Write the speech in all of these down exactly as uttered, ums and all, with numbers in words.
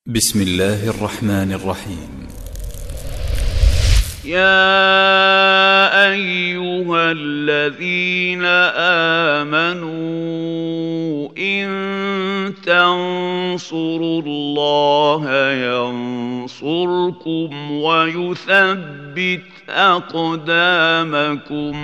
بسم الله الرحمن الرحيم. يا أيها الذين آمنوا إن تنصروا الله ينصركم ويثبت أقدامكم.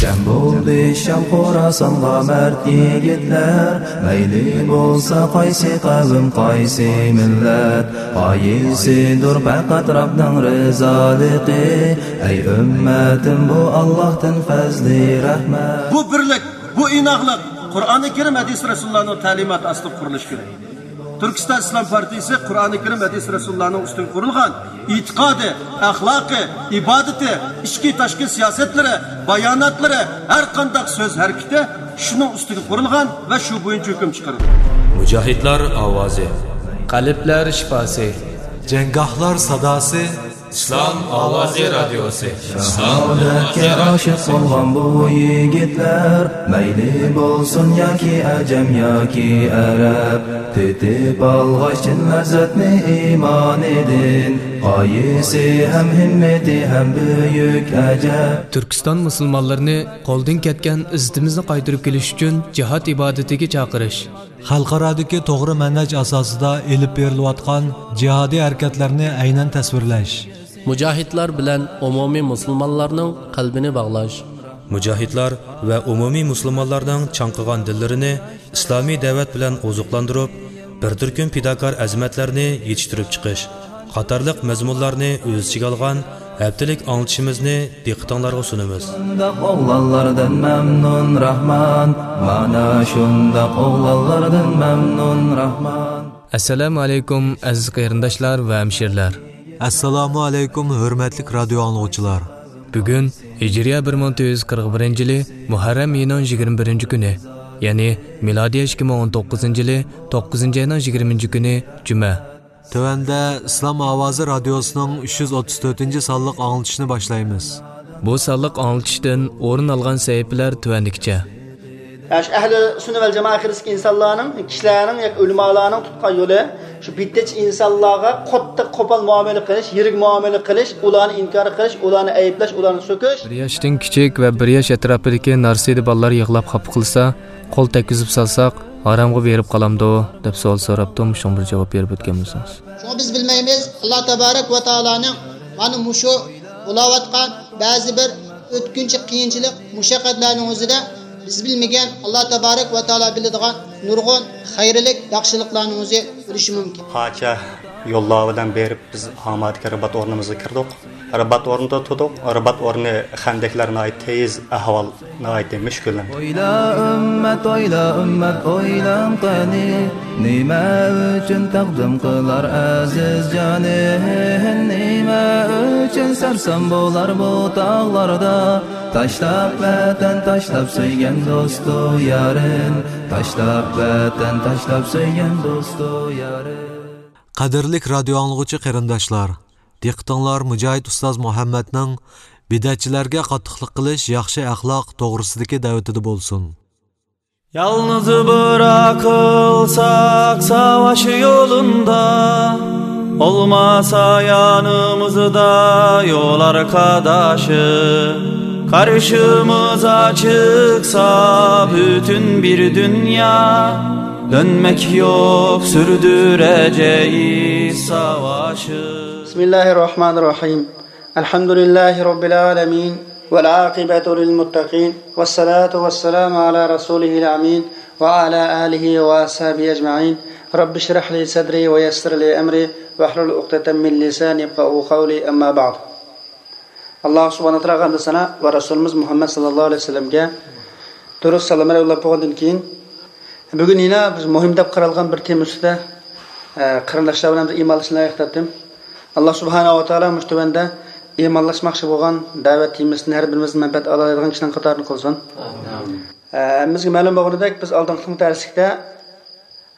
جەم بولدى شام خوراسانغا مەرد يىگىتلەر، مەيلى بولسا قايسى قەۋم، قايسى مىللەت، غايىسىدۇر پەقەت رەبنىڭ رىزالىقى. ئەي ئۈممەتىم، بۇ ئاللاھتىن پەزلى رەھمەت. بۇ بىرلىك، بۇ ئىناقلىق قۇرئانى كەرىم، ھەدىس رەسۇلۇللانىڭ تەلىماتى ئاستىدا قۇرۇلۇشى كېرەك. تۈركىستان ئىسلام پارتىيىسى قۇرئانى كەرىم، ھەدىس رەسۇلۇللانىڭ ئۈستىگە قۇرۇلغان ئېتىقادى، ئەخلاقى، ئىبادىتى، ئىچكى تاشقى سىياسەتلىرى، باياناتلىرى، ھەر قانداق سۆز ھەرىكىتى شۇنىڭ ئۈستىگە قۇرۇلغان ۋە شۇ بويىچە ھۆكۈم چىقىرىدۇ. مۇجاھىدلار ئاۋازى. قەلبلەر شىپاسى. جەڭگاھلار ساداسى. ئىسلام ئاۋازى رادىيوسى. شاھادەتكە ئاشىق بولغان بۇ يىگىتلەر، مەيلى بولسۇن ياكى ئەجەم ياكى ئەرەب، تېتىپ ئالغاچ چىن لەززەتنى ئىمانىدىن، غايىسى ھەم ھىممىتى ھەم بۈيۈك ئەجەب. تۈركىستان مۇسۇلمانلىرىنى قولدىن كەتكەن ئىززىتىمىزنى قايتۇرۇپ كېلىش ئۈچۈن جىھاد ئىبادىتىگە چاقىرىش. خەلقئارادىكى توغرا مەنھەج ئاساسىدا ئېلىپ بېرىلىۋاتقان جىھادىي ھەرىكەتلەرنى ئەينەن تەسۋىرلەش. مۇجاھىدلار بىلەن ئومۇمىي مۇسۇلمانلارنىڭ قەلبىنى باغلاش. مۇجاھىدلار ۋە ئومۇمىي مۇسۇلمانلارنىڭ چاڭقىغان دىللىرىنى ئىسلامىي دەۋەت بىلەن ئوزۇقلاندۇرۇپ، بىر تۈركۈم پىداكار ئەزىمەتلەرنى يېتىشتۈرۈپ چىقىش قاتارلىق مەزمۇنلارنى ئۆز ئىچىگە ئالغان ھەپتىلىك ئاڭلىتىشىمىزنى دىققىتىڭلارغا سۇنىمىز. شۇنداق ئوغلانلاردىن مەمنۇن راھمان، مانا شۇنداق ئوغلانلاردىن مەمنۇن راھمان. ئەسسالامۇ ئەلەيكۇم، ئەزىز قېرىنداشلار ۋە ھەمشىرىلەر. ئەسسالامۇ ئەلەيكۇم، ھۆرمەتلىك رادىيو ئاڭلىغۇچىلار. بۈگۈن ھىجرىيە بىر مىڭ تۆت يۈز قىرىق بىرىنچى يىلى مۇھەررەم ئېيىنىڭ يىگىرمە بىرىنچى كۈنى، يەنى مىلادىيە ئىككى مىڭ ئون توققۇزىنچى يىلى توققۇزىنچى ئاينىڭ يىگىرمىنچى كۈنى جۈمە. تۆۋەندە ئىسلام ئاۋازى رادىيوسىنىڭ ئۈچ يۈز ئوتتۇز تۆتىنچى سانلىق ئاڭلىتىشنى باشلايمىز. بۇ سانلىق ئاڭلىتىشتىن ئورۇن ئالغان سەھىپىلەر تۆۋەندىكىچە. شۇ ئەھلى سۈننە ۋەل جامائە ئەقىدىسىدىكى ئىنسانلارنىڭ، كىشىلەرنىڭ ياكى ئۆلىمالارنىڭ تۇتقان يولى، شۇ بىدئەتچى ئىنسانلارغا قاتتىق قوپال مۇئامىلە قىلىش، يىرىك مۇئامىلە قىلىش، ئۇلارنى ئىنكار قىلىش، ئۇلارنى ئەيىبلەش، ئۇلارنى سۆكۈش. بىر ياشتىن كىچىك ۋە بىر ياش ئەتراپىدىكى نارسىدە بالىلار يىغلاپ خاپا قىلسا، قول تەگكۈزۈپ سالساق، ھارامغا بېرىپ قالامدۇ؟ دەپ سوئال سوراپتۇ، شۇڭا بىر جاۋاب بېرىپ ئۆتكەن بولسىڭىز. شۇڭا بىز بىلمەيمىز، ئاللا تابارەك ۋە تائالانىڭ مانا مۇشۇ بولاۋاتقان بەزى بىر ئۆتكۈنچى قىيىنچىلىق، مۇشەققەتلەرنىڭ ئۆزىدە بىز بىلمىگەن، ئاللا تابارەك ۋە تائالا بىلىدىغان نۇرغۇن خەيرلىك، ياخشىلىقلارنىڭ ئۆزى بولۇشى مۇمكىن. قانچە يوللار بىلەن بېرىپ بىز ئامادىكى رىبات ئورنىمىزغا كىردۇق. رىبات ئورنىدا تۇردۇق. رىبات ئورنى خەندەكلەر ناھايىتى تېيىز، ئەھۋال ناھايىتى مۈشكۈللەندى. ئويلا ئۈممەت، ئويلا ئۈممەت، ئويلاڭ قېنى، نېمە ئۈچۈن تەقدىم قىلار ئەزىز جانى؟ نېمە ئۈچۈن سەرسان بولار بۇ تاغلاردا؟ تاشلاپ ۋەتەن، تاشلاپ سۆيگەن دوستۇ يارىن، تاشلاپ ۋەتەن، تاشلاپ سۆيگەن دوستۇ يارىن. قەدىرلىك رادىيو ئاڭلىغۇچى قېرىنداشلار! دىققىتىڭلار مۇجاھىد ئۇستاز مۇھەممەدنىڭ بىدئەتچىلەرگە قاتتىقلىق قىلىش ياخشى ئەخلاق توغرىسىدىكى دەۋىتىدە بولسۇن. يالنىز بىراقىلساق ساۋاش يولۇندا، بولماسا يانىمىزدا يول ئارقىداشى، قارشىمىزغا چىقسا پۈتۈن بىر دۇنيا، دۆنمەك يوق، سۈردۈرەجەيىز ساۋاشى. بسم الله الرحمن الرحيم. الحمد لله رب العالمين، والعاقبة للمتقين، والصلاة والسلام على رسوله الأمين، وعلى آله وأصحابه أجمعين. رب اشرح لي صدري ويسر لي أمري واحلل عقدة من لساني يفقهوا قولي. أما بعد. ئاللا سۇبھانەھۇ ۋە تائالاغا ھەمدۇ سانا ۋە رەسۇلىمىز مۇھەممەد ساللاللاھۇ ئەلەيھى ۋەسەللەمگە دۇرۇد سالاملار يوللاپ بولغاندىن كېيىن، بۈگۈن يەنە بىز مۇھىم دەپ قارالغان بىر تېما ئۈستىدە، ئە، قېرىنداشلار بىلەن بىر ئىمانلىشىشنى لايىق تاپتىم. ئاللا سۇبھانەھۇ ۋە تائالا مۇشۇ تۆۋەندە ئىمانلاشماقچى بولغان دەۋەت تېمىسىدىن ھەر بىرىمىزدىن مەنپەئەت ئالالايدىغان كىشىلەرنىڭ قاتارىدا قىلسۇن. ئامىن. ئە، ھەممىمىزگە مەلۇم بولغىنىدەك، بىز ئالدىنقى تەرسلىكتە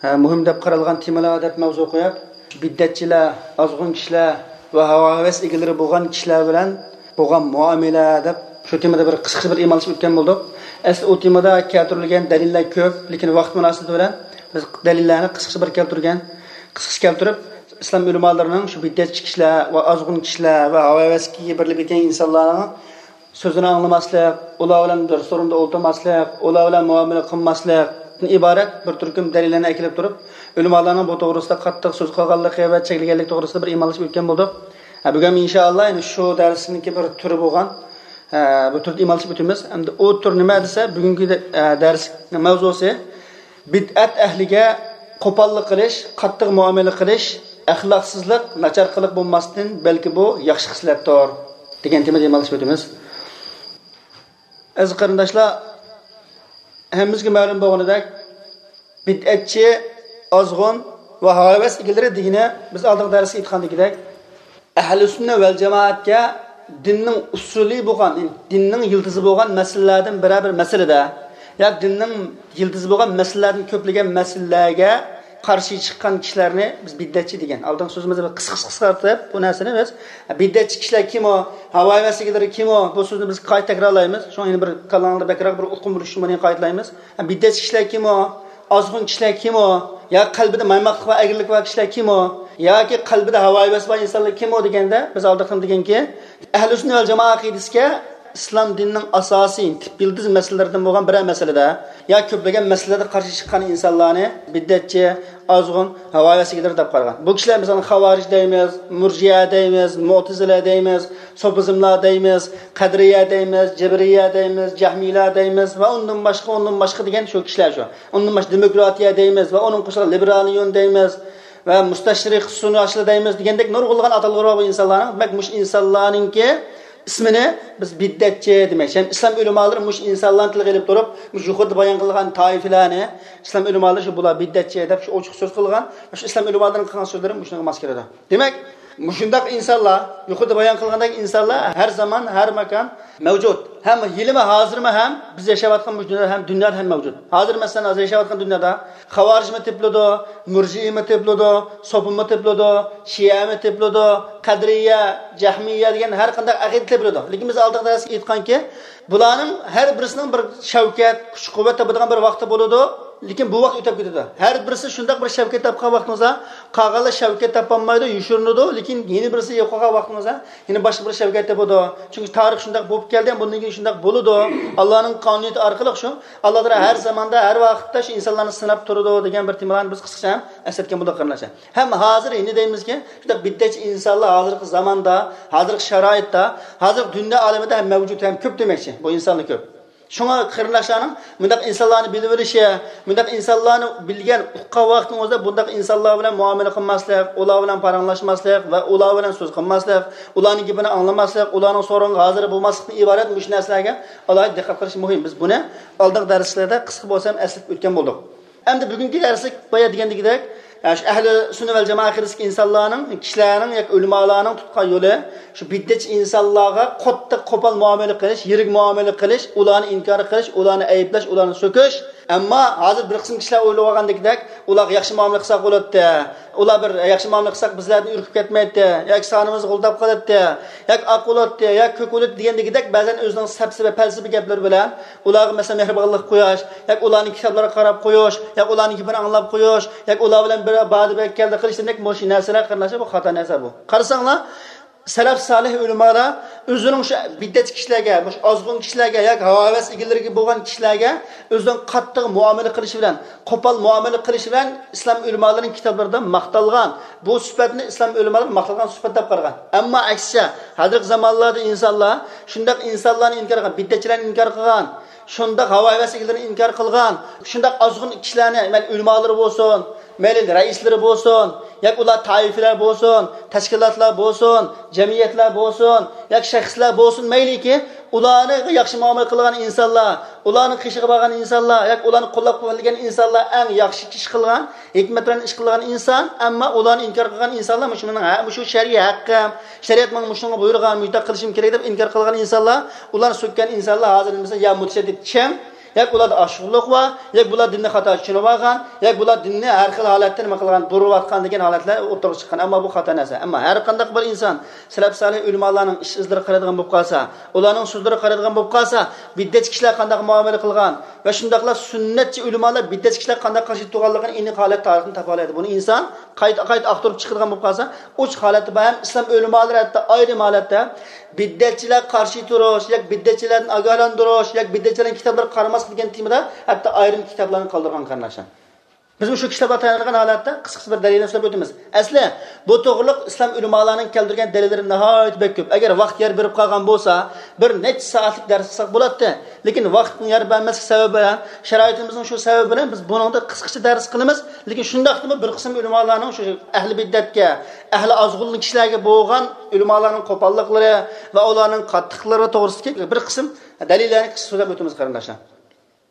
ھە، مۇھىم دەپ قارالغان تېمىلار دەپ مەۋزۇ قويۇپ، بىدئەتچىلەر، ئازغۇن كىشىلەر ۋە ھاۋا-ھەۋەس ئىگىلىرى بولغان كىشىلەر بىلەن بولغان مۇئامىلە دەپ شۇ تېمىدا بىر قىسقىچە بىر ئىمانلىشىپ ئۆتكەن بولدۇق. ئەسلى ئۇ تېمىدا كەلتۈرۈلگەن دەلىللەر كۆپ، لېكىن ۋاقىت مۇناسىۋىتى بىلەن بىز دەلىللەرنى قىسقىچە بىر كەلتۈرگەن. قىسقىچە كەلتۈرۈپ، ئىسلام ئۆلىمالىرىنىڭ شۇ بىدئەتچى كىشىلەر ۋە ئازغۇن كىشىلەر ۋە ھاۋا-ھەۋەسكە بېرىلىپ كەتكەن ئىنسانلارنىڭ سۆزىنى ئاڭلىماسلىق، ئۇلار بىلەن بىر سورۇندا ئولتۇرماسلىق، ئۇلار بىلەن مۇئامىلە قىلماسلىقتىن ئىبارەت بىر تۈركۈم دەلىللەرنى ئەكېلىپ تۇرۇپ، ئۆلىمالارنىڭ بۇ توغرىسىدا قاتتىق سۆز قىلغانلىقى ۋە چەكلىگەنلىكى توغرىسىدا بىر ئىمانلىشىپ ئۆتكەن بولدۇق. ھە، بۈگۈن ئىنشائاللا، يەنى شۇ دەرسنىڭكى بىر تۈرى بولغان، ھە، بۇ تۈردە ئىمانلىشىپ ئۆتىمىز. ئەمدى ئۇ تۈر نېمە دېسە، بۈگۈنكى، ھە، دەرسنىڭ ماۋزۇسى بىدئەت ئەھلىگە قوپاللىق قىلىش، قاتتىق مۇئامىلە قىلىش، ئەخلاقسىزلىق، ناچار قىلىق بولماستىن، بەلكى بۇ ياخشى خىسلەتتۇر، دېگەن تېمىدا ئىمانلىشىپ ئۆتىمىز. ئەزىز قېرىنداشلار، ھەممىمىزگە مەلۇم بولغىنىدەك، بىدئەتچى، ئازغۇن ۋە ھاۋاۋەس ئىگىلىرى دېگىنى بىز ئالدىنقى دەرستە ئېيتقاندىكىدەك، ئەھلى سۈننە ۋەل جامائەتكە دىننىڭ ئۇسۇلى بولغان، دىننىڭ يىلتىزى بولغان مەسىلىلەردىن بىرەر بىر مەسىلىدە، يا دىننىڭ يىلتىزى بولغان مەسىلىلەردىن كۆپلىگەن مەسىلىلەرگە قارشى چىققان كىشىلەرنى بىز بىدئەتچى دېگەن. ئالدىنقى سۆزىمىزدە بىر قىسقا قىسقا قىسقارتىپ بۇ نەرسىنى بىز، بىدئەتچى كىشىلەر كىمۇ، ھاۋاۋەس ئىگىلىرى كىمۇ، بۇ سۆزنى بىز قايتا تەكرارلايمىز. شۇڭا يەنە بىر كاللاڭلاردا بەكرەك بىر ئۇقۇم بولۇشى ئۈچۈن بۇنى قايتىلايمىز. بىدئەتچى كىشىلەر كىمۇ، ئازغۇن كىشىلەر كىمۇ، يا قەلبىدە مايماقلىق ۋە ئەگرىلىك بار كىشىلەر كىمۇ، ياكى قەلبىدە ھاۋاۋەس بار ئىنسانلار كىمۇ دېگەندە، بىز ئالدىقىم دېگەنكى، ئەھلى سۈننە ۋەل جامائە ئەقىدىسىگە ئىسلام دىنىنىڭ ئاساسىي تىپ يىلتىز مەسىلىلىرىدىن بولغان بىرەر مەسىلىدە يا كۆپلىگەن مەسىلىلەردە قارشى چىققان ئىنسانلارنى بىدئەتچى، ئازغۇن، ھاۋاۋەس ئىگىلىرى دەپ قارىغان. بۇ كىشىلەر مىسالەن خاۋارىج دەيمىز، مۇرجىئە دەيمىز، مۇئتەزىلە دەيمىز، سوپىزملار دەيمىز، قەدرىيە دەيمىز، جەبرىيە دەيمىز، جەھمىيلار دەيمىز ۋە ئۇندىن باشقا، ئۇندىن باشقا دېگەن شۇ كىشىلەر شۇ. ئۇندىن باشقا دېموكراتىيە دەيمىز ۋە ئۇنىڭ قوشۇلغان لىبېرالىيون دەيمىز ۋە مۇستەشرىق سۇنۇشلار دەيمىز دېگەندەك نۇرغۇنلىغان ئاتالغۇلار بار بۇ ئىنسانلارنىڭ. دېمەك، مۇشۇ ئىنسانلارنىڭكى ئىسمىنى بىز بىدئەتچى دېمەكچى. ھەم ئىسلام ئۆلىمالىرى مۇشۇ ئىنسانلارنى تىلغا ئېلىپ تۇرۇپ، مۇشۇ يۇقىرىدا بايان قىلغان تائىپىلەرنى ئىسلام ئۆلىمالىرى شۇ بۇلار بىدئەتچى دەپ شۇ ئوچۇق سۆز قىلغان. شۇ ئىسلام ئۆلىمالىرىنىڭ قىلغان سۆزلىرى مۇشۇنىڭغا ماس كېلىدۇ. دېمەك، مۇشۇنداق ئىنسانلار، يۇقىرىدا بايان قىلغاندەك ئىنسانلار ھەر زامان، ھەر ماكان مەۋجۇت. ھەم ھېلىمۇ ھازىرمۇ ھەم بىز ياشاۋاتقان مۇشۇ دۇنيادا ھەم، دۇنيادا ھەم مەۋجۇت. ھازىر مەسىلەن، ھازىر ياشاۋاتقان دۇنيادا خاۋارىجمۇ تېپىلىدۇ، مۇرجىئىمۇ تېپىلىدۇ، سوپىمۇ تېپىلىدۇ، شىئەمۇ تېپىلىدۇ، قەدرىيە، جەھمىيە دېگەن ھەر قانداق ئەقىدە تېپىلىدۇ. لېكىن بىز ئالدىنقى دەرستە ئېيتقانكى، بۇلارنىڭ ھەر بىرسىنىڭ بىر شەۋكەت، كۈچ-قۇۋۋەت تاپىدىغان بىر ۋاقتى بولىدۇ. لېكىن بۇ ۋاقىت ئۆتۈپ كېتىدۇ. ھەر بىرسى شۇنداق بىر شەۋكەت تاپقان ۋاقتىڭىزدا، قالغانلار شەۋكەت تاپالمايدۇ، يوشۇرۇنىدۇ. لېكىن يەنە بىرسى يوقالغان ۋاقتىڭىزدا، يەنە باشقا بىر شەۋكەت تېپىدۇ. چۈنكى تارىخ شۇنداق بولۇپ كەلدى، بۇندىن كېيىن شۇنداق بولىدۇ. ئاللانىڭ قانۇنىيىتى ئارقىلىق شۇ، ئاللا تائالا ھەر زاماندا، ھەر ۋاقىتتا شۇ ئىنسانلارنى سىناپ تۇرىدۇ دېگەن بىر تېمىلارنى بىز قىسقىچە ھەم ئەسلەتكەن بولدۇق، قېرىنداشلار. ھەم ھازىر يەنە دەيمىزكى، شۇنداق بىدئەتچى ئىنسانلار ھازىرقى زاماندا، ھازىرقى شارائىتتا، ھازىرقى دۇنيا ئالىمىدە ھەم مەۋجۇت، ھەم كۆپ دېمەكچى. بۇ ئىنسانلار كۆپ. شۇڭا قېرىنداشلارنىڭ مۇنداق ئىنسانلارنى بىلىۋېلىشى، مۇنداق ئىنسانلارنى بىلگەن، ئۇققان ۋاقتىڭىزدا بۇنداق ئىنسانلار بىلەن مۇئامىلە قىلماسلىق، ئۇلار بىلەن پاراڭلاشماسلىق ۋە ئۇلار بىلەن سۆز قىلماسلىق، ئۇلارنىڭ گېپىنى ئاڭلىماسلىق، ئۇلارنىڭ سورىقىغا ھازىر بولماسلىقتىن ئىبارەت مۇشۇ نەرسىلەرگە ئالاھىدە دىققەت قىلىش مۇھىم. بىز بۇنى ئالدىنقى دەرسلەردە قىسقا بولسا ھەم ئەسلىتىپ ئۆتكەن بولدۇق. ئەمدى بۈگۈنكى دەرسلىك بايا دېگەندىكىدەك، شۇ ئەھلى سۈننە ۋەل جامائە ئەقىدىسىدىكى ئىنسانلارنىڭ، كىشىلەرنىڭ ياكى ئۆلىمالارنىڭ تۇتقان يولى، شۇ بىدئەتچى ئىنسانلارغا قاتتىق قوپال مۇئامىلە قىلىش، يىرىك مۇئامىلە قىلىش، ئۇلارنى ئىنكار قىلىش، ئۇلارنى ئەيىبلەش، ئۇلارنى سۆكۈش. ئەمما ھازىر بىر قىسىم كىشىلەر ئويلىۋالغاندىكىدەك، ئۇلارغا ياخشى مۇئامىلە قىلساق بولاتتى، ئۇلار بىر ياخشى مۇئامىلە قىلساق بىزلەردىن ئۈركۈپ كەتمەيتتى، ياكى سانىمىز غۇلداپ قالاتتى، ياكى ئاق بولاتتى، ياكى كۆك بولاتتى دېگەندىكىدەك بەزەن ئۆزىنىڭ سەپسەتە، پەلسەپە گەپلىرى بىلەن ئۇلارغا مەسىلەن مېھرىبانلىق قويۇش، ياكى ئۇلارنىڭ كىتابلىرىغا قاراپ قويۇش، ياكى ئۇلارنىڭ گېپىنى ئاڭلاپ قويۇش، ياكى ئۇلار بىلەن بىر باردا بەك كەلدى قىلىش دېمەك، مۇشۇ نەرسىلەر قېرىنداشلار، بۇ خاتا نەرسە بۇ. قارىساڭلار، سەلەف سالىھ ئۆلىمالار ئۆزىنىڭ شۇ بىدئەتچى كىشىلەرگە، مۇشۇ ئازغۇن كىشىلەرگە ياكى ھاۋاۋەس ئىگىلىرىگە بولغان كىشىلەرگە ئۆزىنىڭ قاتتىق مۇئامىلە قىلىشى بىلەن، قوپال مۇئامىلە قىلىشى بىلەن ئىسلام ئۆلىمالىرىنىڭ كىتابلىرىدا ماختالغان، بۇ سۈپەتنى ئىسلام ئۆلىمالىرى ماختالغان سۈپەت دەپ قارىغان. ئەمما ئەكسىچە، ھازىرقى زامانلاردا ئىنسانلار شۇنداق ئىنسانلارنى ئىنكار قىلغان، بىدئەتچىلەرنى ئىنكار قىلغان، شۇنداق ھاۋاۋەس ئىگىلىرىنى ئىنكار قىلغان، شۇنداق ئازغۇن كىشىلەرنى، مەيلى ئۆلىمالىرى بولسۇن، مەيلى رەئىسلىرى بولسۇن، ياكى ئۇلار تائىپىلەر بولسۇن، تەشكىلاتلار بولسۇن، جەمئىيەتلەر بولسۇن، ياكى شەخسلەر بولسۇن، مەيلىكى، ئۇلارنى ياخشى مۇئامىلە قىلغان ئىنسانلار، ئۇلارنىڭ قېشىغا بارغان ئىنسانلار، ياكى ئۇلارنى قوللاپ-قۇۋۋەتلىگەن ئىنسانلار ئەڭ ياخشى ئىش قىلغان، ھېكمەت بىلەن ئىش قىلغان ئىنسان، ئەمما ئۇلارنى ئىنكار قىلغان ئىنسانلار، مۇشۇ مېنىڭ ھە-، مۇشۇ شەرئىي ھەققىم، شەرىئەت ماڭا مۇشۇنى بۇيرۇغان، مۇشۇنداق قىلىشىم كېرەك دەپ ئىنكار قىلغان ئىنسانلار، ئۇلارنى سۆككەن ئىنسانلار ھازىر دېسە يا مۇتەشەددىد چىڭ، ياكى ئۇلاردا ئاشۇغۇنلۇق بار، ياكى بۇلار دىننى خاتا چۈشىنىۋالغان، ياكى بۇلار دىننى ھەر خىل ھالەتتە نېمە قىلغان، بۇرۇۋاتقان دېگەن ھالەتلەر ئوتتۇرىغا چىققان. ئەمما بۇ خاتا نەرسە. ئەمما ھەر قانداق بىر ئىنسان سەلەپ سالىھ ئۆلىمالارنىڭ ئىش ئىزلىرىغا قارايدىغان بولۇپ قالسا، ئۇلارنىڭ سۆزلىرىگە قارايدىغان بولۇپ قالسا، بىدئەتچى كىشىلەر قانداق مۇئامىلە قىلغان ۋە شۇنداقلا سۈننەتچى ئۆلىمالار بىدئەتچى كىشىلەر قانداق قارشى تۇرغانلىقىنى ئېنىق ھالەتتە تارىختىن تاپالايدۇ. بۇنى ئىنسان قايتا، قايتا ئاختۇرۇپ چىقىدىغان بولۇپ قالسا، ئۇچ ھالەتتە بار. ھەم ئىسلام ئۆلىمالىرى ھەتتا ئايرىم ھالەتتە بىدئەتچىلەرگە قارشى تۇرۇش ياكى بىدئەتچىلەردىن ئاگاھلاندۇرۇش ياكى بىدئەتچىلەرنىڭ كىتابلىرىغا قارىماسلىق دېگەن تېمىدا ھەتتا ئايرىم كىتابلارنى قالدۇرغان قېرىنداشلار. بىز مۇشۇ كىشىلەرگە تايىنىدىغان ھالەتتە قىسقىچە بىر دەلىلنى سۆزلەپ ئۆتىمىز. ئەسلى بۇ توغرىلىق ئىسلام ئۆلىمالارنىڭ كەلتۈرگەن دەلىللىرى ناھايىتى بەك كۆپ. ئەگەر ۋاقىت يار بېرىپ قالغان بولسا، بىر نەچچە سائەتلىك دەرس قىلساق بولاتتى. لېكىن ۋاقىتنىڭ يار بەرمەسلىك سەۋەبى بىلەن، شارائىتىمىزنىڭ شۇ سەۋەبى بىلەن بىز بۇنىڭدا قىسقىچە دەرس قىلىمىز. لېكىن شۇنداقتىمۇ بىر قىسىم ئۆلىمالارنىڭ شۇ ئەھلى بىدئەتكە، ئەھلى ئازغۇن كىشىلەرگە بولغان ئۆلىمالارنىڭ قوپاللىقلىرى ۋە ئۇلارنىڭ قاتتىقلىقلىرى توغرىسىدىكى بىر قىسىم دەلىللەرنى قىسقىچە سۆزلەپ ئۆتىمىز، قېرىنداشلار.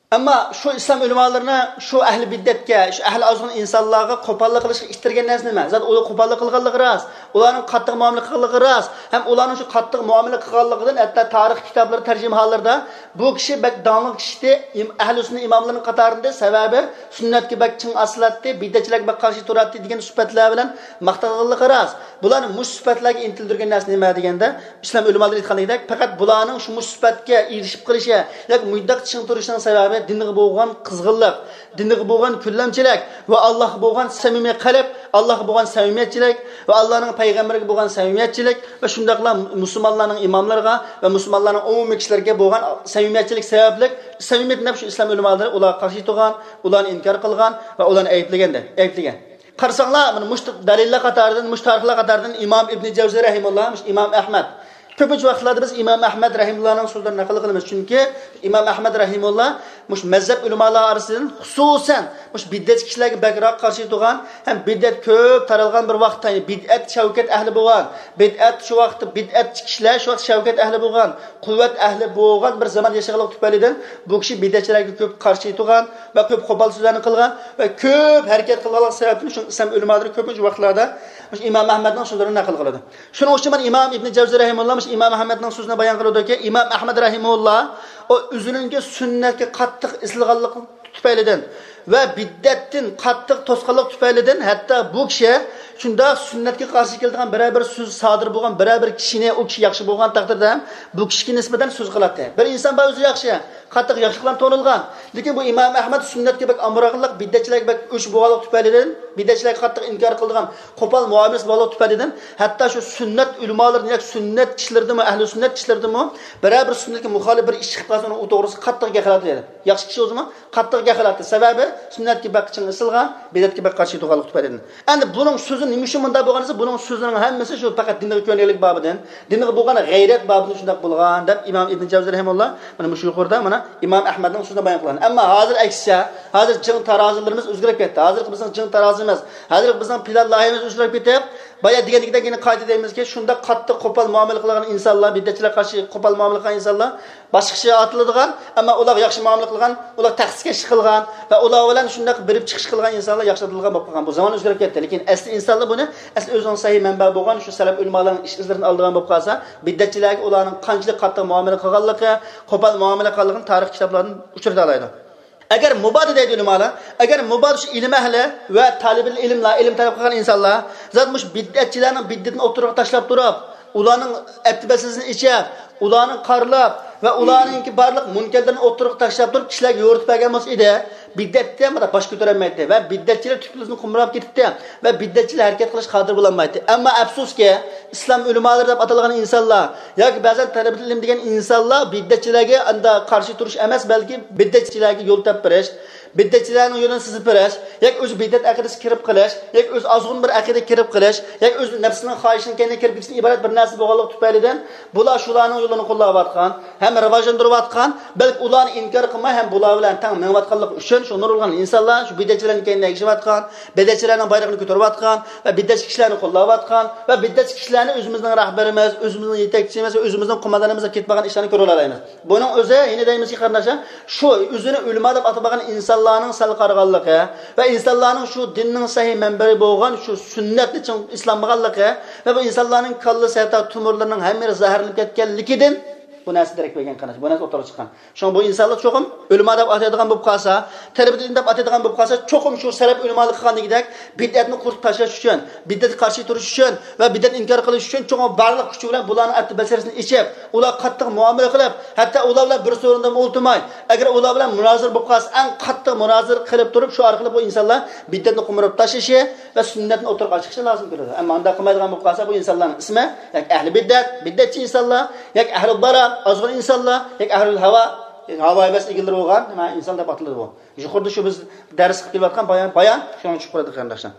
ئەمما شۇ ئىسلام ئۆلىمالىرىنى شۇ ئەھلى بىدئەتكە، شۇ ئەھلى ئازغۇن ئىنسانلارغا قوپاللىق قىلىشقا ئىتتەرگەن نەرسە نېمە؟ زادى ئۇلار قوپاللىق قىلغانلىقى راست، ئۇلارنىڭ قاتتىق مۇئامىلە قىلغانلىقى راست، ھەم ئۇلارنىڭ شۇ قاتتىق مۇئامىلە قىلغانلىقىدىن ھەتتا تارىخ كىتابلىرى، تەرجىمىھاللىرىدا بۇ كىشى بەك داڭلىق كىشى ئىدى، ئىم-، ئەھلى سۈننە ئىماملىرىنىڭ قاتارىدا، سەۋەبى سۈننەتكە بەك چىڭ ئاسىلاتتى، بىدئەتچىلەرگە بەك قارشى تۇراتتى دېگەن سۈپەتلەر بىلەن ماختالغانلىقى راست. بۇلارنى مۇشۇ سۈپەتلەرگە ئىنتىلدۈرگەن نەرسە نېمە دېگەندە، ئىسلام ئۆلىمالىرى ئېيتقاندەك، پەقەت بۇلارنىڭ شۇ مۇشۇ سۈپەتكە ئېرىشىپ قېلىشى ياكى مۇنداق چىڭ تۇرۇشىنىڭ سەۋەبى دىنغا بولغان قىزغىنلىق، دىنغا بولغان كۆلەمچىلىك ۋە ئاللاھقا بولغان سەمىمىي قەلب، ئاللاھقا بولغان سەمىمىيەتچىلىك ۋە ئاللانىڭ پەيغەمبىرىگە بولغان سەمىمىيەتچىلىك ۋە شۇنداقلا مۇسۇلمانلارنىڭ ئىماملىرىغا ۋە مۇسۇلمانلارنىڭ ئومۇمىي كىشىلىرىگە بولغان سەمىمىيەتچىلىك سەۋەبلىك، سەمىمىيەت دەپ شۇ ئىسلام ئۆلىمالىرى ئۇلارغا قارشى تۇرغان، ئۇلارنى ئىنكار قىلغان ۋە ئۇلارنى ئەيىبلىگەندە، ئەيىبلىگەن. قارىساڭلار، مانا مۇشۇ دەلىللەر قاتارىدىن، مۇشۇ تارىخلار قاتارىدىن ئىمام ئىبنى جەۋزى رەھىمۇللا، مۇشۇ ئىمام ئەھمەد. كۆپىنچە ۋاقىتلاردا بىز ئىمام ئەھمەد رەھىمۇللانىڭ سۆزلىرىنى نەقىل قىلىمىز. چۈنكى ئىمام ئەھمەد رەھىمۇللا مۇشۇ مەزھەپ ئۆلىمالار ئارىسىدىن خۇسۇسەن مۇشۇ بىدئەتچى كىشىلەرگە بەكرەك قارشى تۇرغان ھەم بىدئەت كۆپ تارالغان بىر ۋاقىتتا، يەنى بىدئەت شەۋكەت ئەھلى بولغان، بىدئەت شۇ ۋاقىتتا بىدئەتچى كىشىلەر شۇ ۋاقىت شەۋكەت ئەھلى بولغان، قۇۋۋەت ئەھلى بولغان بىر زامان ياشىغانلىقى تۈپەيلىدىن بۇ كىشى بىدئەتچىلەرگە كۆپ قارشى تۇرغان ۋە كۆپ قوپال سۆزلەرنى قىلغان ۋە كۆپ ھەرىكەت قىلغانلىقى سەۋەبىدىن شۇ ئىسلام ئۆلىمالىرى كۆپىنچە ۋاقىتلاردا مۇشۇ ئىمام ئەھمەدنىڭ سۆزلىرىنى نەقىل قىلىدۇ. شۇنىڭ ئۈچۈن مانا ئىمام ئىبنى جەۋزى رەھىمۇللا مۇشۇ ئىمام ئەھمەدنىڭ سۆزىنى بايان قىلىدۇكى، ئىمام ئەھمەد رەھىمۇللا ئۇ ئۆزىنىڭكى سۈننەتكە قاتتىق ئېسىلغانلىقى تۈپەيلىدىن ۋە بىدئەتتىن قاتتىق توسقانلىق تۈپەيلىدىن ھەتتا بۇ كىشى شۇنداق سۈننەتكە قارشى كېلىدىغان بىرەر بىر سۆز سادىر بولغان بىرەر بىر كىشىنى، ئۇ كىشى ياخشى بولغان تەقدىردە ھەم بۇ كىشىگە نىسبەتەن سۆز قىلاتتى. بىر ئىنسان بار ئۆزى ياخشى، قاتتىق ياخشىلىق بىلەن تونۇلغان، لېكىن بۇ ئىمام ئەھمەد سۈننەتكە بەك ئامراقلىق، بىدئەتچىلەرگە بەك ئۆچ بولغانلىق تۈپەيلىدىن، بىدئەتچىلەرگە قاتتىق ئىنكار قىلىدىغان قوپال مۇئامىلىسى بولغانلىق تۈپەيلىدىن ھەتتا شۇ سۈننەت ئۆلىمالىرىدىن ياكى سۈننەت كىشىلىرىدىنمۇ، ئەھلى سۈننەت كىشىلىرىدىنمۇ بىرەر بىر سۈننەتكە مۇخالىپ بىر ئىش چىقىپ قالسا، ئۇنىڭ ئۇ توغرىسىدا قاتتىق گەپلەيدۇ. ياخشى كىشى بولسىمۇ قاتتىق گەپ قىلاتتى. سەۋەبى سۈننەتكە بەك چىڭ ئېسىلغان، بىدئەتكە بەك قارشى تۇرغانلىق تۈپەيلىدىن. ئەمدى بۇنىڭ سۆزى نېمە ئۈچۈن مۇنداق بولغان دېسە، بۇنىڭ سۆزىنىڭ ھەممىسى شۇ پەقەت دىنغا كۆنگەنلىك بابىدىن، دىنغا بولغان غەيرەت بابىدىن شۇنداق بولغان دەپ ئىمام ئىبن جەۋزى رەھىمۇللا مانا مۇشۇ يۇقىرىدا مانا ئىمام ئەھمەدنىڭ سۆزىنى بايان قىلغان. ئەمما ھازىر ئەكسىچە، ھازىر جىڭ تارازىلىرىمىز ئۆزگىرىپ كەتتى. ھازىرقى بىزنىڭ جىڭ تارازىمىز، ھازىرقى بىزنىڭ پىلان لايىھەمىز ئۆزگىرىپ كېتىپ، بايا دېگەندىكىدەك يەنە قايتا دەيمىزكى، شۇنداق قاتتىق قوپال مۇئامىلە قىلغان ئىنسانلار، بىدئەتچىلەرگە قارشى قوپال مۇئامىلە قىلغان ئىنسانلار باشقىچە ئاتىلىدىغان، ئەمما ئۇلارغا ياخشى مۇئامىلە قىلغان، ئۇلار تەخسىكەشلىك قىلغان ۋە ئۇلار بىلەن شۇنداق بېرىپ چىقىش قىلغان ئىنسانلار ياخشى ئاتىلىدىغان بولۇپ قالغان. بۇ زامان ئۆزگىرىپ كەتتى. لېكىن ئەسلى ئىنسانلار بۇنى ئەسلى ئۆزىنىڭ سەھىھ مەنبە بولغان شۇ سەلەپ ئۆلىمالارنىڭ ئىش ئىزلىرىدىن ئالىدىغان بولۇپ قالسا، بىدئەتچىلەرگە ئۇلارنىڭ قانچىلىك قاتتىق مۇئامىلە قىلغانلىقى، قوپال مۇئامىلە قىلغانلىقىنى تارىخ كىتابلاردىن ئۇچرىتالايدۇ. ئەگەر مۇبادا دەيدۇ ئۆلىمالار، ئەگەر مۇبادا شۇ ئىلىم ئەھلى ۋە تالىبىل ئىلىملار، ئىلىم تەلەپ قىلغان ئىنسانلار زادى مۇشۇ بىدئەتچىلەرنىڭ بىدئىتىنى ئوتتۇرىغا تاشلاپ تۇرۇپ، ئۇلارنىڭ ئەپتىبەسىزىنى ئېچىپ، ئۇلارنى قارىلاپ ۋە ئۇلارنىڭكى بارلىق مۇنكەرلىرىنى ئوتتۇرىغا تاشلاپ تۇرۇپ، كىشىلەرگە يورۇتۇپ بەرگەن بولسا ئىدى، بىدئەتتە مانا باش كۆتۈرەلمەيتتى ۋە بىدئەتچىلەر تۈپتىن قۇمراپ كېتىپتۇ ۋە بىدئەتچىلەر ھەرىكەت قىلىشقا قادىر بولالمايتتى. ئەمما ئەپسۇسكى، ئىسلام ئۆلىمالىرى دەپ ئاتالغان ئىنسانلار ياكى بەزەن تەلەبىل ئىلىم دېگەن ئىنسانلار بىدئەتچىلەرگە ئاندا قارشى تۇرۇش ئەمەس، بەلكى بىدئەتچىلەرگە يول تاپىپ بېرىش، بىدئەتچىلەرنىڭ يولىنى سىزىپ بېرىش، ياكى ئۆزى بىدئەت ئەقىدىسىگە كىرىپ قېلىش، ياكى ئۆزى ئازغۇن بىر ئەقىدىگە كىرىپ قېلىش، ياكى ئۆزى نەپسىنىڭ خاھىشىنىڭ كەينىگە كىرىپ كېتىشتىن ئىبارەت بىر نەرسە بولغانلىقى تۈپەيلىدىن، بۇلار شۇلارنىڭ يولىنى قوللاۋاتقان، ھەم راۋاجلاندۇرۇۋاتقان، بەلكى ئۇلارنى ئىنكار قىلماي، ھەم بۇلار بىلەن تەڭ مېڭىۋاتقانلىقى ئۈچۈن شۇ نۇرغۇن ئىنسانلار شۇ بىدئەتچىلەرنىڭ كەينىدىن ئەگىشىۋاتقان، بىدئەتچىلەرنىڭ بايرىقىنى كۆتۈرۈۋاتقان ۋە بىدئەتچى كىشىلەرنى قوللاۋاتقان ۋە بىدئەتچى كىشىلەرنى ئۆزىمىزنىڭ رەھبىرىمىز، ئۆزىمىزنىڭ يېتەكچىمىز ۋە ئۆزىمىزنىڭ قوماندانىمىز دەپ كېتىۋالغان ئىشلارنى كۆرۈۋالالايمىز. بۇنىڭ ئۆزى، يەنە دەيمىزكى، قېرىنداشلار، شۇ ئۆزىنى ئۆلىما دەپ ئاتىمىغان ئىنسانلارنىڭ سەل قارىغانلىقى ۋە ئىنسانلارنىڭ شۇ دىننىڭ سەھىھ مەنبەسى بولغان شۇ سۈننەتنى چىڭ ئېسىلالمىغانلىقى ۋە بۇ ئىنسانلارنىڭ كاللىسى ھەتتا تومۇرلىرىنىڭ ھەممىسى زەھەرلىنىپ كەتكەنلىكىدىن، بۇ نەرسە دېرەك بەرگەن قېرىنداش، بۇ نەرسە ئوتتۇرىغا چىققان. شۇڭا بۇ ئىنسانلار چوقۇم ئۆلىما دەپ ئاتايدىغان بولۇپ قالسا، تەلىبىدىن دەپ ئاتايدىغان بولۇپ قالسا، چوقۇم شۇ سەلەپ ئۆلىمالىق قىلغاندىكىدەك بىدئەتنى قۇرۇتۇپ تاشلاش ئۈچۈن، بىدئەتكە قارشى تۇرۇش ئۈچۈن ۋە بىدئەتنى ئىنكار قىلىش ئۈچۈن چوقۇم بارلىق كۈچى بىلەن بۇلارنىڭ ئەتتە بەسىرىسىنى ئېچىپ، ئۇلارغا قاتتىق مۇئامىلە قىلىپ، ھەتتا ئۇلار بىلەن بىر سورۇندا ئولتۇرماي، ئەگەر ئۇلار بىلەن مۇنازىرە بولۇپ قالسا، ئەڭ قاتتىق مۇنازىرە قىلىپ تۇرۇپ، شۇ ئارقىلىق بۇ ئىنسانلار بىدئەتنى قومۇرۇپ تاشلىشى ۋە سۈننەتنى ئوتتۇرىغا چىقىشى لازىم كېلىدۇ. ئەمما ئۇنداق قىلمايدىغان بولۇپ قالسا، بۇ ئىنسانلارنىڭ ئىسمى ياكى ئەھلى بىدئەت، بىدئەتچى ئىنسانلار، ياكى ئەھلى دالال، ئازغۇن ئىنسانلار، ياكى ئەھلى ھاۋا، ھاۋا ھەۋەس ئىگىلىرى بولغان نېمە ئىنسان دەپ ئاتىلىدۇ بۇ. يۇقىرىدا شۇ بىز دەرس قىلىپ كېلىۋاتقان بايان، بايان شۇنىڭغا چۈشۈپ قالىدۇ، قېرىنداشلار.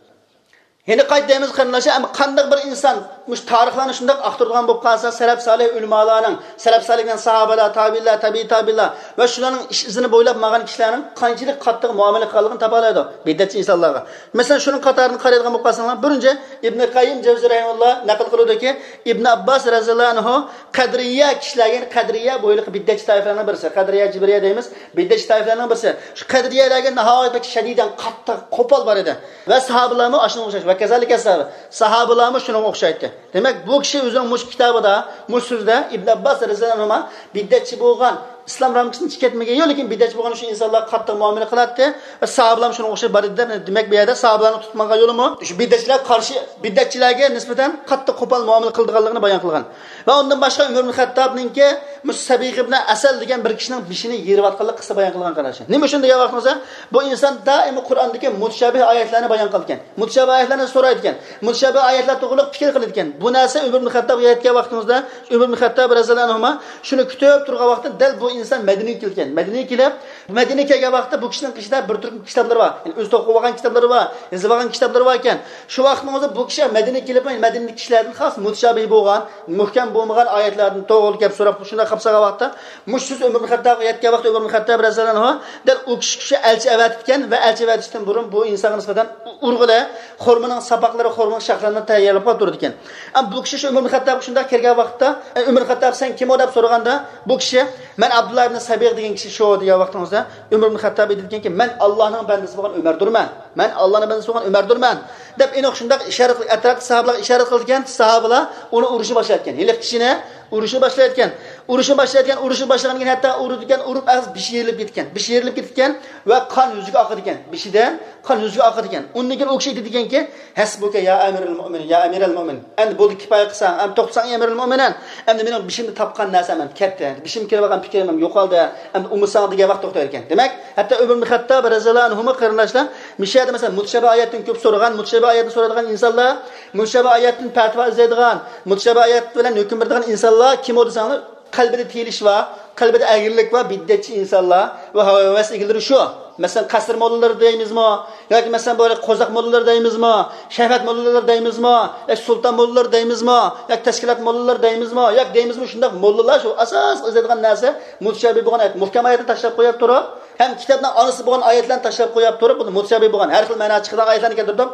يەنە قايتا دەيمىز، قېرىنداشلار، ئەمما قانداق بىر ئىنسان مۇشۇ تارىخلارنى شۇنداق ئاختۇرىدىغان بولۇپ قالسا، سەلەپ سالىھ ئۆلىمالارنىڭ، سەلەپ سالىھ دېگەن ساھابىلار، تابىئىنلار، تەبىئىي تابىئىنلار ۋە شۇلارنىڭ ئىش ئىزىنى بويلاپ ماڭغان كىشىلەرنىڭ قانچىلىك قاتتىق مۇئامىلە قىلغانلىقىنى تاپالايدۇ بىدئەتچى ئىنسانلارغا. مەسىلەن، شۇنىڭ قاتارىدىن قارايدىغان بولۇپ قالساڭلار، بىرىنچى، ئىبنى قەييىم جەۋزى رەھىمەھۇللا نەقىل قىلىدۇكى، ئىبن ئابباس رەزىياللاھۇ ئەنھۇ قەدرىيە كىشىلەرگە، يەنى قەدرىيە بۇ ھېلىقى بىدئەتچى تائىپىلەرنىڭ بىرسى، قەدرىيە جىبرىيە دەيمىز، بىدئەتچى تائىپىلەرنىڭ بىرسى. شۇ قەدرىيەلەرگە ناھايىتى بەك شەدىدەن قاتتىق قوپال بار ئىدى. ۋە ساھابىلارمۇ ئاشۇنىڭغا ئوخشاش. ۋە كازالىكە ساھابە. ساھابىلارمۇ شۇنىڭغا ئوخشايتتى. دېمەك، بۇ كىشى ئۆزىنىڭ مۇشۇ كىتابىدا، مۇشۇ سۆزىدە ئىبن ئابباس رەزىياللاھۇ ئەنھۇما بىدئەتچى بولغان، ئىسلام رامكىسىدىن چىقىپ كەتمىگەن، يوق، لېكىن بىدئەتچى بولغان شۇ ئىنسانلارغا قاتتىق مۇئامىلە قىلاتتى. ۋە ساھابىلارمۇ شۇنىڭغا ئوخشاش بار ئىدى دەپ، دېمەك، بۇ يەردە ساھابىلارنىڭ تۇتۇپ ماڭغان يولىمۇ شۇ بىدئەتچىلەرگە قارشى، بىدئەتچىلەرگە نىسبەتەن قاتتىق قوپال مۇئامىلە قىلىدىغانلىقىنى بايان قىلغان. ۋە ئۇندىن باشقا ئۆمەر ئىبن خەتتابنىڭكى مۇشۇ سەبىغ ئىبن ئەسەل دېگەن بىر كىشىنىڭ بېشىنى يېرىۋاتقانلىق قىسسە بايان قىلغان، قېرىنداشلار. نېمە ئۈچۈن دېگەن ۋاقتىمىزدا، بۇ ئىنسان دائىم قۇرئاندىكى مۇتشابىھ ئايەتلەرنى بايان قىلىدىكەن. مۇتشابىھ ئايەتلەرنى سورايدىكەن. مۇتشابىھ ئايەتلەر توغرىلىق پىكىر قىلىدىكەن. بۇ نەرسە ئۆمەر ئىبن خەتتابقا يەتكەن ۋاقتىمىزدا، ئۆمەر ئىبن خەتتاب رەزىياللاھۇ ئەنھۇما شۇنى كۈتۈپ تۇرغان ۋاقىتتا دەل بۇ ئىنسان مەدىنىگە كەلگەن. مەدىنىگە كېلىپ، مەدىنىگە كەلگەن ۋاقىتتا بۇ كىشىنىڭ قېشىدا بىر تۈركۈم كىتابلىرى بار. يەنى ئۆزى توقۇۋالغان كىتابلىرى بار، يېزىۋالغان كىتابلىرى بار ئىكەن. شۇ ۋاقىتنىڭ ئۆزىدە بۇ كىشى مەدىنىگە كېلىپ، مەدىنىدىكى كىشىلەردىن خاس مۇتشابىھ بولغان، مۇھكەم بولمىغان ئايەتلەردىن توغرا گەپ سوراپ، شۇنداق قىلىپ سالغان ۋاقىتتا، مۇشۇ سۆز ئۆمەر ئىبن خەتتابقا يەتكەن ۋاقىتتا ئۆمەر ئىبن خەتتاب رەزىياللاھۇ ئەنھۇ دەل ئۇ كىشى ئۈچۈن ئەلچى ئەۋەتىپتىكەن ۋە ئەلچى ئەۋەتىشتىن بۇرۇن بۇ ئىنسانغا نىسبەتەن ئۇرغىلى، خورمىنىڭ ساپاقلىرى، خورمىنىڭ شاخلىرىنى تەييارلاپ قويۇپ تۇرىدىكەن. ئەمما بۇ كىشى شۇ ئۆمەر ئىبن خەتتابقا شۇنداق كەلگەن ۋاقىتتا، ئە، ئۆمەر خەتتاب، سەن كىم ئۇ دەپ سورىغاندا، بۇ كىشى، مەن ئابدۇللا ئىبن سەبىغ دېگەن كىشى شۇ دېگەن ۋاقتىڭىزدا، ئۆمەر ئىبن خەتتاب ئېيتىدىكەنكى، مەن ئاللانىڭ بەندىسى بولغان ئۆمەردۇرمەن. مەن ئاللانىڭ بەندىسى بولغان ئۆمەردۇرمەن، دەپ ئېنىق شۇنداق ئىشارە قىلىپ، ئەتراپتىكى ساھابىلارغا ئىشارە قىلىدىكەن. ساھابىلار ئۇنى ئۇرۇشنى باشلايدىكەن. ھېلىقى كىشىنى ئۇرۇشنى باشلايدىكەن. ئۇرۇشنى باشلايدىكەن، ئۇرۇشنى باشلىغاندىن كېيىن ھەتتا ئۇرىدىكەن، ئۇرۇپ ئەگىز بېشى يېرىلىپ كېتىدىكەن. بېشى يېرىلىپ كېتىدىكەن ۋە قان يۈزىگە ئاقىدىكەن. بېشىدىن قان يۈزىگە ئاقىدىكەن. ئۇندىن كېيىن ئۇ كىشى ئېيتىدىكەنكى، ھەسبۇكە يا ئەمىرەل مۇئمىنىن، يا ئەمىرەل مۇئمىنىن. ئەمدى بولدى، كىپايە قىلساڭ، ئەمدى توختىساڭ، يا ئەمىرەل مۇئمىنىن. ئەمدى مېنىڭ بېشىمدا تاپقان نەرسەم ئەمدى كەتتى. بېشىمغا كېلىۋالغان پىكرىم ئەمدى يوقالدى. ئەمدى ئۇمۇساڭ دېگەن ۋاقىت توختايدىكەن. دېمەك، ھەتتا ئۆمەر ئىبن خەتتاب رەزىياللاھۇ ئەنھۇمۇ قېرىنداشلار، مۇشۇ يەردە مەسىلەن، مۇتشابە ئايەتتىن كۆپ سورىغان، مۇتشابە ئايەتتىن سورايدىغان ئىنسانلار، مۇتشابە ئايەتتىن پەتىۋا ئىزدەيدىغان، مۇتشابە ئايەت بىلەن ھۆكۈم بېرىدىغان ئىنسانلار كىم ئۇ دېسەڭلار، قەلبىدە تىيىلىش بار، قەلبىدە ئەگرىلىك بار، بىدئەتچى ئىنسانلار ۋە ھاۋا ھەۋەس ئىگىلىرى شۇ. مەسىلەن، قەسىر موللىلىرى دەيمىزمۇ؟ ياكى مەسىلەن، بۇ قوزاق موللىلىرى دەيمىزمۇ؟ شەھۋەت موللىلىرى دەيمىزمۇ؟ ياكى سۇلتان موللىلىرى دەيمىزمۇ؟ ياكى تەشكىلات موللىلىرى دەيمىزمۇ؟ ياكى دەيمىزمۇ، شۇنداق موللىلار شۇ ئاساسلىق ئىزدەيدىغان نەرسە مۇتشابىھ بولغان ئايەت، مۇھكەم ئايەتنى تاشلاپ قويۇپ تۇرۇپ، ھەم كىتابنىڭ ئانىسى بولغان ئايەتلەرنى تاشلاپ قويۇپ تۇرۇپ، بۇ مۇتشابىھ بولغان، ھەر خىل مەنا چىقىدىغان ئايەتلەرنى كەلتۈرۈپ،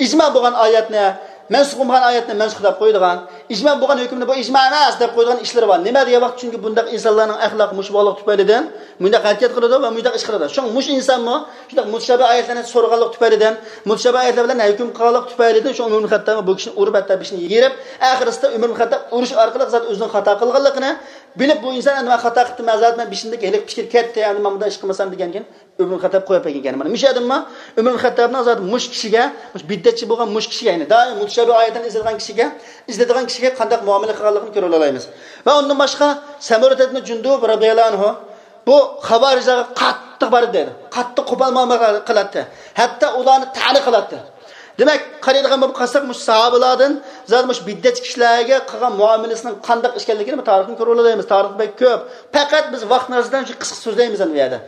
ئىجما بولغان ئايەتنى مەنسۇخ، بولغان ئايەتنى مەنسۇخ دەپ قويىدىغان، ئىجما بولغان ھۆكۈمنى بۇ ئىجما ئەمەس دەپ قويىدىغان ئىشلىرى بار. نېمە دېگەن ۋاقىت، چۈنكى بۇنداق ئىنسانلارنىڭ ئەخلاقى مۇشۇ بولغانلىقى تۈپەيلىدىن مۇنداق ھەرىكەت قىلىدۇ ۋە مۇنداق ئىش قىلىدۇ. شۇڭا مۇشۇ ئىنسانمۇ شۇنداق مۇتشابە ئايەتلەرنى سورىغانلىقى تۈپەيلىدىن، مۇتشابە ئايەتلەر بىلەن ھۆكۈم قىلغانلىقى تۈپەيلىدىن شۇ ئۆمەر ئىبن خەتتابمۇ بۇ كىشىنى ئۇرۇپ، ھەتتا بېشىنى يېرىپ، ئاخىرسىدا ئۆمەر ئىبن خەتتاب ئۇرۇش ئارقىلىق زادى ئۆزىنىڭ خاتا قىلغانلىقىنى بىلىپ، بۇ ئىنسان، ئەمدى مەن خاتا قىپتىمەن، زادى مەن بېشىمدىكى ھېلىقى پىكىر كەتتى، ئەمدى مەن بۇنداق ئىش قىلمىسام دېگەندىن كېيىن، ئۆمەر ئىبن خەتتاب قويۇپ بەرگەن ئىكەن. مانا مۇشۇ ئادەممۇ ئۆمەر ئىبن خەتتابنىڭ زادى مۇشۇ كىشىگە، مۇشۇ بىدئەتچى بولغان مۇشۇ كىشىگە، يەنى دائىم مۇتشابە ئايەتلەرنى ئىزدەيدىغان كىشىگە، ئىزدەيدىغان كىشىگە قانداق مۇئامىلە قىلغانلىقىنى كۆرۈۋالالايمىز. ۋە ئۇندىن باشقا، سەمۇرە ئىبن جۇندۇب رەزىياللاھۇ ئەنھۇ بۇ خاۋارىجلارغا قاتتىق بار ئىدى، قاتتىق قوپال مۇئامىلە قىلاتتى. ھەتتا ئۇلارنى تەنە قىلاتتى. دېمەك، قارايدىغان بولۇپ قالساق، مۇشۇ ساھابىلاردىن زادى مۇشۇ بىدئەتچى كىشىلەرگە قىلغان مۇئامىلىسىنىڭ قانداق ئىكەنلىكىنى بۇ تارىختىن كۆرۈۋالالايمىز. تارىخ بەك كۆپ. پەقەت بىز ۋاقىت نەرسىدىن شۇ قىسقا سۆزلەيمىز ئەمدى بۇ يەردە.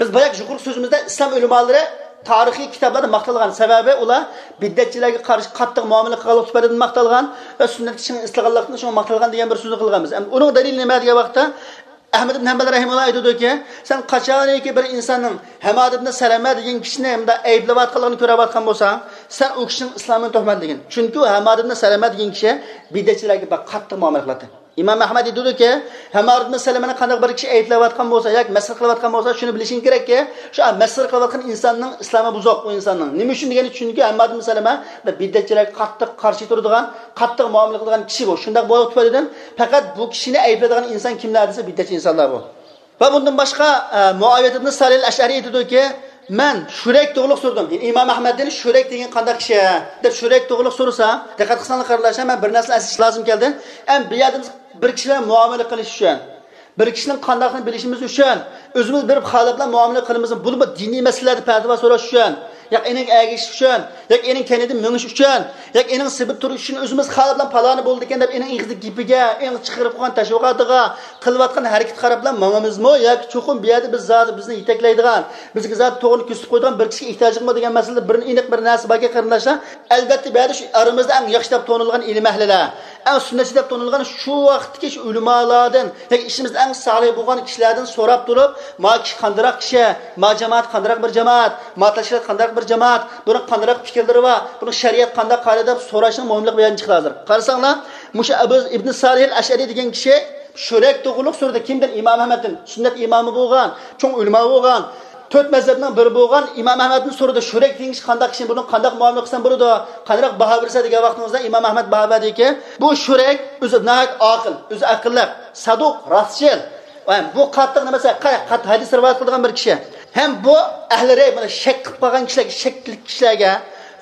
بىز باياق يۇقىرىقى سۆزىمىزدە ئىسلام ئۆلىمالىرى تارىخىي كىتابلاردا ماختالغان، سەۋەبى ئۇلار بىدئەتچىلەرگە قارشى قاتتىق مۇئامىلە قىلغانلىقى تۈپەيلىدىن ماختالغان ۋە سۈننەتكە چىڭ ئىستىلغانلىقتىن شۇڭا ماختالغان دېگەن بىر سۆزنى قىلغانبىز. ئەمدى ئۇنىڭ دەلىلى نېمە دېگەن ۋاقىتتا، ئەھمەد ئىبن ھەمبەل رەھىمۇللا ئېيتىدۇكى، سەن قاچانكى بىر ئىنساننىڭ ھەمماد ئىبن سەلەمە دېگەن كىشىنى مۇنداق ئەيىبلەۋاتقانلىقىنى كۆرۈۋاتقان بولساڭ، سەن ئۇ كىشىنىڭ ئىسلامىنى تۆھمەتلىگىن. چۈنكى ئۇ ھەمماد ئىبن سەلەمە دېگەن كىشى بىدئەتچىلەرگە بەك قاتتىق مۇئامىلە قىلاتتى. ئىمام ئەھمەد ئېيتىدۇكى، ھەمماد ئىبن سەلەمەنى قانداق بىر كىشى ئەيىبلەۋاتقان بولسا ياكى مەسخىرە قىلىۋاتقان بولسا، شۇنى بىلىشىڭ كېرەككى، شۇ مەسخىرە قىلىۋاتقان ئىنساننىڭ ئىسلامى بۇزۇق، ئۇ ئىنساننىڭ. نېمە ئۈچۈن دېگەندە، چۈنكى ھەمماد ئىبن سەلەمە بىدئەتچىلەرگە قاتتىق قارشى تۇرىدىغان، قاتتىق مۇئامىلە قىلىدىغان كىشى بۇ. شۇنداق بولۇپ تۈپەيلىدىن پەقەت بۇ كىشىنى ئەيىبلەيدىغان ئىنسان كىملەر دېسە، بىدئەتچى ئىنسانلار بۇ. ۋە بۇندىن باشقا، ئە، مۇئاۋىيەت ئىبن سالىھ ئەشئەرى ئېيتىدۇكى، مەن شۇرەيك توغرۇلۇق سورىدىم. يەنى ئىمام ئەھمەدتىن شۇرەيك دېگەن قانداق كىشى دەپ شۇرەيك توغرۇلۇق سورىسا، دىققەت قىلساڭلار قېرىنداشلار، مەن بىر نەرسىنى ئەسلىتىش لازىم كەلدى. ئەم بۇ يەردە بىز بىر كىشى بىلەن مۇئامىلە قىلىش ئۈچۈن، بىر كىشىنىڭ قانداقلىقىنى بىلىشىمىز ئۈچۈن، ئۆزىمىز بېرىپ خالاپ بىلەن مۇئامىلە قىلىمىز، بۇنىمۇ دىنىي مەسىلىلەردە پەتىۋا سوراش ئۈچۈن، ياكى ئېنىڭ ئەگىشىش ئۈچۈن، ياكى ئېنىڭ كەينىدىن مېڭىش ئۈچۈن، ياكى ئېنىڭ سېپىدا تۇرۇش ئۈچۈن ئۆزىمىز خالاپ بىلەن پالانى بولىدىكەن دەپ ئېنىڭ ئېغىزىدىكى گېپىگە، ئېنىڭ چىقىرىپ قويغان تەشۋىقاتىغا، قىلىۋاتقان ھەرىكىتىگە قاراپ بىلەن ماڭىمىزمۇ ياكى چوقۇم بۇ يەردە بىز زادى بىزنى يېتەكلەيدىغان، بىزگە زادى توغرىنى كۆرسىتىپ قويىدىغان بىر كىشىگە ئېھتىياجلىقمۇ دېگەن مەسىلىدە بىر ئېنىق بىر نەرسە باركەن قېرىنداشلار. ئەلۋەتتە، بۇ يەردە شۇ ئارىمىزدا ئەڭ ياخشى دەپ تونۇلغان ئىلىم ئەھلىلەر، ئەڭ سۈننەتچى دەپ تونۇلغان شۇ ۋاقىتتىكى شۇ ئۆلىمالاردىن، ياكى ئىچىمىزدە ئەڭ سالىھ بولغان كىشىلەردىن سوراپ تۇرۇپ، ما كىشى قانداقراق كىشى، ما جامائەت قانداقراق بىر جامائەت، ما تەشكىلات قانداقراق بىر جامائەت، بۇنىڭ قانداقراق پىكىرلىرى بار، بۇنىڭ شەرىئەت قانداق قارىدى دەپ سوراشنىڭ مۇھىملىقى بۇ يەردىن چىقىپ ھازىر. قارىساڭلار، مۇشۇ ئەبۇ ئىبن سالىھ ئەل ئەشئەرى دېگەن كىشى شۇرەيك توغرۇلۇق سورىدى. كىمدىن؟ ئىمام ئەھمەدتىن. سۈننەت ئىمامى بولغان، چوڭ ئۆلىما بولغان، تۆت مەزھەپنىڭ بىرى بولغان ئىمام ئەھمەدتىن سورىدى، شۇرەيك دېگەن كىشى قانداق كىشى، بۇنىڭ قانداق مۇئامىلە قىلسام بولىدۇ، قانداق باھا بېرىسە دېگەن ۋاقتىمىزدا ئىمام ئەھمەد باھا بەردىكى، بۇ شۇرەيك ئۆزى ناھايىتى ئاقىل، ئۆزى ئەقىللىق، سادۇق، راستچىل، ۋە بۇ قاتتىق نېمە دېسە، قاتتىق ھەدىس رىۋايەت قىلىدىغان بىر كىشى. ھەم بۇ ئەھلى رەي، مانا شەك قىلىپ قالغان كىشىلەرگە، شەكلىك كىشىلەرگە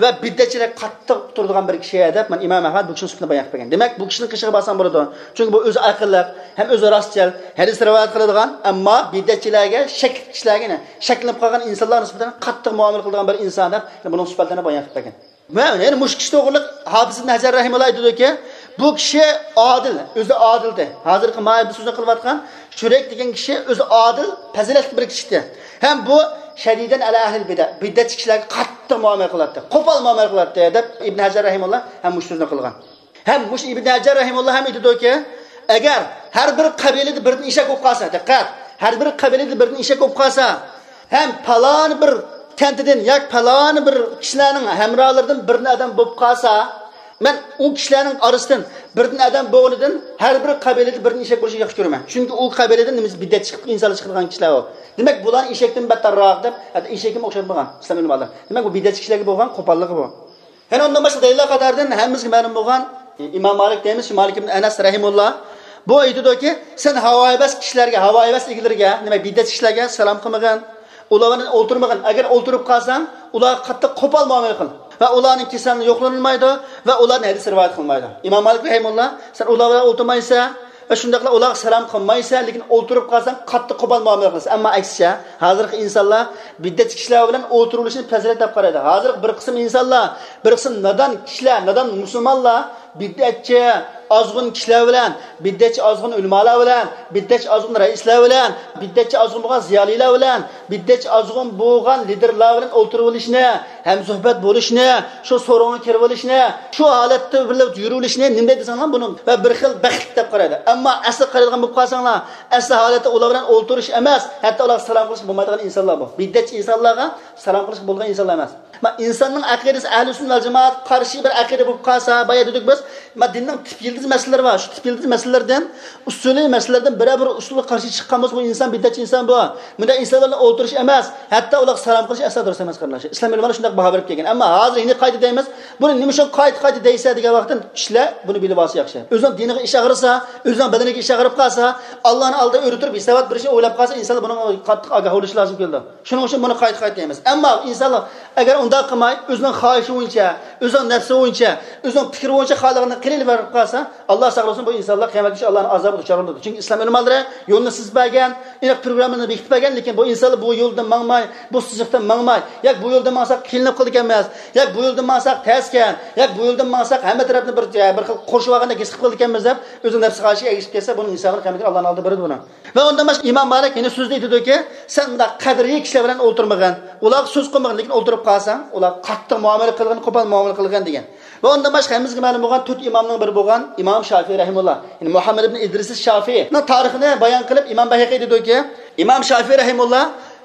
ۋە بىدئەتچىلەرگە قاتتىق تۇرىدىغان بىر كىشى دەپ، مانا ئىمام ئەھمەد بۇ كىشىنىڭ سۈپىتىنى بايان قىلىپ بەرگەن. دېمەك، بۇ كىشىنىڭ قېشىغا بارساڭ بولىدۇ. چۈنكى بۇ ئۆزى ئەقىللىق ھەم ئۆزى راستچىل، ھەدىس رىۋايەت قىلىدىغان، ئەمما بىدئەتچىلەرگە، شەكلىك كىشىلەرگە، يەنى شەكلىنىپ قالغان ئىنسانلار نىسبەتەن قاتتىق مۇئامىلە قىلىدىغان بىر ئىنسان دەپ، بۇنىڭ سۈپەتلىرىنى بايان قىلىپ بەرگەن. ۋە يەنە مۇشۇ كىشى توغرىلىق ھاپىز ئىبن ھەجەر رەھىمۇللا ئېيتىدۇكى، بۇ كىشى ئادىل، ئۆزى ئادىلدى. ھازىرقى مانا بىز سۆزنى قىلىۋاتقان شۇرەيك دېگەن كىشى ئۆزى ئادىل، پەزىلەتلىك بىر كىشىدى. ھەم بۇ شەدىدەن ئەلا ئەھلىل بىدە، بىدئەتچى كىشىلەرگە قاتتىق مۇئامىلە قىلاتتى، قوپال مۇئامىلە قىلاتتى دەپ ئىبن ھەجەر رەھىمۇللا ھەم مۇشۇ سۆزنى قىلغان. ھەم مۇشۇ ئىبن ھەجەر رەھىمۇللا ھەم ئېيتىدۇكى، ئەگەر ھەر بىر قەبىلىدە بىردىن ئېشەك بولۇپ قالسا، دىققەت، ھەر بىر قەبىلىدە بىردىن ئېشەك بولۇپ قالسا، ھەم پالان بىر كەنتىدىن ياكى پالان بىر كىشىلەرنىڭ ھەمراھلىرىدىن بىردىن ئادەم بولۇپ قالسا، مەن ئۇ كىشىلەرنىڭ ئارىسىدىن بىردىن ئادەم بولغىنىدىن ھەر بىر قەبىلىدە بىردىن ئېشەك بولۇشىنى ياخشى كۆرىمەن. چۈنكى ئۇ قەبىلىدىن نېمىسى بىدئەتچى چىقىپ، ئىنسانلار چىقىدىغان كىشىلەر ئۇ. دېمەك، بۇلارنى ئېشەكتىن بەتتەرراق دەپ، ھەتتا ئېشەككىمۇ ئوخشاتمىغان ئىسلام ئۆلىمالىرى. دېمەك، بۇ بىدئەتچى كىشىلەرگە بولغان قوپاللىقى بۇ. يەنە ئۇندىن باشقا دەلىللەر قاتارىدىن ھەممىمىزگە مەلۇم بولغان ئىمام مالىك دەيمىز، شۇ مالىك ئىبن ئەنەس رەھىمۇللا. بۇ ئېيتىدۇكى، سەن ھاۋايىۋەس كىشىلەرگە، ھاۋايىۋەس ئىگىلىرىگە، نېمە، بىدئەتچى كىشىلەرگە سالام قىلمىغىن. ئۇلار بىلەن ئولتۇرمىغىن. ئەگەر ئولتۇرۇپ قالساڭ، ئۇلارغا قاتتىق قوپال مۇئامىلە قىل. ۋە ئۇلارنىڭ كېسەللىكى يوقلىنىلمايدۇ ۋە ئۇلاردىن ھەدىس رىۋايەت قىلمايدۇ. ئىمام مالىك رەھىمۇللا، سەن ئۇلار بىلەن ئولتۇرمايسەن، ۋە شۇنداقلا ئۇلارغا سالام قىلمايسەن، لېكىن ئولتۇرۇپ قالساڭ قاتتىق قوپال مۇئامىلە قىلىسەن. ئەمما ئەكسىچە، ھازىرقى ئىنسانلار بىدئەتچى كىشىلەر بىلەن ئولتۇرۇۋېلىشنى پەزىلەت دەپ قارايدۇ. ھازىرقى بىر قىسىم ئىنسانلار، بىر قىسىم نادان كىشىلەر، نادان مۇسۇلمانلار بىدئەتچى ئازغۇن كىشىلەر بىلەن، بىدئەتچى ئازغۇن ئۆلىمالار بىلەن، بىدئەتچى ئازغۇن رەئىسلەر بىلەن، بىدئەتچى ئازغۇن بولغان زىيالىيلار بىلەن، بىدئەتچى ئازغۇن بولغان لىدېرلار بىلەن ئولتۇرۇۋېلىشنى، ھەمسۆھبەت بولۇشنى، شۇ سورۇنغا كىرىۋېلىشنى، شۇ ھالەتتە بىللە يۈرۈۋېلىشنى نېمە دەيدۇ دېسەڭلار، بۇنى بىر خىل بەختلىك دەپ قارايدۇ. ئەمما ئەسلى قارايدىغان بولۇپ قالساڭلار، ئەسلى ھالەتتە ئۇلار بىلەن ئولتۇرۇش ئەمەس، ھەتتا ئۇلارغا سالام قىلىشقا بولمايدىغان ئىنسانلار بۇ. بىدئەتچى ئىنسانلارغا سالام قىلىشقا بولىدىغان ئىنسانلار ئەمەس. ما، ئىنساننىڭ ئەقىدىسى ئەھلى سۈننە ۋەل جامائەتكە قارشى بىر ئەقىدە بولۇپ قالسا، بايا دېدۇق بىز، ما، دىننىڭ تىپ يىلتىز مەسىلىلىرى بار. شۇ تىپ يىلتىز مەسىلىلەردىن، ئۇسۇلىي مەسىلىلەردىن بىرەر بىر ئۇسۇلغا قارشى چىققان بولسا، بۇ ئىنسان بىدئەتچى ئىنسان بۇ. بۇنداق ئىنسانلار بىلەن ئولتۇرۇش ئەمەس، ھەتتا ئۇلارغا سالام قىلىش ئەسلا دۇرۇس ئەمەس، قېرىنداشلار. ئىسلام ئۆلىمالىرى شۇنداق باھا بېرىپ كەلگەن. ئەمما ھازىر يەنە قايتا دەيمىز، بۇنى نېمە ئۈچۈن قايتا، قايتا دەيسەن دېگەن ۋاقىتتا كىشىلەر بۇنى بىلىۋالسا ياخشى. ئۆزىنىڭ دىنىغا ئىش ئاغرىسا، ئۆزىنىڭ بەدىنىگە ئىش ئاغرىپ قالسا، ئاللانىڭ ئالدىدا ئۆرە تۇرۇپ ھېسابات بېرىشنى ئويلاپ قالسا، ئىنسانلار بۇنىڭغا قاتتىق ئاگاھ بولۇشى لازىم كېلىدۇ. شۇنىڭ ئۈچۈن بۇنى قايتا، قايتا دەيمىز. ئەمما ئىنسانلار ئەگەر ئۇنداق قىلماي، ئۆزىنىڭ خاھىشى بويىچە، ئۆزىنىڭ نەپسى بويىچە، ئۆزىنىڭ پىكرى بويىچە خالىغىنىنى قىلىۋېرىپ قالسا، ئاللا ساقلىسۇن، بۇ ئىنسانلار قىيامەت كۈنى ئاللانىڭ ئازابىغا دۇچار بولىدۇ. چۈنكى ئىسلام ئۆلىمالىرى يولنى سىزىپ بەرگەن، ئېنىق پروگراممىنى بېكىتىپ بەرگەن، لېكىن بۇ ئىنسانلار بۇ يولدىن ماڭماي، بۇ سىزىقتىن ماڭماي، ياك بۇ يولدىن ماڭساق قىينىلىپ قالىدىكەنمىز، ياك بۇ يولدىن ماڭساق تەسكەن، ياك بۇ يولدىن ماڭساق ھەممە تەرەپنى بىر، بىر خىل قورشىۋالغاندەك ھېس قىلىپ قالىدىكەنمىز دەپ، ئۆزىنىڭ نەپسى خاھىشىغا ئەگىشىپ كەتسە، بۇنىڭ ئىنسانلار قىيامەت كۈنى ئاللانىڭ ئالدىدا بېرىدۇ بۇنىڭ. ۋە ئۇندىن باشقا ئىمام مالىك يەنە سۆزىدە ئېيتىدۇكى، سەن مۇنداق قەدرىي كىشىلەر بىلەن ئولتۇرمىغىن، ئۇلارغا سۆز قىلمىغىن، لېكىن ئولتۇرۇپ قالساڭ، ئۇلارغا قاتتىق مۇئامىلە قىلغىن، قوپال مۇئامىلە قىلغىن دېگەن. ۋە ئۇندىن باشقا ھەممىمىزگە مەلۇم بولغان تۆت ئىمامنىڭ بىرى بولغان ئىمام شافىئى رەھىمۇللا، يەنى مۇھەممەد ئىبن ئىدرىس شافىئىنىڭ تارىخىنى بايان قىلىپ، ئىمام بەيھەقى دېيدۇكى، ئىمام شافىئى رەھىمۇللا،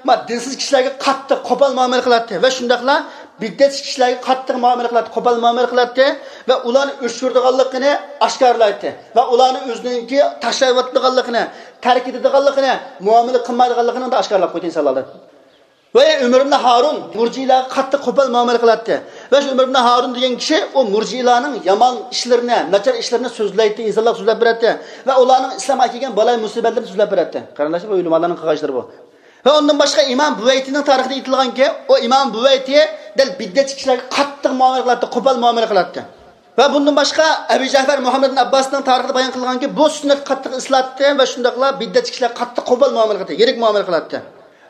ما، دىنسىز كىشىلەرگە قاتتىق قوپال مۇئامىلە قىلاتتى ۋە شۇنداقلا بىدئەتچى كىشىلەرگە قاتتىق مۇئامىلە قىلاتتى، قوپال مۇئامىلە قىلاتتى ۋە ئۇلارنى ئۆچۈرىدىغانلىقىنى ئاشكارىلايتتى ۋە ئۇلارنى ئۆزىنىڭكى تاشلاۋاتىدىغانلىقىنى، تەرك ئېتىدىغانلىقىنى، مۇئامىلە قىلمايدىغانلىقىنى ئاشكارىلاپ قويدى ئىنسانلاردا. ۋە ئۆمەر ئىبن ھارۇن مۇرجىئىلەرگە قاتتىق قوپال مۇئامىلە قىلاتتى. ۋە شۇ ئۆمەر ئىبن ھارۇن دېگەن كىشى ئۇ مۇرجىئىلەرنىڭ يامان ئىشلىرىنى، ناچار ئىشلىرىنى سۆزلەيتتى، ئىنسانلارغا سۆزلەپ بېرەتتى. ۋە ئۇلارنىڭ ئىسلامغا كەلگەن بالايىن مۇسىبەتلىرىنى سۆزلەپ بېرەتتى. قېرىنداشلار، بۇ ئۆلىمالارنىڭ قىلغان ئىشلىرى بۇ. ۋە ئۇندىن باشقا ئىمام بۇۋەيتىنىڭ تارىخىدا ئېيتىلغانكى، ئۇ ئىمام بۇۋەيتى دەل بىدئەتچى كىشىلەرگە قاتتىق مۇئامىلە قىلاتتى، قوپال مۇئامىلە قىلاتتى. ۋە بۇندىن باشقا ئەبۇ جەفەر مۇھەممەد ئىبن ئابباسنىڭ تارىخىدا بايان قىلغانكى، بۇ سۈننەتكە قاتتىق ئېسىلاتتى ۋە شۇنداقلا بىدئەتچى كىشىلەرگە قاتتىق قوپال مۇئامىلە قىلاتتى، يىرىك مۇئامىلە قىلاتتى.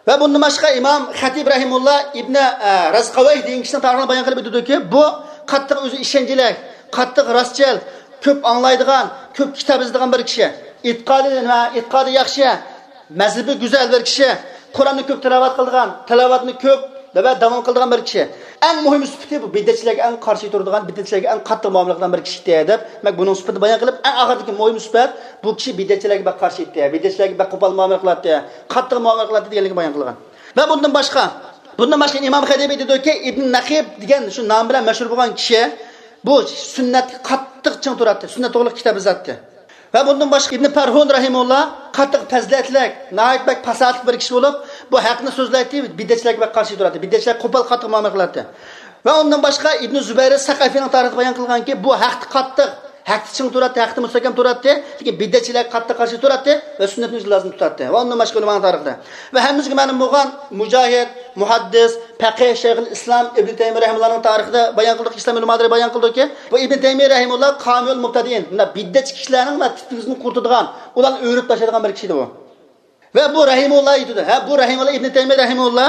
ۋە بۇندىن باشقا ئىمام خەتىب رەھىمۇللا ئىبنى، ئە، رەزقەۋەي دېگەن كىشىنىڭ تارىخىنى بايان قىلىپ ئېيتىدۇكى، بۇ قاتتىق ئۆزى ئىشەنچلىك، قاتتىق راستچىل، كۆپ ئاڭلايدىغان، كۆپ كىتاب يازىدىغان بىر كىشى. ئېتىقادى نېمە؟ ئېتىقادى ياخشى، مەزھىپى گۈزەل بىر كىشى. قۇرئاننى كۆپ تىلاۋەت قىلىدىغان، تىلاۋەتنى كۆپ ۋە داۋام قىلىدىغان بىر كىشى. ئەڭ مۇھىم سۈپىتى بۇ بىدئەتچىلەرگە ئەڭ قارشى تۇرىدىغان، بىدئەتچىلەرگە ئەڭ قاتتىق مۇئامىلە قىلىدىغان بىر كىشى ئىدى دەپ، دېمەك، بۇنىڭ سۈپىتىنى بايان قىلىپ، ئەڭ ئاخىرىدىكى مۇھىم سۈپەت، بۇ كىشى بىدئەتچىلەرگە بەك قارشى ئىدى، بىدئەتچىلەرگە بەك قوپال مۇئامىلە قىلاتتى، قاتتىق مۇئامىلە قىلاتتى دېگەنلىكىنى بايان قىلغان. ۋە بۇندىن باشقا، بۇندىن باشقا ئىمام خەتىبى دېدىكى، ئىبن نەقىب دېگەن شۇ نام بىلەن مەشھۇر بولغان كىشى بۇ سۈننەتكە قاتتىق چىڭ تۇراتتى، سۈننەت توغرىلىق كىتاب يازاتتى. ۋە بۇندىن باشقا ئىبن پەرھۇن رەھىمۇللا قاتتىق پەزىلەتلىك، ناھايىتى بەك پاساھەتلىك بىر كىشى بولۇپ، بۇ ھەقنى سۆزلەيتتى، بىدئەتچىلەرگە بەك قارشى تۇراتتى، بىدئەتچىلەرگە قوپال قاتتىق مۇئامىلە قىلاتتى. ۋە ئۇندىن باشقا ئىبن زۇبەير سەقەفىنىڭ تارىخىدا بايان قىلغانكى، بۇ ھەقتە قاتتىق، ھەقتە چىڭ تۇراتتى، ھەقتە مۇستەھكەم تۇراتتى، لېكىن بىدئەتچىلەرگە قاتتىق قارشى تۇراتتى ۋە سۈننەتنى ئۆزى لازىم تۇتاتتى. ۋە ئۇندىن باشقا ئۆلىمانىڭ تارىخىدا. ۋە ھەممىمىزگە مەلۇم بولغان مۇجاھىد، مۇھەددىس، پەقىھ شەيخۇل ئىسلام ئىبن تەيمىيە رەھىمۇللانىڭ تارىخىدا بايان قىلدۇق، ئىسلام ئۆلىمالىرى بايان قىلدۇكى، بۇ ئىبن تەيمىيە رەھىمۇللا قامىيۇل مۇبتەدىئىن، مۇنداق بىدئەتچى كىشىلەرنىڭ مۇنداق تىپىكىسىنى قۇرۇتىدىغان، ئۇلارنى ئۆرۈپ تاشلايدىغان بىر كىشى ئىدى بۇ. ۋە بۇ رەھىمۇللا ئېيتىدۇ، ھە، بۇ رەھىمۇللا ئىبن تەيمىيە رەھىمۇللا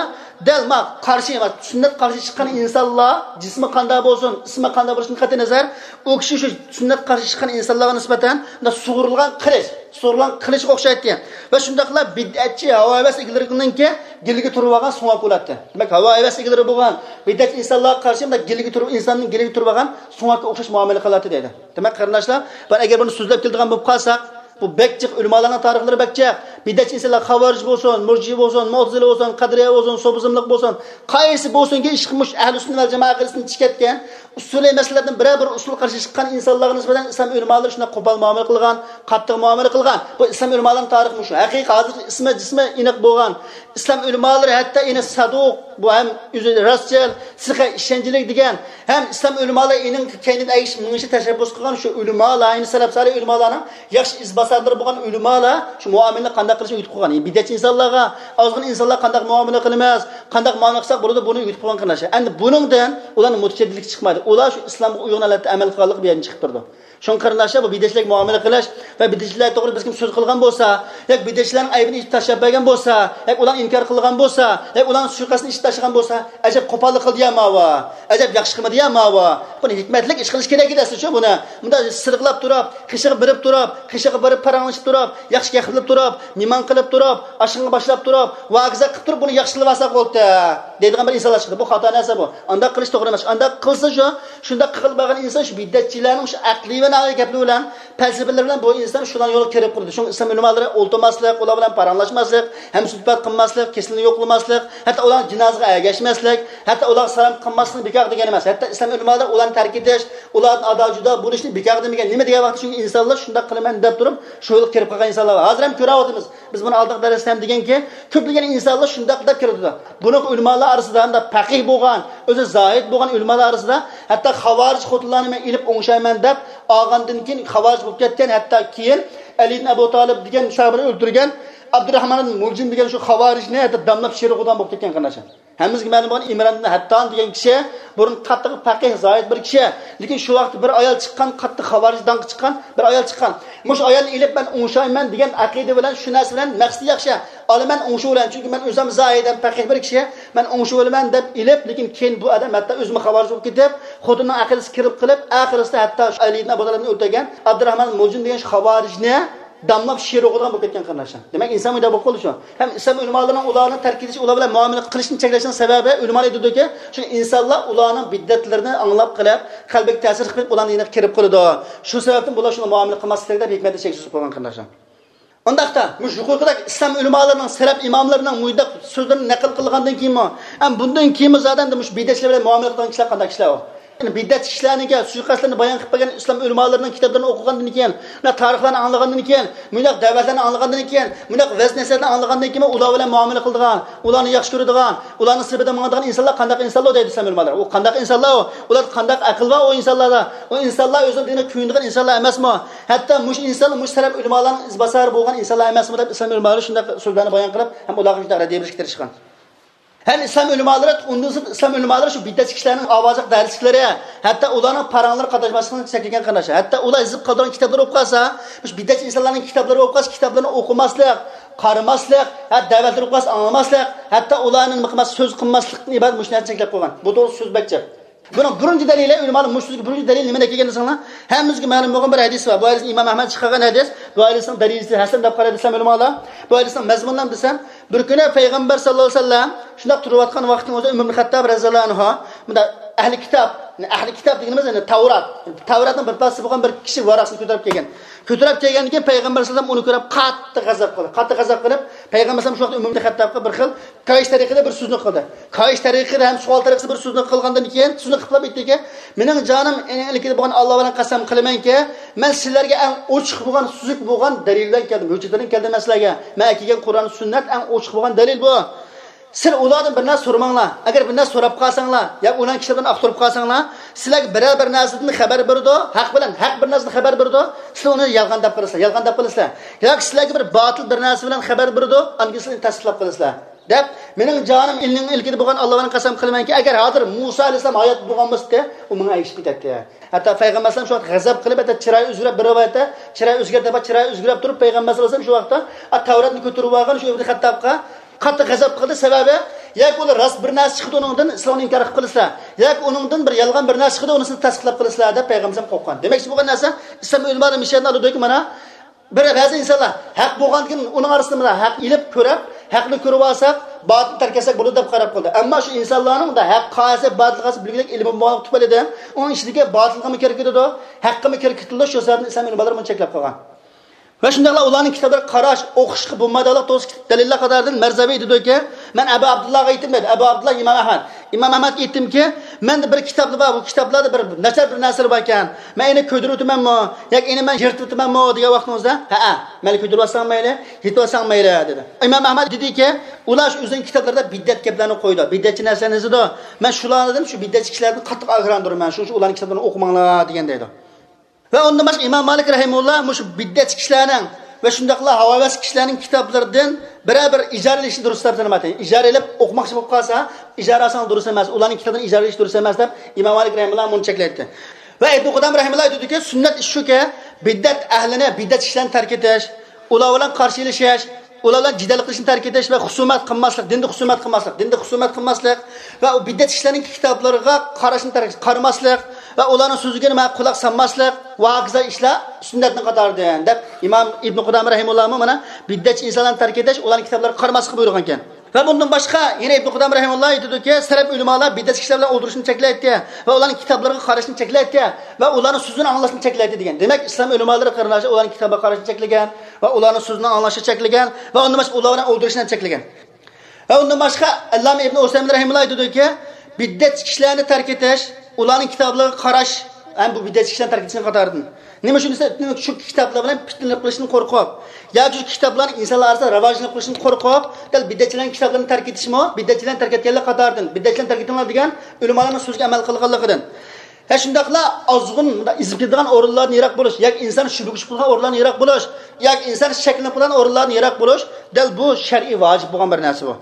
دەل ما قارشى، ما سۈننەت قارشى چىققان ئىنسانلار جىسمى قانداق بولسۇن، ئىسمى قانداق بولۇشىدىن قەتئىينەزەر، ئۇ كىشى شۇ سۈننەت قارشى چىققان ئىنسانلارغا نىسبەتەن مۇنداق سۇغۇرۇلغان قىلىچ، سۇغۇرۇلغان قىلىچقا ئوخشايتتى. ۋە شۇنداقلا بىدئەتچى ھاۋا ھەۋەس ئىگىلىرىنىڭكى گىلىگە تۇرۇۋالغان سۆڭەك بولاتتى. دېمەك، ھاۋا ھەۋەس ئىگىلىرى بولغان بىدئەتچى ئىنسانلارغا قارشى مۇنداق گىلىگە تۇرۇپ، ئىنساننىڭ گىلىگە تۇرۇۋالغان سۆڭەككە ئوخشاش مۇئامىلە قىلاتتى دەيدۇ. دېمەك، قېرىنداشلار، بۇ ئەگەر بۇنى سۆزلەپ كېلىدىغان بولۇپ قالساق، بۇ بەك جىق، ئۆلىمالارنىڭ تارىخلىرى بەك جىق. بىدئەتچى ئىنسانلار خاۋارىج بولسۇن، مۇرجىئە بولسۇن، مۇئتەزىلە بولسۇن، قەدىرىيە بولسۇن، سوپىزملىق بولسۇن، قايسى بولسۇنكى، ئىشقا مۇشۇ ئەھلى سۈننە ۋەل جامائە ئەقىدىسىدىن چىقىپ كەتكەن، ئۇسۇلىي مەسىلىلەردىن بىرەر بىر ئۇسۇلغا قارشى چىققان ئىنسانلارغا نىسبەتەن ئىسلام ئۆلىمالىرى شۇنداق قوپال مۇئامىلە قىلغان، قاتتىق مۇئامىلە قىلغان. بۇ ئىسلام ئۆلىمالىرىنىڭ تارىخى مۇشۇ. ھەقىقىي ھازىر ئىسمى، جىسمى ئېنىق بولغان ئىسلام ئۆلىمالىرى، ھەتتا ئېنىق سادۇق، بۇ ھەم ئۆزى راستچىل، سىخە ئىشەنچلىك دېگەن، ھەم ئىسلام ئۆلىمالىرى ئېنىق كەينىدىن ئەگىشىپ مېڭىشنى تەشەببۇس قىلغان شۇ ئۆلىمالار، ئەينى سەلەف سالىھ ئۆلىمالارنىڭ ياخشى ئىزباسارلىرى بولغان ئۆلىمالار شۇ مۇئامىلىنى قانداق قىلىشنى ئۆگىتىپ قويغان. بىدئەتچى ئىنسانلارغا، ئازغىنە ئىنسانلارغا قانداق مۇئامىلە قىلىمىز، قانداق مۇئامىلە قىلساق بولىدۇ، بۇنى ئۆگىتىپ قويغان قېرىنداشلار. ئەمدى بۇنىڭدىن ئۇلارنىڭ مۇتەشەددىدلىكى چىقمايدۇ. ئۇلار شۇ ئىسلامغا ئۇيغۇن ھالەتتە ئەمەل قىلغانلىقى بۇ يەردىن چىقىپ تۇرىدۇ. شۇڭا قېرىنداشلار، بۇ بىدئەتچىلەرگە مۇئامىلە قىلىش ۋە بىدئەتچىلەر توغرىدا بىر كىم سۆز قىلغان بولسا، ياكى بىدئەتچىلەرنىڭ ئەيىبىنى ئېچىپ تاشلاپ بەرگەن بولسا، ياكى ئۇلارنى ئىنكار قىلغان بولسا، ياكى ئۇلارنىڭ سۇيىقەستىنى ئېچىپ تاشلىغان بولسا، ئەجەب قوپاللىق قىلدى يا ماۋۇ، ئەجەب ياخشى قىلمىدى يا ماۋۇ. بۇنى ھېكمەتلىك ئىش قىلىش كېرەك ئىدى ئەسلى شۇ بۇنى. مۇنداق سىرغىلاپ تۇرۇپ، قېشىغا بېرىپ تۇرۇپ، قېشىغا بېرىپ پاراڭلىشىپ تۇرۇپ، ياخشى گەپ قىلىپ تۇرۇپ، مېھمان قىلىپ تۇرۇپ، ئاشخانىغا باشلاپ تۇرۇپ، ۋاكىزا قىلىپ تۇرۇپ، بۇنى ياخشى قىلىۋالساق بولدى دەيدىغان بىر ئىنسانلار چىقتى. بۇ خاتا نەرسە بۇ. ئانداق قىلىش توغرا ئەمەس. ئانداق قىلسا شۇ، شۇنداق قىلىپ بارغان ئىنسان شۇ بىدئەتچىلەرنىڭ شۇ ئەقلىي ۋە ناھىيە گەپلىرى بىلەن، پەلسەپىلىرى بىلەن بۇ ئىنسان شۇلارنىڭ يولىغا كىرىپ قالىدۇ. شۇڭا ئىسلام ئۆلىمالىرى ئولتۇرماسلىق، ئۇلار بىلەن پاراڭلاشماسلىق، ھەمسۆھبەت قىلماسلىق، كېسىلىنى يوقلىماسلىق، ھەتتا ئۇلارنىڭ جىنازىسىغا ئەگەشمەسلىك، ھەتتا ئۇلارغا سالام قىلماسلىقنى بىكار دېگەن ئەمەس. ھەتتا ئىسلام ئۆلىمالىرى ئۇلارنى تەرك ئېتىش، ئۇلاردىن ئادا جۇدا بولۇشنى بىكار دېمىگەن. نېمە دېگەن ۋاقىتتا؟ چۈنكى ئىنسانلار شۇنداق قىلىمەن دەپ تۇرۇپ، شۇ يولغا كىرىپ قالغان ئىنسانلار بار. ھازىر ھەم كۆرۈۋاتىمىز. بىز بۇنى ئالدىنقى دەرستە ھەم دېگەنكى، كۆپلىگەن ئىنسانلار شۇنداق دەپ كىرىدۇ. بۇنىڭ ئۆلىمالار ئارىسىدا ھەمدە پەقىھ بولغان، ئۆزى زاھىد بولغان ئۆلىمالار ئارىسىدا ھەتتا خاۋارىج خوتۇنلارنى مەن ئېلىپ ئوڭشايمەن دەپ ئالغاندىن كېيىن خاۋارىج بولۇپ كەتكەن، ھەتتا كېيىن ئەلى ئىبن ئەبۇ تالىپ دېگەن ساھابىنى ئۆلتۈرگەن ئابدۇراخمان ئىبن مۇلجىم دېگەن شۇ خاۋارىجنى ھەتتا داملاپ شېرىغۇدان بولۇپ كەتكەن قېرىنداشلار. ھەممىمىزگە مەلۇم بولغان ئىمران ئىبن ھەتتان دېگەن كىشى بۇرۇن قاتتىق پەقىھ، زاھىد بىر كىشى. لېكىن شۇ ۋاقىتتا بىر ئايال چىققان، قاتتىق خاۋارىج داڭقى چىققان بىر ئايال چىققان. مۇشۇ ئايالنى ئېلىپ مەن ئوڭشايمەن دېگەن ئەقىدە بىلەن، شۇ نەرسە بىلەن، مەقسىتى ياخشى. ئالا مەن ئوڭشىۋالىمەن، چۈنكى مەن ئۆزۈم زاھىد ھەم پەقىھ بىر كىشى، مەن ئوڭشىۋالىمەن دەپ ئېلىپ، لېكىن كېيىن بۇ ئادەم ھەتتا ئۆزىمۇ خاۋارىج بولۇپ كېتىپ، خوتۇنىنىڭ ئەقىدىسىگە كىرىپ قېلىپ، ئاخىرسىدا ھەتتا شۇ ئەلى ئىبن ئەبۇ تالىپنى ئۆلتۈرگەن ئابدۇراخمان مۇلجىم دېگەن شۇ خاۋارىجنى داملاپ شېرىغۇدان بولۇپ كەتكەن قېرىنداشلار. دېمەك، ئىنسان مۇنداق بولۇپ قالىدۇ شۇ. ھەم ئىسلام ئۆلىمالىرىنىڭ ئۇلارنى تەرك ئېتىش، ئۇلار بىلەن مۇئامىلە قىلىشنى چەكلەشنىڭ سەۋەبى، ئۆلىمالار ئېيتىدۇكى، شۇ ئىنسانلار ئۇلارنىڭ بىدئەتلىرىنى ئاڭلاپ قېلىپ، قەلبىگە تەسىر قىلىپ، ئۇلارنىڭ يېنىغا كىرىپ قالىدۇ. شۇ سەۋەبتىن بۇلار شۇنى مۇئامىلە قىلماسلىق كېرەك دەپ ھېكمەتنى چەكسىز قويغان قېرىنداشلار. ئۇنداقتا، مۇشۇ يۇقىرىقىدەك ئىسلام ئۆلىمالىرىنىڭ، سەلەپ ئىماملىرىنىڭ مۇنداق سۆزلىرىنى نەقىل قىلغاندىن كېيىنمۇ، ھەم بۇندىن كېيىنمۇ زادەن مۇشۇ بىدئەتچىلەر بىلەن مۇئامىلە قىلىدىغان كىشىلەر قانداق كىشىلەر ئۇ؟ يەنى بىدئەتچى كىشىلەرنىڭكى سۇيىقەستلىرىنى بايان قىلىپ بەرگەن ئىسلام ئۆلىمالىرىنىڭ كىتابلىرىنى ئوقۇغاندىن كېيىن، مۇنداق تارىخلارنى ئاڭلىغاندىن كېيىن، مۇنداق دەۋەتلەرنى ئاڭلىغاندىن كېيىن، مۇنداق ۋەز نەسىھەتنى ئاڭلىغاندىن كېيىنمۇ ئۇلار بىلەن مۇئامىلە قىلىدىغان، ئۇلارنى ياخشى كۆرىدىغان، ئۇلارنىڭ سېپىدا ماڭىدىغان ئىنسانلار قانداق ئىنسانلار دەيدۇ ئىسلام ئۆلىمالىرى. ئۇ قانداق ئىنسانلار ئۇ؟ ئۇلاردا قانداق ئەقىل بار ئۇ ئىنسانلاردا؟ ئۇ ئىنسانلار ئۆزىنىڭ دىنىغا كۆيۈنىدىغان ئىنسانلار ئەمەسمۇ؟ ھەتتا مۇشۇ ئىنسانلار مۇشۇ سەلەپ ئۆلىمالارنىڭ ئىزباسارى بولغان ئىنسانلار ئەمەسمۇ دەپ ئىسلام ئۆلىمالىرى شۇنداق سۆزلەرنى بايان قىلىپ، ھەم ئۇلارغا شۇنداق رەددىيە بېرىشكە تىرىشقان. ھەم ئىسلام ئۆلىمالىرى، ئۇندىن سىرت ئىسلام ئۆلىمالىرى شۇ بىدئەتچى كىشىلەرنىڭ ئاۋازلىق دەرسلىكلىرى، ھەتتا ئۇلارنىڭ پاراڭلىرىغا قاتناشماسلىقنى چەكلىگەن قېرىنداشلار. ھەتتا ئۇلار يېزىپ قالدۇرغان كىتابلىرى بولۇپ قالسا، مۇشۇ بىدئەتچى ئىنسانلارنىڭ كىتابلىرى بولۇپ قالسا، كىتابلىرىنى ئوقۇماسلىق، قارىماسلىق، ھە، دەۋەتلىرى بولۇپ قالسا ئاڭلىماسلىق، ھەتتا ئۇلارنى نېمە سۆز قىلماسلىقتىن ئىبارەت مۇشۇ نەرسىنى چەكلەپ قويغان. بۇ توغرىسىدا سۆز بەك جىق. بۇنىڭ بىرىنچى دەلىلى، ئۆلىمالار مۇشۇ سۆزگە بىرىنچى دەلىل نېمىدىن كەلگەن دېسەڭلار، ھەممىمىزگە مەلۇم بولغان بىر ھەدىس بار. بۇ ھەدىسنى ئىمام ئەھمەد چىقارغان ھەدىس. بۇ ھەدىسنىڭ دەرىجىسى ھەسەن دەپ قارايدۇ ئىسلام ئۆلىمالار. بۇ ھەدىسنىڭ مەزمۇنى نېمە دېسەم، بىر كۈنى پەيغەمبەر ساللاللاھۇ ئەلەيھى ۋەسەللەم شۇنداق تۇرۇۋاتقان ۋاقىتنىڭ ئۆزىدە ئۆمەر ئىبن خەتتاب رەزىياللاھۇ ئەنھۇ، مۇنداق ئەھلى كىتاب، ئەھلى كىتاب دېگىنىمىز يەنى تەۋرات. تەۋراتنىڭ بىر پارچىسى بولغان بىر كىشى ۋاراقنى كۆتۈرۈپ كەلگەن. كۆتۈرۈپ كەلگەندىن كېيىن پەيغەمبەر ئەلەيھىسسالام ئۇنى كۆرۈپ قاتتىق غەزەپ قىلدى. قاتتىق غەزەپ قىلىپ، پەيغەمبەر ئەلەيھىسسالام شۇ ۋاقىتتا ئۆمەر ئىبن خەتتابقا بىر خىل كاھىش تەرىقىدە بىر سۆزنى قىلدى. كاھىش تەرىقىدە ھەم سوئال تەرىقىدە بىر سۆزنى قىلغاندىن كېيىن، سۆزنى قىلىپ ئېيتتىكى، مېنىڭ جانىم ئېنىڭ ئىلكىدە بولغان ئاللا بىلەن قەسەم قىلىمەنكى، مەن سىلەرگە ئەڭ ئوچۇق بولغان، سۈزۈك بولغان دەلىل بىلەن كەلدىم، ھۆججەت بىلەن كەلدىم مەن سىلەرگە. مەن ئەكەلگەن قۇرئان، سۈننەت ئەڭ ئوچۇق بولغان دەلىل بۇ. سىلەر ئۇلاردىن بىر نەرسە سورىماڭلار. ئەگەر بىر نەرسە سوراپ قالساڭلار ياكى ئۇلارنىڭ كىتابلىرىنى ئاختۇرۇپ قالساڭلار، سىلەرگە بىرەر بىر نەرسىدىن خەۋەر بېرىدۇ، ھەق بىلەن، ھەق بىر نەرسىدىن خەۋەر بېرىدۇ، سىلەر ئۇنى يالغان دەپ قالىسىلەر، يالغان دەپ قالىسىلەر. ياكى سىلەرگە بىر باتىل بىر نەرسە بىلەن خەۋەر بېرىدۇ، ئاندىن كېيىن سىلەر ئۇنى تەستىقلاپ قالىسىلەر دەپ، مېنىڭ جانىم ئېنىڭ ئىلكىدە بولغان ئاللا بىلەن قەسەم قىلىمەنكى، ئەگەر ھازىر مۇسا ئەلەيھىسسالام ھايات بولغان بولسىدى، ئۇ ماڭا ئەگىشىپ كېتەتتى. ھەتتا پەيغەمبەر ئەلەيھىسسالام شۇ ۋاقىت غەزەپ قىلىپ، ھەتتا چىرايى ئۆزگىرىپ، بىر رىۋايەتتە چىرايى ئۆزگەردى، چىرايى ئۆزگىرىپ تۇرۇپ، پەيغەمبەر ئەلەيھىسسالام شۇ ۋاقىتتا، ئا، تەۋراتنى كۆتۈرۈپ ئالغان شۇ ئىبن خەتتابقا قاتتىق غەزەپ قىلدى، سەۋەبى، ياكى ئۇلار راست بىر نەرسە چىقىدۇ ئۇنىڭدىن، سىلەر ئۇنى ئىنكار قىلىپ قالىسىلەر، ياكى ئۇنىڭدىن بىر يالغان بىر نەرسە چىقىدۇ، ئۇنى سىلەر تەستىقلاپ قالىسىلەر دەپ پەيغەمبەر قورققان. دېمەكچى بولغان نەرسە، ئىسلام ئۆلىمالىرى مىشەدىن ئالىدۇكى مانا، بىر بەزى ئىنسانلار ھەق بولغاندىكىن ئۇنىڭ ئارىسىدا مانا ھەق ئېلىپ كۆرۈپ، ھەقنى كۆرۈپ ئالساق، باتىلنى تەرك ئەتسەك بولىدۇ دەپ قاراپ قالدى. ئەمما شۇ ئىنسانلارنىڭ دا ھەق قايسى، باتىل قايسى بىلگۈدەك ئىلمى بولمىغانلىق تۈپەيلىدىن، ئۇنىڭ ئىچىدىكى باتىلغىمۇ كىرىپ كېتىدۇ، ھەققىمۇ كىرىپ كېتىدۇ، شۇ سەۋەبتىن ئىسلام ئۆلىمالىرى بۇنى چەكلەپ قالغان. ۋە شۇنداقلا ئۇلارنىڭ كىتابلىرىغا قاراش، ئوقۇشقا بولمايدىغانلىق توغرىسىدىكى دەلىللەر قاتارىدىن مەرزەۋى دېدىكى، مەن ئەبۇ ئابدۇللاغا ئېيتتىم دەيدۇ. ئەبۇ ئابدۇللا ئىمام ئەھمەد. ئىمام ئەھمەدكە ئېيتتىمكى، مەندە بىر كىتابلار بار، بۇ كىتابلاردا بىر ناچار بىر نەرسىلەر باركەن. مەن ئېنى كۆيدۈرۈۋېتىمەنمۇ ياكى ئېنى مەن يىرتىۋېتىمەنمۇ دېگەن ۋاقتىڭىزدا، ھەئە، مەيلى كۆيدۈرۈۋەتسەڭ مەيلى، يىرتىۋەتسەڭ مەيلى دېدى. ئىمام ئەھمەد دېدىكى، ئۇلار شۇ ئۆزىنىڭ كىتابلىرىدا بىدئەت گەپلەرنى قويىدۇ، بىدئەتچى نەرسىلەرنى يېزىدۇ. مەن شۇلاردىن، شۇ بىدئەتچى كىشىلەردىن قاتتىق ئاگاھلاندۇرىمەن، شۇ، شۇ ئۇلارنىڭ كىتابلىرىنى ئوقۇماڭلار دېگەن دەيدۇ. ۋە ئۇندىن باشقا ئىمام مالىك رەھىمۇللا مۇشۇ بىدئەتچى كىشىلەرنىڭ ۋە شۇنداقلا ھاۋاۋەس كىشىلەرنىڭ كىتابلىرىدىن بىرەر بىر ئىجارە ئېلىشنى دۇرۇس دەپ سانىمايتتى. ئىجارە ئېلىپ ئوقۇماقچى بولۇپ قالسا، ئىجارە ئالساڭ دۇرۇس ئەمەس، ئۇلارنىڭ كىتابىدىن ئىجارە ئېلىش دۇرۇس ئەمەس دەپ ئىمام مالىك رەھىمۇللا مۇنى چەكلەيتتى. ۋە ئىبنى قۇدامە رەھىمۇللا ئېيتىدۇكى، سۈننەت ئىش شۇكى، بىدئەت ئەھلىنى، بىدئەت كىشىلەرنى تەرك ئېتىش، ئۇلار بىلەن قارشى ئېلىشىش، ئۇلار بىلەن جېدەل قىلىشنى تەرك ئېتىش ۋە خۇسۇمەت قىلماسلىق، دىندا خۇسۇمەت قىلماسلىق، دىندا خۇسۇمەت قىلماسلىق ۋە ئۇ بىدئەتچى كىشىلەرنىڭ كىتابلىرىغا قاراشنى تەرك، قارىماسلىق ۋە ئۇلارنىڭ سۆزىگە نېمە قۇلاق سالماسلىق ۋە ھاكازا ئىشلار سۈننەتنىڭ قاتارىدىن دەپ ئىمام ئىبنى قۇدامە رەھىمۇللاھمۇ مانا بىدئەتچى ئىنسانلارنى تەرك ئېتىش، ئۇلارنىڭ كىتابلىرىغا قارىماسلىققا بۇيرۇغانىكەن. ۋە بۇندىن باشقا يەنە ئىبنى قۇدامە رەھىمۇللا ئېيتىدۇكى، سەلەپ ئۆلىمالار بىدئەتچى كىشىلەر بىلەن ئولتۇرۇشنى چەكلەيتتى ۋە ئۇلارنىڭ كىتابلىرىغا قاراشنى چەكلەيتتى ۋە ئۇلارنىڭ سۆزىنى ئاڭلاشنى چەكلەيتتى دېگەن. دېمەك، ئىسلام ئۆلىمالىرى قېرىنداشلار ئۇلارنىڭ كىتابىغا قاراشنى چەكلىگەن ۋە ئۇلارنىڭ سۆزىنى ئاڭلاشنى چەكلىگەن ۋە ئۇندىن باشقا ئۇلار بىلەن ئولتۇرۇشنى چەكلىگەن. ۋە ئۇندىن باشقا ئەللامە ئىبنى ئۇسەيمىن رەھىمۇللا ئېيتىدۇكى، بىدئەتچى كىشىلەرنى تەرك ئېتىش، ئۇلارنىڭ كىتابلىرىغا قاراش ھەم بۇ بىدئەتچى كىشىلەرنى تەرك ئېتىشنىڭ قاتارىدىن. نېمە ئۈچۈن دېسە، شۇ كىتابلار بىلەن پىتنىلىك قىلىشتىن قورقۇپ، ياكى شۇ كىتابلارنىڭ ئىنسانلار ئارىسىدا راۋاجلىنىپ قېلىشتىن قورقۇپ، دەل بىدئەتچىلەرنىڭ كىتابلىرىنى تەرك ئېتىشمۇ، بىدئەتچىلەرنى تەرك ئەتكەنلەر قاتارىدىن، بىدئەتچىلەرنى تەرك ئېتىڭلار دېگەن ئۆلىمالارنىڭ سۆزىگە ئەمەل قىلغانلىقىدىن. ھە، شۇنداقلا ئازغۇن، مۇنداق ئېزىپ كېتىدىغان ئورۇنلاردىن يىراق بولۇش، ياكى ئىنسان شۈبھىگە چۈشۈپ قالغان ئورۇنلاردىن يىراق بولۇش، ياكى ئىنسان شەكلىنىپ قالغان ئورۇنلاردىن يىراق بولۇش، دەل بۇ شەرئىي ۋاجىپ بولغان بىر نەرسە بۇ.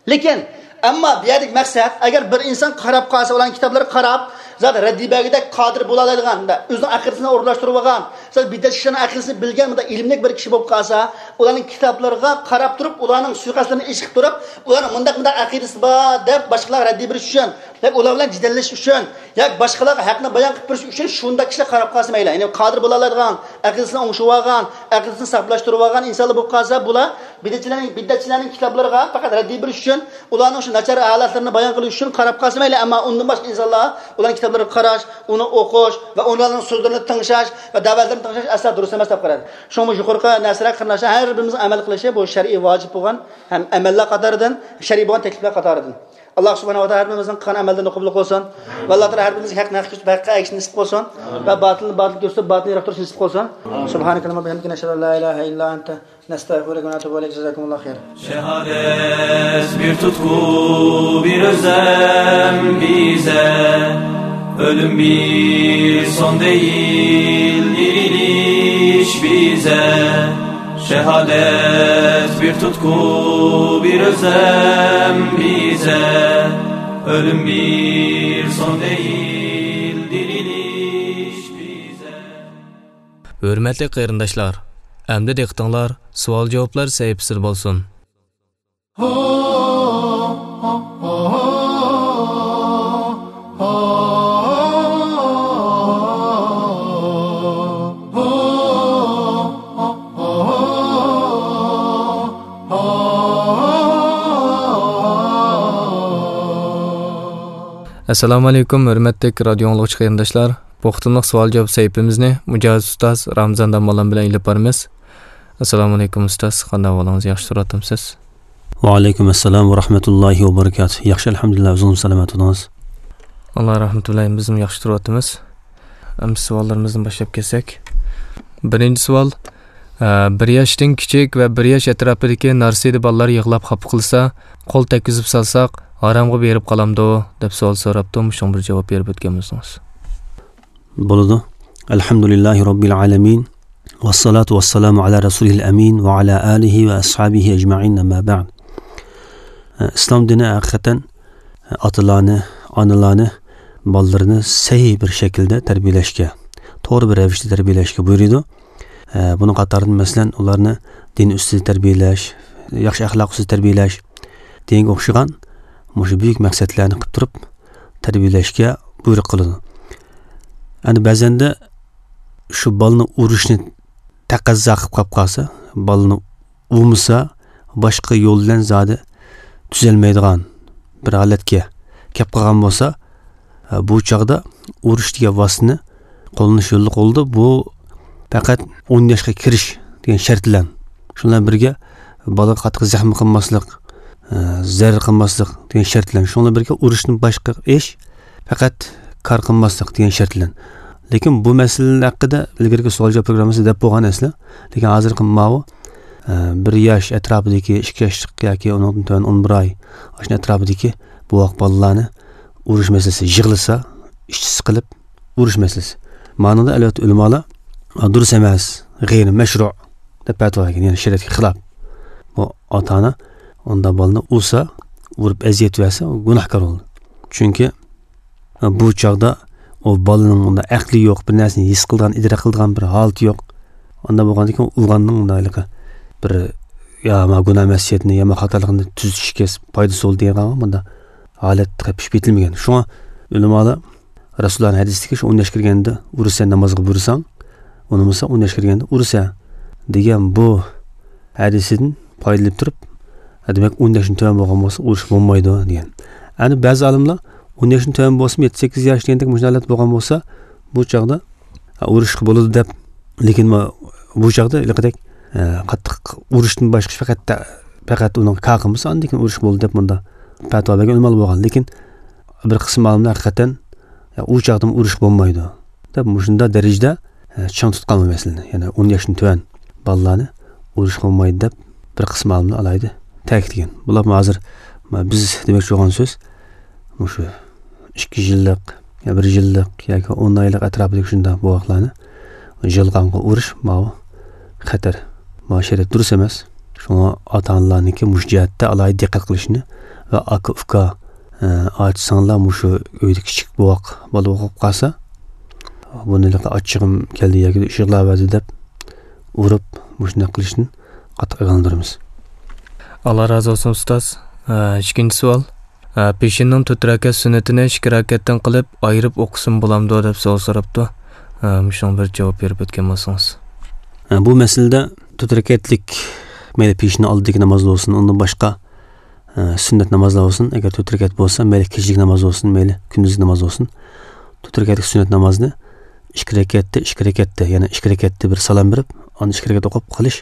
لېكىن، ئەمما بۇ يەردىكى مەقسەت، ئەگەر بىر ئىنسان قاراپ قالسا، ئۇلارنىڭ كىتابلىرىغا قاراپ، زادى رەددىي بەرگۈدەك قادىر بولالايدىغان، مۇنداق ئۆزىنىڭ ئەقىدىسىنى ئورۇنلاشتۇرۇۋالغان، زادى بىدئەتچى كىشىلەرنىڭ ئەقىدىسىنى بىلگەن، مۇنداق ئىلىملىك بىر كىشى بولۇپ قالسا، ئۇلارنىڭ كىتابلىرىغا قاراپ تۇرۇپ، ئۇلارنىڭ سۇيىقەستلىرىنى ئېچىقىپ تۇرۇپ، ئۇلارنىڭ مۇنداق، مۇنداق ئەقىدىسى بار دەپ باشقىلارغا رەددىي بېرىش ئۈچۈن، ياكى ئۇلار بىلەن جېدەللىشىش ئۈچۈن، ياكى باشقىلارغا ھەقنى بايان قىلىپ بېرىش ئۈچۈن شۇنداق كىشىلەر قاراپ قالسا مەيلى. يەنى قادىر بولالايدىغان، ئەقىدىسىنى ئوڭشىۋالغان، ئەقىدىسىنى ساپلاشتۇرۇۋالغان ئىنسانلار بولۇپ قالسا، بۇلار بىدئەتچىلەرنىڭ، بىدئەتچىلەرنىڭ كىتابلىرىغا پەقەت رەددىي بېرىش ئۈچۈن، ئۇلارنىڭ شۇ ناچار ھالەتلىرىنى بايان قىلىش ئۈچۈن قاراپ قالسا مەيلى. ئەمما ئۇندىن باشقا ئىنسانلار ئۇلارنىڭ كىتابلىرىغا قاراش، ئۇنى ئوقۇش ۋە ئۇلارنىڭ سۆزلىرىنى تىڭشاش ۋە دەۋەتلىرىنى تىڭشاش ئەسلا دۇرۇس ئەمەس دەپ قارايدۇ. شۇڭا بۇ يۇقىرىقى نەرسىلەر قېرىنداشلار ھەر بىرىمىزنىڭ ئەمەل قىلىشى بۇ شەرئىي ۋاجىپ بولغان ھەم ئەمەللەر قاتارىدىن، شەرئىي بولغان تەكلىپلەر قاتارىدىن. ئاللا سۇبھانەھۇ ۋە تائالا ھەر بىرىمىزنىڭ قىلغان ئەمەللىرىنى قوبۇل قىلسۇن. ۋە ئاللا تائالا ھەر بىرىمىزگە ھەقنى ھەق كۆرسىتىپ، ھەققە ئەگىشىشنى نېسىپ قىلسۇن. ۋە باتىلنى باتىل كۆرسىتىپ، باتىلنى يىراق تۇرۇشنى نېسىپ قىلسۇن. سۇبھانەكەللەھۇممە ۋە بىھەمدىكە، نەشھەدۇ ئەن لا ئىلاھە ئىللا ئەنتە، نەستەغفىرۇكە ۋە نەتۇبۇ ئىلەيك. جازاكۇمۇللاھۇ خەيرا. Şehadet bir tutku, bir özlem bize. Ölüm bir son değil, diriliş bize. Şehadet bir tutku, bir özlem bize. Ölüm bir son değil, diriliş bize. ھۆرمەتلىك قېرىنداشلار، ئەمدى دىققىتىڭلار سوئال-جاۋابلار سەھىپىسىدە بولسۇن. ئەسسالامۇ ئەلەيكۇم، ھۆرمەتلىك رادىيو ئاڭلىغۇچى قېرىنداشلار. بۇ قېتىملىق سوئال-جاۋاب سەھىپىمىزنى مۇجاھىد ئۇستاز رامىزان داموللام بىلەن ئېلىپ بارىمىز. ئەسسالامۇ ئەلەيكۇم ئۇستاز، قانداق ئەھۋالىڭىز؟ ياخشى تۇرۇۋاتامسىز؟ ۋەئەلەيكۇم ئەسسالام ۋە رەھمەتۇللاھى ۋە بەرىكاتۇھ. ياخشى، ئەلھەمدۇلىللا، ئۆزىڭىز سالامەت بولۇڭىز. ئاللا رەھمىتى بىلەن بىزمۇ ياخشى تۇرۇۋاتىمىز. ئەمدى سوئاللىرىمىزدىن باشلاپ كەتسەك. بىرىنچى سوئال، ئە، بىر ياشتىن كىچىك ۋە بىر ياش ئەتراپىدىكى نارسىدە بالىلار يىغلاپ خاپا قىلسا، قول تەگكۈزۈپ سالساق، ھارامغا بېرىپ قالامدۇ؟ دەپ سوئال سوراپتۇ، مۇشۇنىڭغا بىر جاۋاب بېرىپ ئۆتكەن بولسىڭىز. بولىدۇ. ئەلھەمدۇلىللاھى رەببىل ئالەمىن. ۋەسسالاتۇ ۋەسسالامۇ ئالا رەسۇلىھىل ئەمىن ۋە ئالا ئالىھى ۋە ئەسھابىھى ئەجمەئىن، ئەمما بەئد. ئىسلام دىنى ھەقىقەتەن ئاتىلارنى، ئانىلارنى، بالىلىرىنى سەھىھ بىر شەكىلدە تەربىيەلەشكە، توغرا بىر رەۋىشتە تەربىيەلەشكە بۇيرۇيدۇ. بۇنىڭ قاتارىدا، مەسىلەن، ئۇلارنى دىن ئۈستىدە تەربىيەلەش، ياخشى ئەخلاق ئۈستىدە تەربىيەلەش دېگەنگە ئوخشىغان مۇشۇ بۈيۈك مەقسەتلەرنى قىلىپ تۇرۇپ تەربىيەلەشكە بۇيرۇق قىلىدۇ. ئەنە بەزەندە شۇ بالىنى ئۇرۇشنى تەقەززا قىلىپ قاپ قالسا، بالىنى ئۇرمىسا، باشقا يول بىلەن زادى تۈزەلمەيدىغان بىر ھالەتكە كەپ قالغان بولسا، بۇ چاغدا ئۇرۇش دېگەن ۋاسىتىنى قوللىنىش يوللۇق بولىدۇ. بۇ پەقەت ئون ياشقا كىرىش دېگەن شەرت بىلەن. شۇ بىلەن بىرگە بالىغا قاتتىق زەخمە قىلماسلىق، زەرەر قىلماسلىق دېگەن شەرت بىلەن. شۇنىڭ بىلەن بىرگە ئۇرۇشتىن باشقا ئىش پەقەت كار قىلماسلىق دېگەن شەرت بىلەن. لېكىن بۇ مەسىلە ھەققىدە ئىلگىرىكى سوئال-جاۋاب پروگراممىسىدا دەپ بولغان ئەسلى. لېكىن ھازىرقى ماۋۇ، ئە، بىر ياش ئەتراپىدىكى، ئىككى ياشلىق ياكى ئۇنىڭدىن تۆۋەن ئون بىر ئاي، ئاشۇ ئەتراپىدىكى بوۋاق بالىلارنى ئۇرۇش مەسىلىسى، يىغلىسا، ئىچى سىقىلىپ ئۇرۇش مەسىلىسى. مانىڭدا ئەلۋەتتە ئۆلىمالار، ئا، دۇرۇس ئەمەس، غەيرىي مەشرۇ دەپ پەتىۋا بەرگەن، يەنى شەرىئەتكە خىلاپ. بۇ ئاتا-ئانا ئۇنداق بالىنى ئۇرسا، ئۇرۇپ ئەزىيەت بەرسە، ئۇ گۇناھكار بولىدۇ. چۈنكى بۇ چاغدا ئۇ بالىنىڭ ئۇنداق ئەقلى يوق، بىر نەرسىنى ھېس قىلىدىغان، ئىدراك قىلىدىغان بىر ھالىتى يوق. ئانداق بولغاندىن كېيىن ئۇرغاننىڭ ئۇنداق ھېلىقى بىر، يا ما گۇناھ مەسىيەتنى، يا ما خاتالىقنى تۈزىتىشكە پايدىسى بولىدۇ دېگەن مۇنداق ھالەت تېخى پىشىپ يېتىلمىگەن. شۇڭا ئۆلىمالار رەسۇلۇللانىڭ ھەدىسىدىكى شۇ ئون ياش كىرگەندە ئۇرىسەن، نامازغا بۇيرۇساڭ، ئۇنىمىسا ئون ياش كىرگەندە ئۇرىسەن دېگەن بۇ ھەدىسىدىن پايدىلىنىپ تۇرۇپ، دېمەك، ئون ياشتىن تۆۋەن بولغان بولسا ئۇرۇش بولمايدۇ دېگەن. ئەنە بەزى ئالىملار ئون ياشتىن تۆۋەن بولسىمۇ، يەتتە سەككىز ياشتىن كېيىن مۇشۇنداق ھالەت بولغان بولسا، بۇ چاغدا، ھە، ئۇرۇشقا بولىدۇ دەپ، لېكىن ما-، بۇ چاغدا ھېلىقىدەك، ئە، قاتتىق ئۇرۇشتىن باشقا پەقەت، پەقەت ئۇنىڭ كار قىلمىسا، ئاندىن كېيىن ئۇرۇش بولىدۇ دەپ مۇنداق پەتىۋا بەرگەن ئۆلىمالار بولغان. لېكىن بىر قىسىم ئالىملار ھەقىقەتەن، يا، ئۇ چاغدىمۇ ئۇرۇش بولمايدۇ دەپ مۇشۇنداق دەرىجىدە، ئە، چىڭ تۇتقان بۇ مەسىلىنى. يەنى ئون ياشتىن تۆۋەن بالىلارنى ئۇرۇشقا بولمايدۇ دەپ بىر قىسىم ئالىملار ئالاھىدە تەكىتلىگەن. بۇلارمۇ ھازىر، ما-، بىز دېمەكچى بولغان سۆز مۇشۇ ئىككى يىللىق، يا بىر يىللىق ياكى ئون ئايلىق ئەتراپىدىكى شۇنداق بوۋاقلارنى يالغانغا ئۇرۇش ماۋۇ خەتەر. ماۋۇ شەرىئەت دۇرۇس ئەمەس. شۇڭا ئاتا-ئانىلارنىڭكى مۇشۇ جەھەتتە ئالاھىدە دىققەت قىلىشىنى ۋە ئاكا-ئۇكا، ئە، ئاچا-سىڭىللار مۇشۇ ئۆيدە كىچىك بوۋاق بالا بولۇپ قالسا، بۇنى ھېلىقى ئاچچىقىم كەلدى ياكى ئىششىقلاۋەردى دەپ ئۇرۇپ، مۇشۇنداق قىلىشتىن قاتتىق ئاگاھلاندۇرىمىز. ئاللا رازى بولسۇن، ئۇستاز. ئە، ئىككىنچى سوئال. ئە، پېشىننىڭ تۆت رەكەت سۈننىتىنى ئىككى رەكەتتىن قىلىپ ئايرىپ ئوقۇسىمۇ بولامدۇ دەپ سوئال سوراپتۇ. ئە، مۇشۇنىڭغا بىر جاۋاب بېرىپ ئۆتكەن بولسىڭىز. ئە، بۇ مەسىلىدە تۆت رەكەتلىك، مەيلى پېشىننىڭ ئالدىدىكى ناماز بولسۇن، ئۇندىن باشقا، ئە، سۈننەت نامازلار بولسۇن، ئەگەر تۆت رەكەت بولسا، مەيلى كېچىلىك ناماز بولسۇن، مەيلى كۈندۈزلۈك ناماز بولسۇن، تۆت رەكەتلىك سۈننەت نامازنى ئىككى رەكەتتە، ئىككى رەكەتتە، يەنى ئىككى رەكەتتە بىر سالام بېرىپ، ئاندىن ئىككى رەكەت ئوقۇپ قېلىش،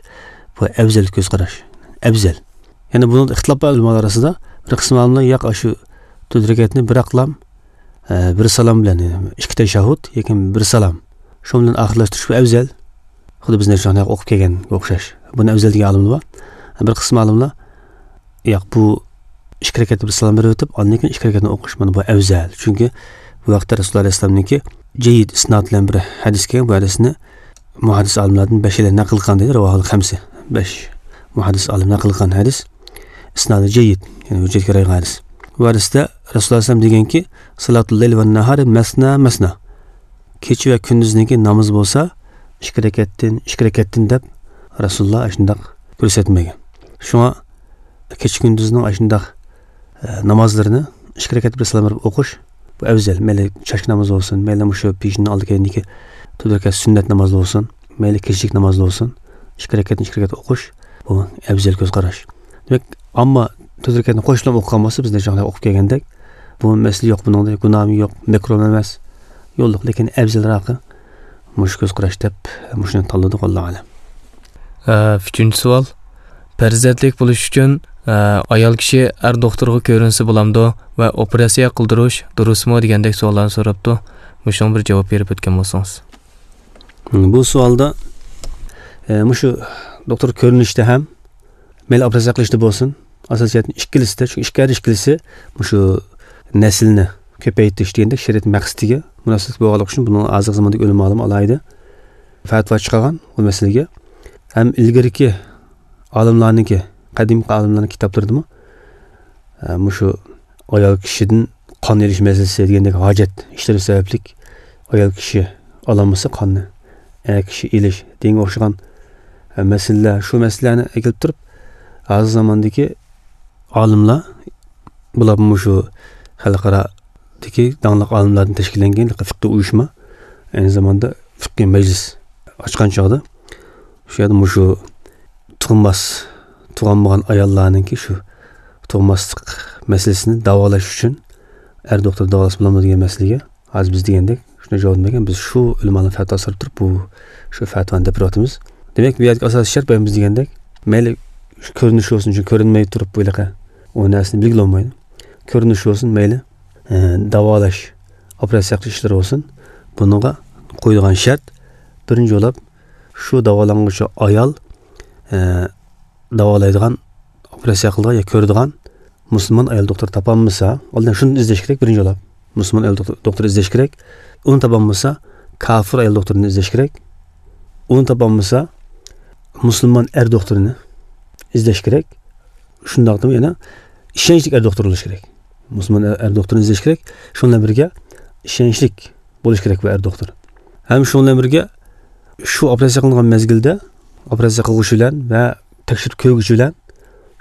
بۇ ئەۋزەل كۆز قاراش. ئەۋزەل. يەنى بۇنىڭدا ئىختىلاپ بار ئۆلىمالار ئارىسىدا. بىر قىسىم ئالىملار، ياق، ئاشۇ تۆت رەكەتنى بىراقلام، ئە، بىر سالام بىلەن، يەنى ئىككى تەشەھھۇد، ياكى بىر سالام، شۇ بىلەن ئاخىرلاشتۇرۇش بۇ ئەۋزەل. خۇددى بىز نەچچە ئوقۇپ كەلگەنگە ئوخشاش. بۇنى ئەۋزەل دېگەن ئالىملار بار. بىر قىسىم ئالىملار، ياق، بۇ ئىككى رەكەتتە بىر سالام بېرىۋېتىپ، ئاندىن كېيىن ئىككى رەكەتنى ئوقۇش، مانا بۇ ئەۋزەل. چۈنكى بۇ ۋاقىتتا رەسۇلۇللاھ ئەلەيھىسسالامنىڭكى جەييىد ئىسناد بىلەن بىر ھەدىس كەلگەن، بۇ ھەدىسنى مۇھەددىس ئالىملاردىن بەشەيلەن نەقىل قىلغان دەيدۇ، رەۋاھۇل خەمسە. بەش مۇھەددىس ئالىم نەقىل قىلغان ھەدىس، ئىسنادى جەييىد، يەنى ھۆججەتكە قارايدىغان ھەدىس. بۇ ھەدىستە رەسۇلۇللاھ ئەلەيھىسسالام دېگەنكى، «سالاتۇل لەيلى ۋەن ناھارى مەسنا مەسنا.» كېچە ۋە كۈندۈزنىڭكى نامىزى بولسا ئىككى رەكەتتىن، ئىككى رەكەتتىن دەپ رەسۇلۇللاھ ئاشۇنداق كۆرسەتمىگەن. شۇڭا كېچە كۈندۈزنىڭ ئاشۇنداق، ئە، نامازلىرىنى ئىككى رەكەت بىر سالام بېرىپ ئوقۇش، بۇ ئەۋزەل. مەيلى چاچ نامىزى بولسۇن، مەيلى مۇشۇ پېشىننىڭ ئالدى كەينىدىكى تۆت رەكەت سۈننەت نامازى بولسۇن، مەيلى كېچىلىك ناماز بولسۇن، ئىككى رەكەتنى ئىككى رەكەت ئوقۇش، بۇ ئەۋزەل كۆز قاراش. دېمەك، ئەمما تۆت رەكەتنى قوشۇپلا ئوقۇغان بولسا، بىز نەچچە ئوقۇپ كەلگەندەك، بۇ مەسىلە يوق، بۇنىڭدا گۇناھمۇ يوق، مەكرۇھمۇ ئەمەس، يوللۇق، لېكىن ئەۋزەلراقى مۇشۇ كۆز قاراش دەپ، مۇشۇنى تاللىدۇق، ۋاللاھۇ ئەلەم. ئە، ئۈچىنچى سوئال. پەرزەنتلىك بولۇش ئۈچۈن، ئە، ئايال كىشى ئەر دوختۇرغا كۆرۈنسە بولامدۇ ۋە ئوپېراتسىيە قىلدۇرۇش دۇرۇسمۇ دېگەندەك سوئاللارنى سوراپتۇ. مۇشۇنىڭغا بىر جاۋاب بېرىپ ئۆتكەن بولسىڭىز. بۇ سوئالدا، ئە، مۇشۇ دوختۇر كۆرۈنۈشتە ھەم، مەيلى ئوپېراتسىيە قىلىشتا بولسۇن، ئاساسىي جەھەتتىن ئىككىلىسىدە، چۈنكى ئىككى، ھەر ئىككىلىسى مۇشۇ نەسلىنى كۆپەيتىش دېگەندەك شەرىئەت مەقسىتىگە مۇناسىۋەتلىك بولغانلىقى ئۈچۈن بۇنىڭ ھازىرقى زاماندىكى ئۆلىمالىرىمۇ ئالاھىدە پەتىۋا چىقارغان بۇ مەسىلىگە. ھەم ئىلگىرىكى ئالىملارنىڭكى، قەدىمكى ئالىملارنىڭ كىتابلىرىدىمۇ، ئە، مۇشۇ ئايال كىشىدىن قان ئېلىش مەسىلىسى دېگەندەك ھاجەت ئىشلىرى سەۋەبلىك ئايال كىشى ئالالمىسا قاننى، ئەر كىشى ئېلىش دېگەنگە ئوخشىغان، ئە، مەسىلىلەر، شۇ مەسىلىلەرنى ئەكېلىپ تۇرۇپ، ھازىر زاماندىكى ئالىملار، بۇلار مۇشۇ خەلقئارادىكى داڭلىق ئالىملاردىن تەشكىللەنگەن فىقھىي ئۇيۇشما، ئەينى زاماندا فىقھىي مەجلىس ئاچقان چاغدا، شۇ يەردە مۇشۇ تۇغماس، تۇغالمىغان ئاياللارنىڭكى شۇ تۇغماسلىق مەسىلىسىنى داۋالاش ئۈچۈن ئەر دوختۇر داۋالىسا بولامدۇ دېگەن مەسىلىگە، ھازىر بىز دېگەندەك شۇنداق جاۋاب بەرگەن، بىز شۇ ئۆلىمالارنىڭ پەتىۋاسىنى سوراپ تۇرۇپ، بۇ، شۇ پەتىۋانى دەپ بېرىۋاتىمىز. دېمەك، بۇ يەردىكى ئاساسىي شەرت، بايام بىز دېگەندەك، مەيلى كۆرۈنۈش بولسۇن، چۈنكى كۆرۈنمەي تۇرۇپ بۇ ھېلىقى ئۇ نەرسىنى بىلگىلى بولمايدۇ. كۆرۈنۈش بولسۇن، مەيلى، ئە، داۋالاش، ئوپېراتسىيە قىلىش ئىشلىرى بولسۇن، بۇنىڭغا قويىدىغان شەرت، بىرىنچى بولاپ، شۇ داۋالانغۇچى ئايال، ئە، داۋالايدىغان، ئوپېراتسىيە قىلىدىغان يا كۆرىدىغان مۇسۇلمان ئايال دوختۇر تاپالمىسا، ئالدىن شۇنى ئىزدەش كېرەك، بىرىنچى بولاپ. مۇسۇلمان ئايال دوختۇر، دوختۇر ئىزدەش كېرەك. ئۇنى تاپالمىسا، كاپىر ئايال دوختۇرنى ئىزدەش كېرەك. ئۇنى تاپالمىسا، مۇسۇلمان ئەر دوختۇرنى ئىزدەش كېرەك. شۇنداقتىمۇ يەنە ئىشەنچلىك ئەر دوختۇر بولۇش كېرەك. مۇسۇلمان ئەر، ئەر دوختۇرنى ئىزدەش كېرەك. شۇنىڭ بىلەن بىرگە ئىشەنچلىك بولۇش كېرەك بۇ ئەر دوختۇر. ھەم شۇنىڭ بىلەن بىرگە شۇ ئوپېراتسىيە قىلىنغان مەزگىلدە ئوپېراتسىيە قىلغۇچى بىلەن ۋە تەكشۈرۈپ كۆرگۈچى بىلەن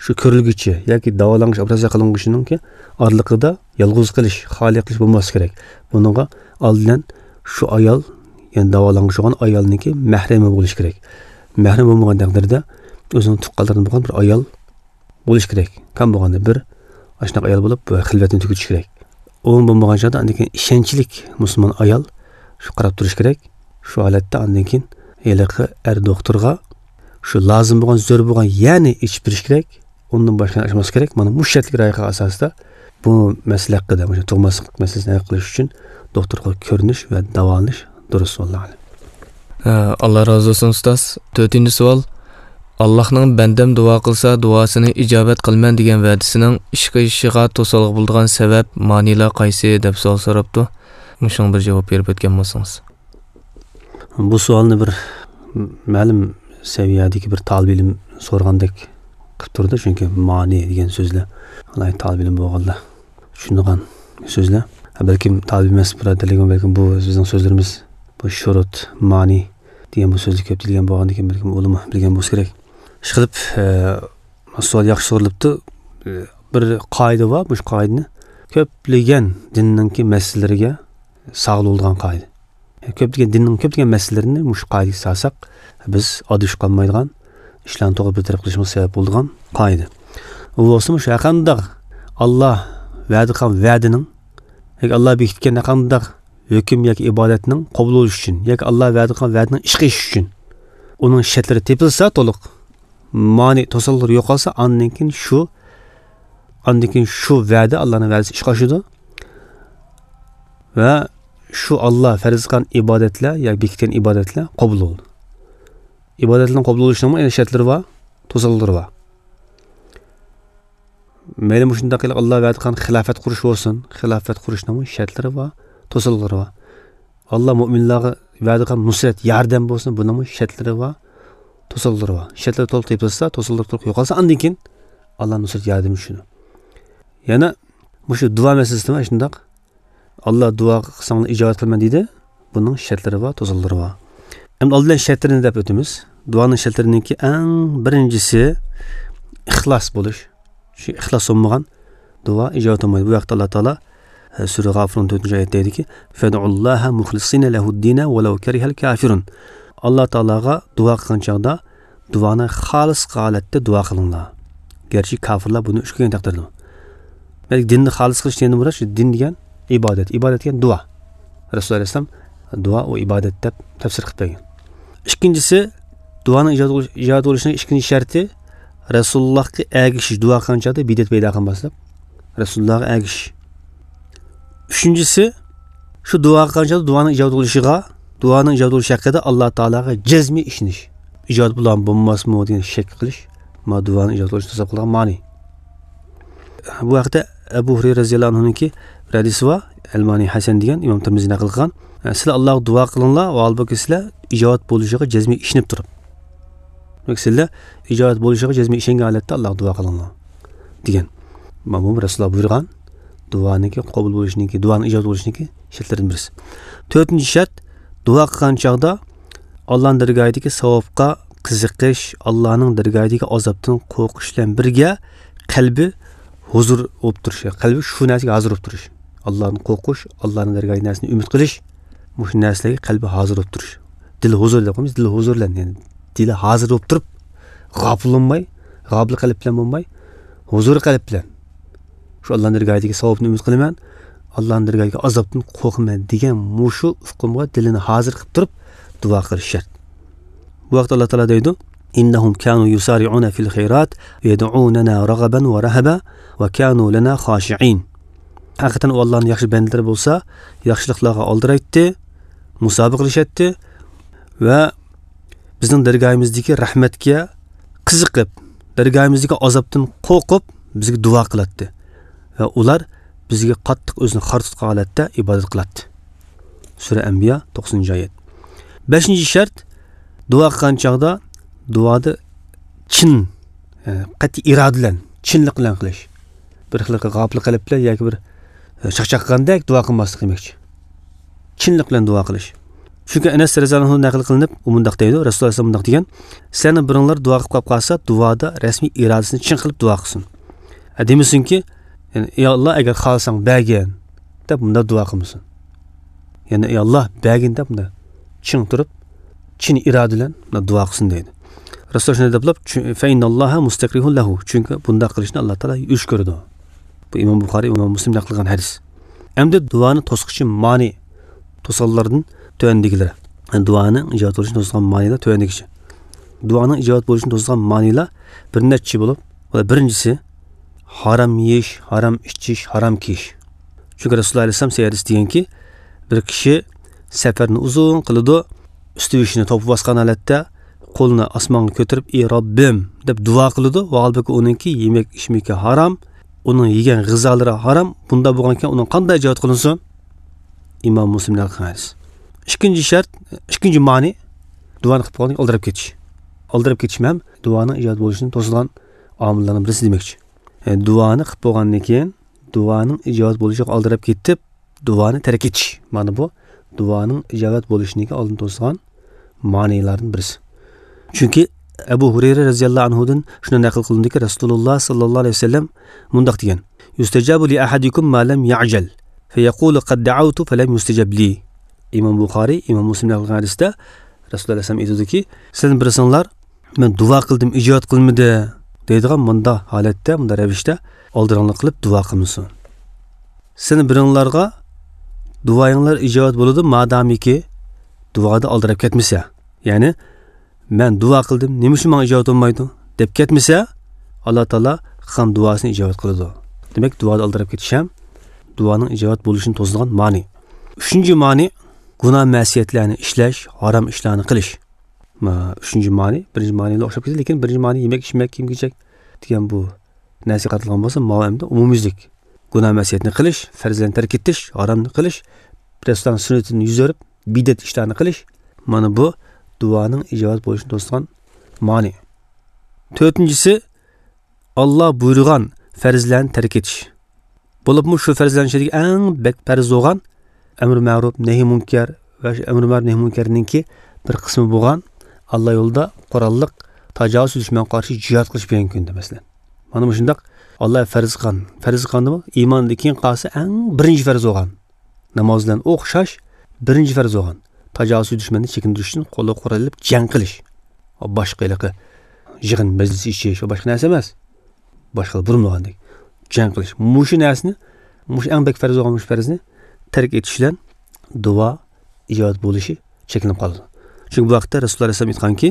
شۇ كۆرۈلگۈچى ياكى داۋالانغۇچى، ئوپېراتسىيە قىلىنغۇچىنىڭكى ئارىلىقىدا يالغۇز قېلىش، خالىي قېلىش بولماسلىقى كېرەك. بۇنىڭغا ئالدىن شۇ ئايال، يەنى داۋالانغۇچى بولغان ئايالنىڭكى مەھرىمى بولۇشى كېرەك. مەھرىمى بولمىغان تەقدىردە ئۆزىنىڭ تۇغقانلىرىدىن بولغان بىر ئايال بولۇشى كېرەك. كەم بولغاندا بىر ئاشۇنداق ئايال بولۇپ، بۇ خىلۋەتنى تۈگىتىش كېرەك. ئۇ بولمىغان چاغدا ئاندىن كېيىن ئىشەنچلىك مۇسۇلمان ئايال شۇ قاراپ تۇرۇش كېرەك. شۇ ھالەتتە ئاندىن كېيىن ھېلىقى ئەر دوختۇرغا شۇ لازىم بولغان، زۆرۈر بولغان يەرنى ئېچىپ بېرىش كېرەك. ئۇندىن باشقىنى ئاچماسلىق كېرەك. مانا مۇشۇ شەرتلىك رائىقە ئاساسىدا بۇ مەسىلە ھەققىدە، مۇشۇ تۇغماسلىق مەسىلىسىنى ھەل قىلىش ئۈچۈن دوختۇرغا كۆرۈنۈش ۋە داۋالىنىش دۇرۇس، ۋاللاھۇ ئەلەم. ئە، ئاللا رازى بولسۇن، ئۇستاز. تۆتىنچى سوئال. ئاللاھنىڭ «بەندەم دۇئا قىلسا، دۇئاسىنى ئىجابەت قىلىمەن» دېگەن ۋەدىسىنىڭ ئىشقا ئېشىشىغا توسالغۇ بولىدىغان سەۋەب، مانىلار قايسى؟ دەپ سوئال سوراپتۇ. مۇشۇنىڭغا بىر جاۋاب بېرىپ ئۆتكەن بولسىڭىز. بۇ سوئالنى بىر مەلۇم سەۋىيەدىكى بىر تالىبى ئىلىم سورىغاندەك قىلىپ تۇرىدۇ، چۈنكى مانى دېگەن سۆزلەر ئالاھىدە تالىبى ئىلىم بولغانلار چۈشىنىدىغان سۆزلەر. ھە، بەلكىم تالىپ ئەمەس بۇرادەرلىرىم، بەلكىم بۇ بىزنىڭ سۆزلىرىمىز، بۇ شۇرۇت، مانى دېگەن بۇ سۆزلەر كۆپ دېيىلگەن بولغاندىكىن، بەلكىم ئۇلىمۇ بىلگەن بولسا كېرەك. ئىشقىلىپ، ئە، سوئال ياخشى سورىلىپتۇ. ئە، بىر قائىدە بار، مۇشۇ قائىدىنى كۆپلىگەن دىننىڭكى مەسىلىلىرىگە سالغىلى بولىدىغان قائىدە. كۆپلىگەن دىننىڭ كۆپلىگەن مەسىلىلىرىنى مۇشۇ قائىدىگە سالساق، بىز ئادىشىپ قالمايدىغان، ئىشلارنى توغرا بىر تەرەپ قىلىشىمىزغا سەۋەب بولىدىغان قائىدە. ئۇ بولسا مۇشۇ ھەرقانداق ئاللا ۋەدە قىلغان ۋەدىنىڭ ياكى ئاللا بېكىتكەن ھەرقانداق ھۆكۈم ياكى ئىبادەتنىڭ قوبۇل بولۇشى ئۈچۈن ياكى ئاللا ۋەدە قىلغان ۋەدىنىڭ ئىشقا ئېشىشى ئۈچۈن ئۇنىڭ شەرتلىرى تېپىلسا، تولۇق مانى، توسالغۇلار يوقالسا، ئاندىن كېيىن شۇ، ئاندىن كېيىن شۇ ۋەدە، ئاللانىڭ ۋەدىسى ئىشقا ئاشىدۇ ۋە شۇ ئاللا پەرز قىلغان ئىبادەتلەر ياكى بېكىتكەن ئىبادەتلەر قوبۇل بولىدۇ. ئىبادەتلەرنىڭ قوبۇل بولۇشىنىڭمۇ يەنە شەرتلىرى بار، توسالغۇلىرى بار. مەيلى مۇشۇنداق قىلىپ ئاللا ۋەدە قىلغان خىلاپەت قۇرۇش بولسۇن، خىلاپەت قۇرۇشنىڭمۇ شەرتلىرى بار، توسالغۇلىرى بار. ئاللا مۆمىنلارغا ۋەدە قىلغان نۇسرەت، ياردەم بولسۇن، بۇنىڭمۇ شەرتلىرى بار، توسالغۇلىرى بار. شەرتلەر تولۇق تېپىلسا، توسالغۇلار تولۇق يوقالسا، ئاندىن كېيىن ئاللا نۇسرەت، ياردىمى چۈشىدۇ. يەنە مۇشۇ دۇئا مەسىلىسىدىمۇ شۇنداق. ئاللا دۇئا قىلساڭلار ئىجابەت قىلىمەن دېدى. بۇنىڭ شەرتلىرى بار، توسالغۇلىرى بار. ئەمدى ئالدى بىلەن شەرتلىرىنى دەپ ئۆتىمىز. دۇئانىڭ شەرتلىرىنىڭكى ئەڭ بىرىنچىسى ئىخلاس بولۇش. شۇ ئىخلاس بولمىغان دۇئا ئىجابەت بولمايدۇ. بۇ ھەقتە ئاللا تائالا، ئە، سۈرە غافىرۇن تۆتىنچى ئايەتتە دەيدىكى، فَادْعُوا اللَّهَ مُخْلِصِينَ لَهُ الدِّينَ وَلَوْ كَرِهَ الْكَافِرُونَ. ئاللا تائالاغا دۇئا قىلغان چاغدا دۇئانى خالىس ھالەتتە دۇئا قىلىڭلار. گەرچە كاپىرلار بۇنى ئۆچ كۆرگەن تەقدىردىمۇ. دېمەك، دىننى خالىس قىلىش دېگەندىن مۇراد شۇ دىن دېگەن ئىبادەت. ئىبادەت دېگەن دۇئا. رەسۇلۇللاھ ئەلەيھىسسالام دۇئا ئۇ ئىبادەت دەپ تەپسىر قىلىپ بەرگەن. ئىككىنچىسى، دۇئانىڭ ئىجابەت بولۇش-، ئىجابەت بولۇشىنىڭ ئىككىنچى شەرتى، رەسۇلۇللاھقا ئەگىشىش، دۇئا قىلغان چاغدا بىدئەت پەيدا قىلماسلىق. رەسۇلۇللاھقا ئەگىشىش. ئۈچىنچىسى، شۇ دۇئا قىلغان چاغدا دۇئانىڭ ئىجابەت بولۇشىغا، دۇئانىڭ ئىجابەت بولۇشى ھەققىدە ئاللا تائالاغا جەزمىي ئىشىنىش. ئىجابەت بولامدۇ، بولماسمۇ دېگەن شەك قىلىش. مانا دۇئانىڭ ئىجابەت بولۇشىنى توساپ قالغان مانى. بۇ ھەقتە ئەبۇ ھۇرەيرە رەزىياللاھۇ ئەنھۇنىڭكى بىر ھەدىسى بار. ئەلمانى ھەسەن دېگەن، ئىمام تىرمىزى نەقىل قىلغان. سىلەر ئاللاغا دۇئا قىلىڭلار، ۋە ھالبۇكى سىلەر ئىجابەت بولۇشىغا جەزمىي ئىشىنىپ تۇرۇپ. دېمەك، سىلەر ئىجابەت بولۇشىغا جەزمىي ئىشەنگەن ھالەتتە ئاللاغا دۇئا قىلىڭلار، دېگەن. مانا بۇ رەسۇلۇللاھ بۇيرۇغان دۇئانىڭكى قوبۇل بولۇشىنىڭكى، دۇئانىڭ ئىجابەت بولۇشىنىڭكى شەرتلىرىدىن بىرسى. تۆتىنچى شەرت، دۇئا قىلغان چاغدا ئاللانىڭ دەرگاھىدىكى ساۋابقا قىزىقىش، ئاللانىڭ دەرگاھىدىكى ئازابتىن قورقۇش بىلەن بىرگە قەلبى ھۇزۇر بولۇپ تۇرۇش، قەلبى شۇ نەرسىگە ھازىر بولۇپ تۇرۇش. ئاللادىن قورقۇش، ئاللانىڭ دەرگاھىدىكى نەرسىنى ئۈمىد قىلىش، مۇشۇ نەرسىلەرگە قەلبى ھازىر بولۇپ تۇرۇش. دىل ھۇزۇر دەپ قويىمىز، دىل ھۇزۇر بىلەن، يەنى دىلى ھازىر بولۇپ تۇرۇپ، غاپىل بولماي، غاپىل قەلب بىلەن بولماي، ھۇزۇر قەلب بىلەن. شۇ ئاللانىڭ دەرگاھىدىكى ساۋابنى ئۈمىد قىلىمەن، ئاللانىڭ دەرگاھىدىكى ئازابتىن قورقىمەن دېگەن مۇشۇ ئۇقۇمغا دىلىنى ھازىر قىلىپ تۇرۇپ دۇئا قىلىش شەرت. بۇ ھەقتە ئاللا تائالا دەيدۇ، إنهم كانوا يسارعون في الخيرات ويدعوننا رغبا ورهبا وكانوا لنا خاشعين. ھەقىقەتەن ئۇ ئاللانىڭ ياخشى بەندىلىرى بولسا، ياخشىلىقلارغا ئالدىرايتتى، مۇسابىقىلىشەتتى ۋە بىزنىڭ دەرگاھىمىزدىكى رەھمەتكە قىزىقىپ، دەرگاھىمىزدىكى ئازابتىن قورقۇپ، بىزگە دۇئا قىلاتتى. ۋە ئۇلار بىزگە قاتتىق ئۆزىنى خار تۇتقان ھالەتتە ئىبادەت قىلاتتى. سۈرە ئەنبىيا، توقسىنىنچى ئايەت. بەشىنچى شەرت، دۇئا قىلغان چاغدا دۇئادا چىن، ئە، قەتئىي ئىرادە بىلەن، چىنلىق بىلەن قىلىش. بىر خىل غاپىل قەلب بىلەن ياكى بىر، ئە، چاقچاق قىلغاندەك دۇئا قىلماسلىق دېمەكچى. چىنلىق بىلەن دۇئا قىلىش. چۈنكى ئەنەس رەزىياللاھۇ ئەنھۇ نەقىل قىلىنىپ، ئۇ مۇنداق دەيدۇ، رەسۇلۇللاھ ئەلەيھىسسالام مۇنداق دېگەن، سىلەرنىڭ بىرىڭلار دۇئا قىلىپ قاپ قالسا، دۇئادا رەسمىي ئىرادىسىنى چىڭ قىلىپ دۇئا قىلسۇن. ھە، دېمىسۇنكى، يەنى، ئى ئاللا، ئەگەر خالىساڭ بەرگىن، دەپ مۇنداق دۇئا قىلمىسۇن. يەنى، ئى ئاللا، بەرگىن دەپ مۇنداق چىڭ تۇرۇپ، چىن ئىرادە بىلەن مۇنداق دۇئا قىلسۇن دەيدۇ. رەسۇلۇللاھ شۇنداق دەپلا، چۈ-، فَإِنَّ اللَّهَ مُسْتَكْرِهٌ لَهُ، چۈنكى بۇنداق قىلىشنى ئاللا تائالا يۈرۈش كۆرىدۇ. بۇ ئىمام بۇخارىي، ئىمام مۇسلىم نەقىل قىلغان ھەدىس. ئەمدى دۇئانى توسقۇچى مانى، توسالغۇلارنىڭ تۆۋەندىكىلىرى. يەنى دۇئانىڭ ئىجابەت بولۇشىنى توسىدىغان مانىلار تۆۋەندىكىچە. دۇئانىڭ ئىجابەت بولۇشىنى توسىدىغان مانىلار بىر نەچچە بولۇپ، ئۇلار بىرىنچىسى، ھارام يېيىش، ھارام ئىچىش، ھارام كىيىش. چۈنكى رەسۇلۇللاھ ئەلەيھىسسالام سەھىھ ھەدىستە دېگەنكى، بىر كىشى سەپەرنى ئۇزۇن قىلىدۇ، ئۈستى بېشىنى توپا باسقان ھالەتتە، قولىنى ئاسمانغا كۆتۈرۈپ، ئى رەببىم دەپ دۇئا قىلىدۇ، ۋە ھالبۇكى ئۇنىڭكى يېمەك ئىچمىكى ھارام، ئۇنىڭ يېگەن غىزالىرى ھارام، بۇنداق بولغانكەن ئۇنىڭ قانداق ئىجابەت قىلىنسۇن؟ ئىمام مۇسلىم نەقىل قىلغان ھەدىس. ئىككىنچى شەرت، ئىككىنچى مانى، دۇئانى قىلىپ بولغاندىن كېيىن ئالدىراپ كېتىش. ئالدىراپ كېتىشمۇ ھەم دۇئانىڭ ئىجابەت بولۇشىنى توسىدىغان ئامىللارنىڭ بىرسى دېمەكچى. يەنى دۇئانى قىلىپ بولغاندىن كېيىن، دۇئانىڭ ئىجابەت بولۇشىغا ئالدىراپ كېتىپ، دۇئانى تەرك ئېتىش. مانا بۇ دۇئانىڭ ئىجابەت بولۇشىنىڭكى ئالدىنى توسىدىغان مانىلاردىن بىرسى. چۈنكى ئەبۇ ھۇرەيرە رەزىياللاھۇ ئەنھۇدىن شۇنداق نەقىل قىلىندىكى، رەسۇلۇللاھ ساللاللاھۇ ئەلەيھى ۋەسەللەم مۇنداق دېگەن، يُسْتَجَابُ لِأَحَدِكُمْ مَا لَمْ يَعْجَلْ، فَيَقُولُ قَدْ دَعَوْتُ فَلَمْ يُسْتَجَبْ لِي. ئىمام بۇخارىي، ئىمام مۇسلىم نەقىل قىلغان ھەدىستە رەسۇلۇللاھ ئەلەيھىسسالام ئېيتىدۇكى، سىلەرنىڭ بىرسىڭلار، مەن دۇئا قىلدىم، ئىجابەت قىلمىدى دەيدىغان مۇنداق ھالەتتە، مۇنداق رەۋىشتە ئالدىراڭلىق قىلىپ دۇئا قىلمىسۇن. سىلەرنىڭ بىرىڭلارغا دۇئايىڭلار ئىجابەت بولىدۇ، مادامىكى دۇئادا ئالدىراپ كەتمىسە. يەنى، مەن دۇئا قىلدىم، نېمە ئۈچۈن ماڭا ئىجابەت بولمايدۇ دەپ كەتمىسە، ئاللا تائالا قىلغان دۇئاسىنى ئىجابەت قىلىدۇ. دېمەك، دۇئادا ئالدىراپ كېتىش ھەم دۇئانىڭ ئىجابەت بولۇشىنى توسىدىغان مانى. ئۈچىنچى مانى، گۇناھ مەسىيەتلەرنى ئىشلەش، ھارام ئىشلارنى قىلىش. ما، ئۈچىنچى مانى، بىرىنچى مانىغا ئوخشاپ كېتىدۇ، لېكىن بىرىنچى مانى يېمەك، ئىچمەك، كىيىم-كېچەك دېگەن بۇ نەرسە قاتلىغان بولسا، ماۋۇ ئەمدى ئومۇميۈزلۈك. گۇناھ مەسىيەتنى قىلىش، پەرزلەرنى تەرك ئېتىش، ھارامنى قىلىش، رەسۇلۇللانىڭ سۈننىتىدىن يۈز ئۆرۈپ، بىدئەت ئىشلارنى قىلىش. مانا بۇ دۇئانىڭ ئىجابەت بولۇشىنى توسىدىغان مانى. تۆتىنچىسى، ئاللا بۇيرۇغان پەرزلەرنى تەرك ئېتىش. بولۇپمۇ شۇ پەرزلەرنىڭ ئىچىدىكى ئەڭ بەك پەرز بولغان ئەمرى مەرۇپ، نەھى مۇنكەر ۋە شۇ ئەمرى مەرۇپ، نەھى مۇنكەرنىڭكى بىر قىسمى بولغان ئاللا يولىدا قوراللىق تاجاۋۇزچى دۈشمەنگە قارشى جىھاد قىلىش بۈگۈنكى كۈندە، مەسىلەن. مانا مۇشۇنداق ئاللا پەرز قىلغان، پەرز قىلغاندىمۇ ئىماندىن كېيىن قالسا ئەڭ بىرىنچى پەرز بولغان ناماز بىلەن ئوخشاش بىرىنچى پەرز بولغان تاجاۋۇزچى دۈشمەننى چېكىندۈرۈش ئۈچۈن قولغا قورال ئېلىپ جەڭ قىلىش. باشقا ھېلىقى يىغىن مەجلىس ئېچىش، باشقا نەرسە ئەمەس. باشقىلار بۇرمىغاندەك جەڭ قىلىش. مۇشۇ نەرسىنى، مۇشۇ ئەڭ بەك پەرز بولغان مۇشۇ پەرزنى تەرك ئېتىش بىلەن دۇئا ئىجابەت بولۇشى چەكلىنىپ قالىدۇ. چۈنكى بۇ ھەقتە رەسۇلۇللا ئەلەيھىسسالام ئېيتقانكى،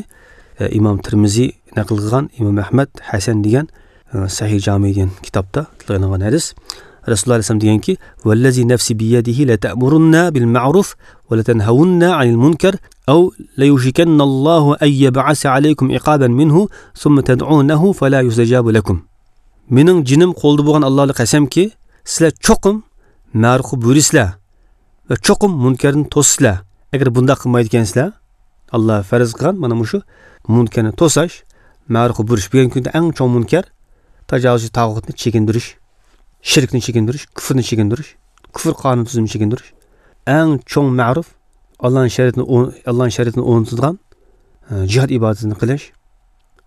ئە، ئىمام تىرمىزى نەقىل قىلغان، ئىمام ئەھمەد ھەسەن دېگەن، ئە، سەھىھ جامى دېگەن كىتابتا تىلغا ئېلىنغان ھەدىس. رەسۇلۇللا ئەلەيھىسسالام دېگەنكى، «والذي نفسي بيده لتأمرن بالمعروف ولتنهون عن المنكر أو ليوشكن الله أن يبعث عليكم عقابا منه ثم تدعونه فلا يستجاب لكم.» مېنىڭ جېنىم قولىدا بولغان ئاللا قەسەمكى، سىلەر چوقۇم مەرۇپقا بۇيرۇيسىلەر ۋە چوقۇم مۇنكەرنى توسىسىلەر. ئەگەر بۇنداق قىلمايدىكەنسىلەر، ئاللا پەرز قىلغان مانا مۇشۇ مۇنكەرنى توساش، مەرۇپقا بۇيرۇش. بۈگۈنكى كۈندە ئەڭ چوڭ مۇنكەر تاجاۋۇزچى تاغۇتنى چېكىندۈرۈش، شىركنى چېكىندۈرۈش، كۇفرنى چېكىندۈرۈش، كۇفر قانۇن تۈزۈمىنى چېكىندۈرۈش. ئەڭ چوڭ مەرۇپ ئاللانىڭ شەرىئىتىنى ئو-، ئاللانىڭ شەرىئىتىنى ئورنىتىدىغان، ئە، جىھاد ئىبادىتىنى قىلىش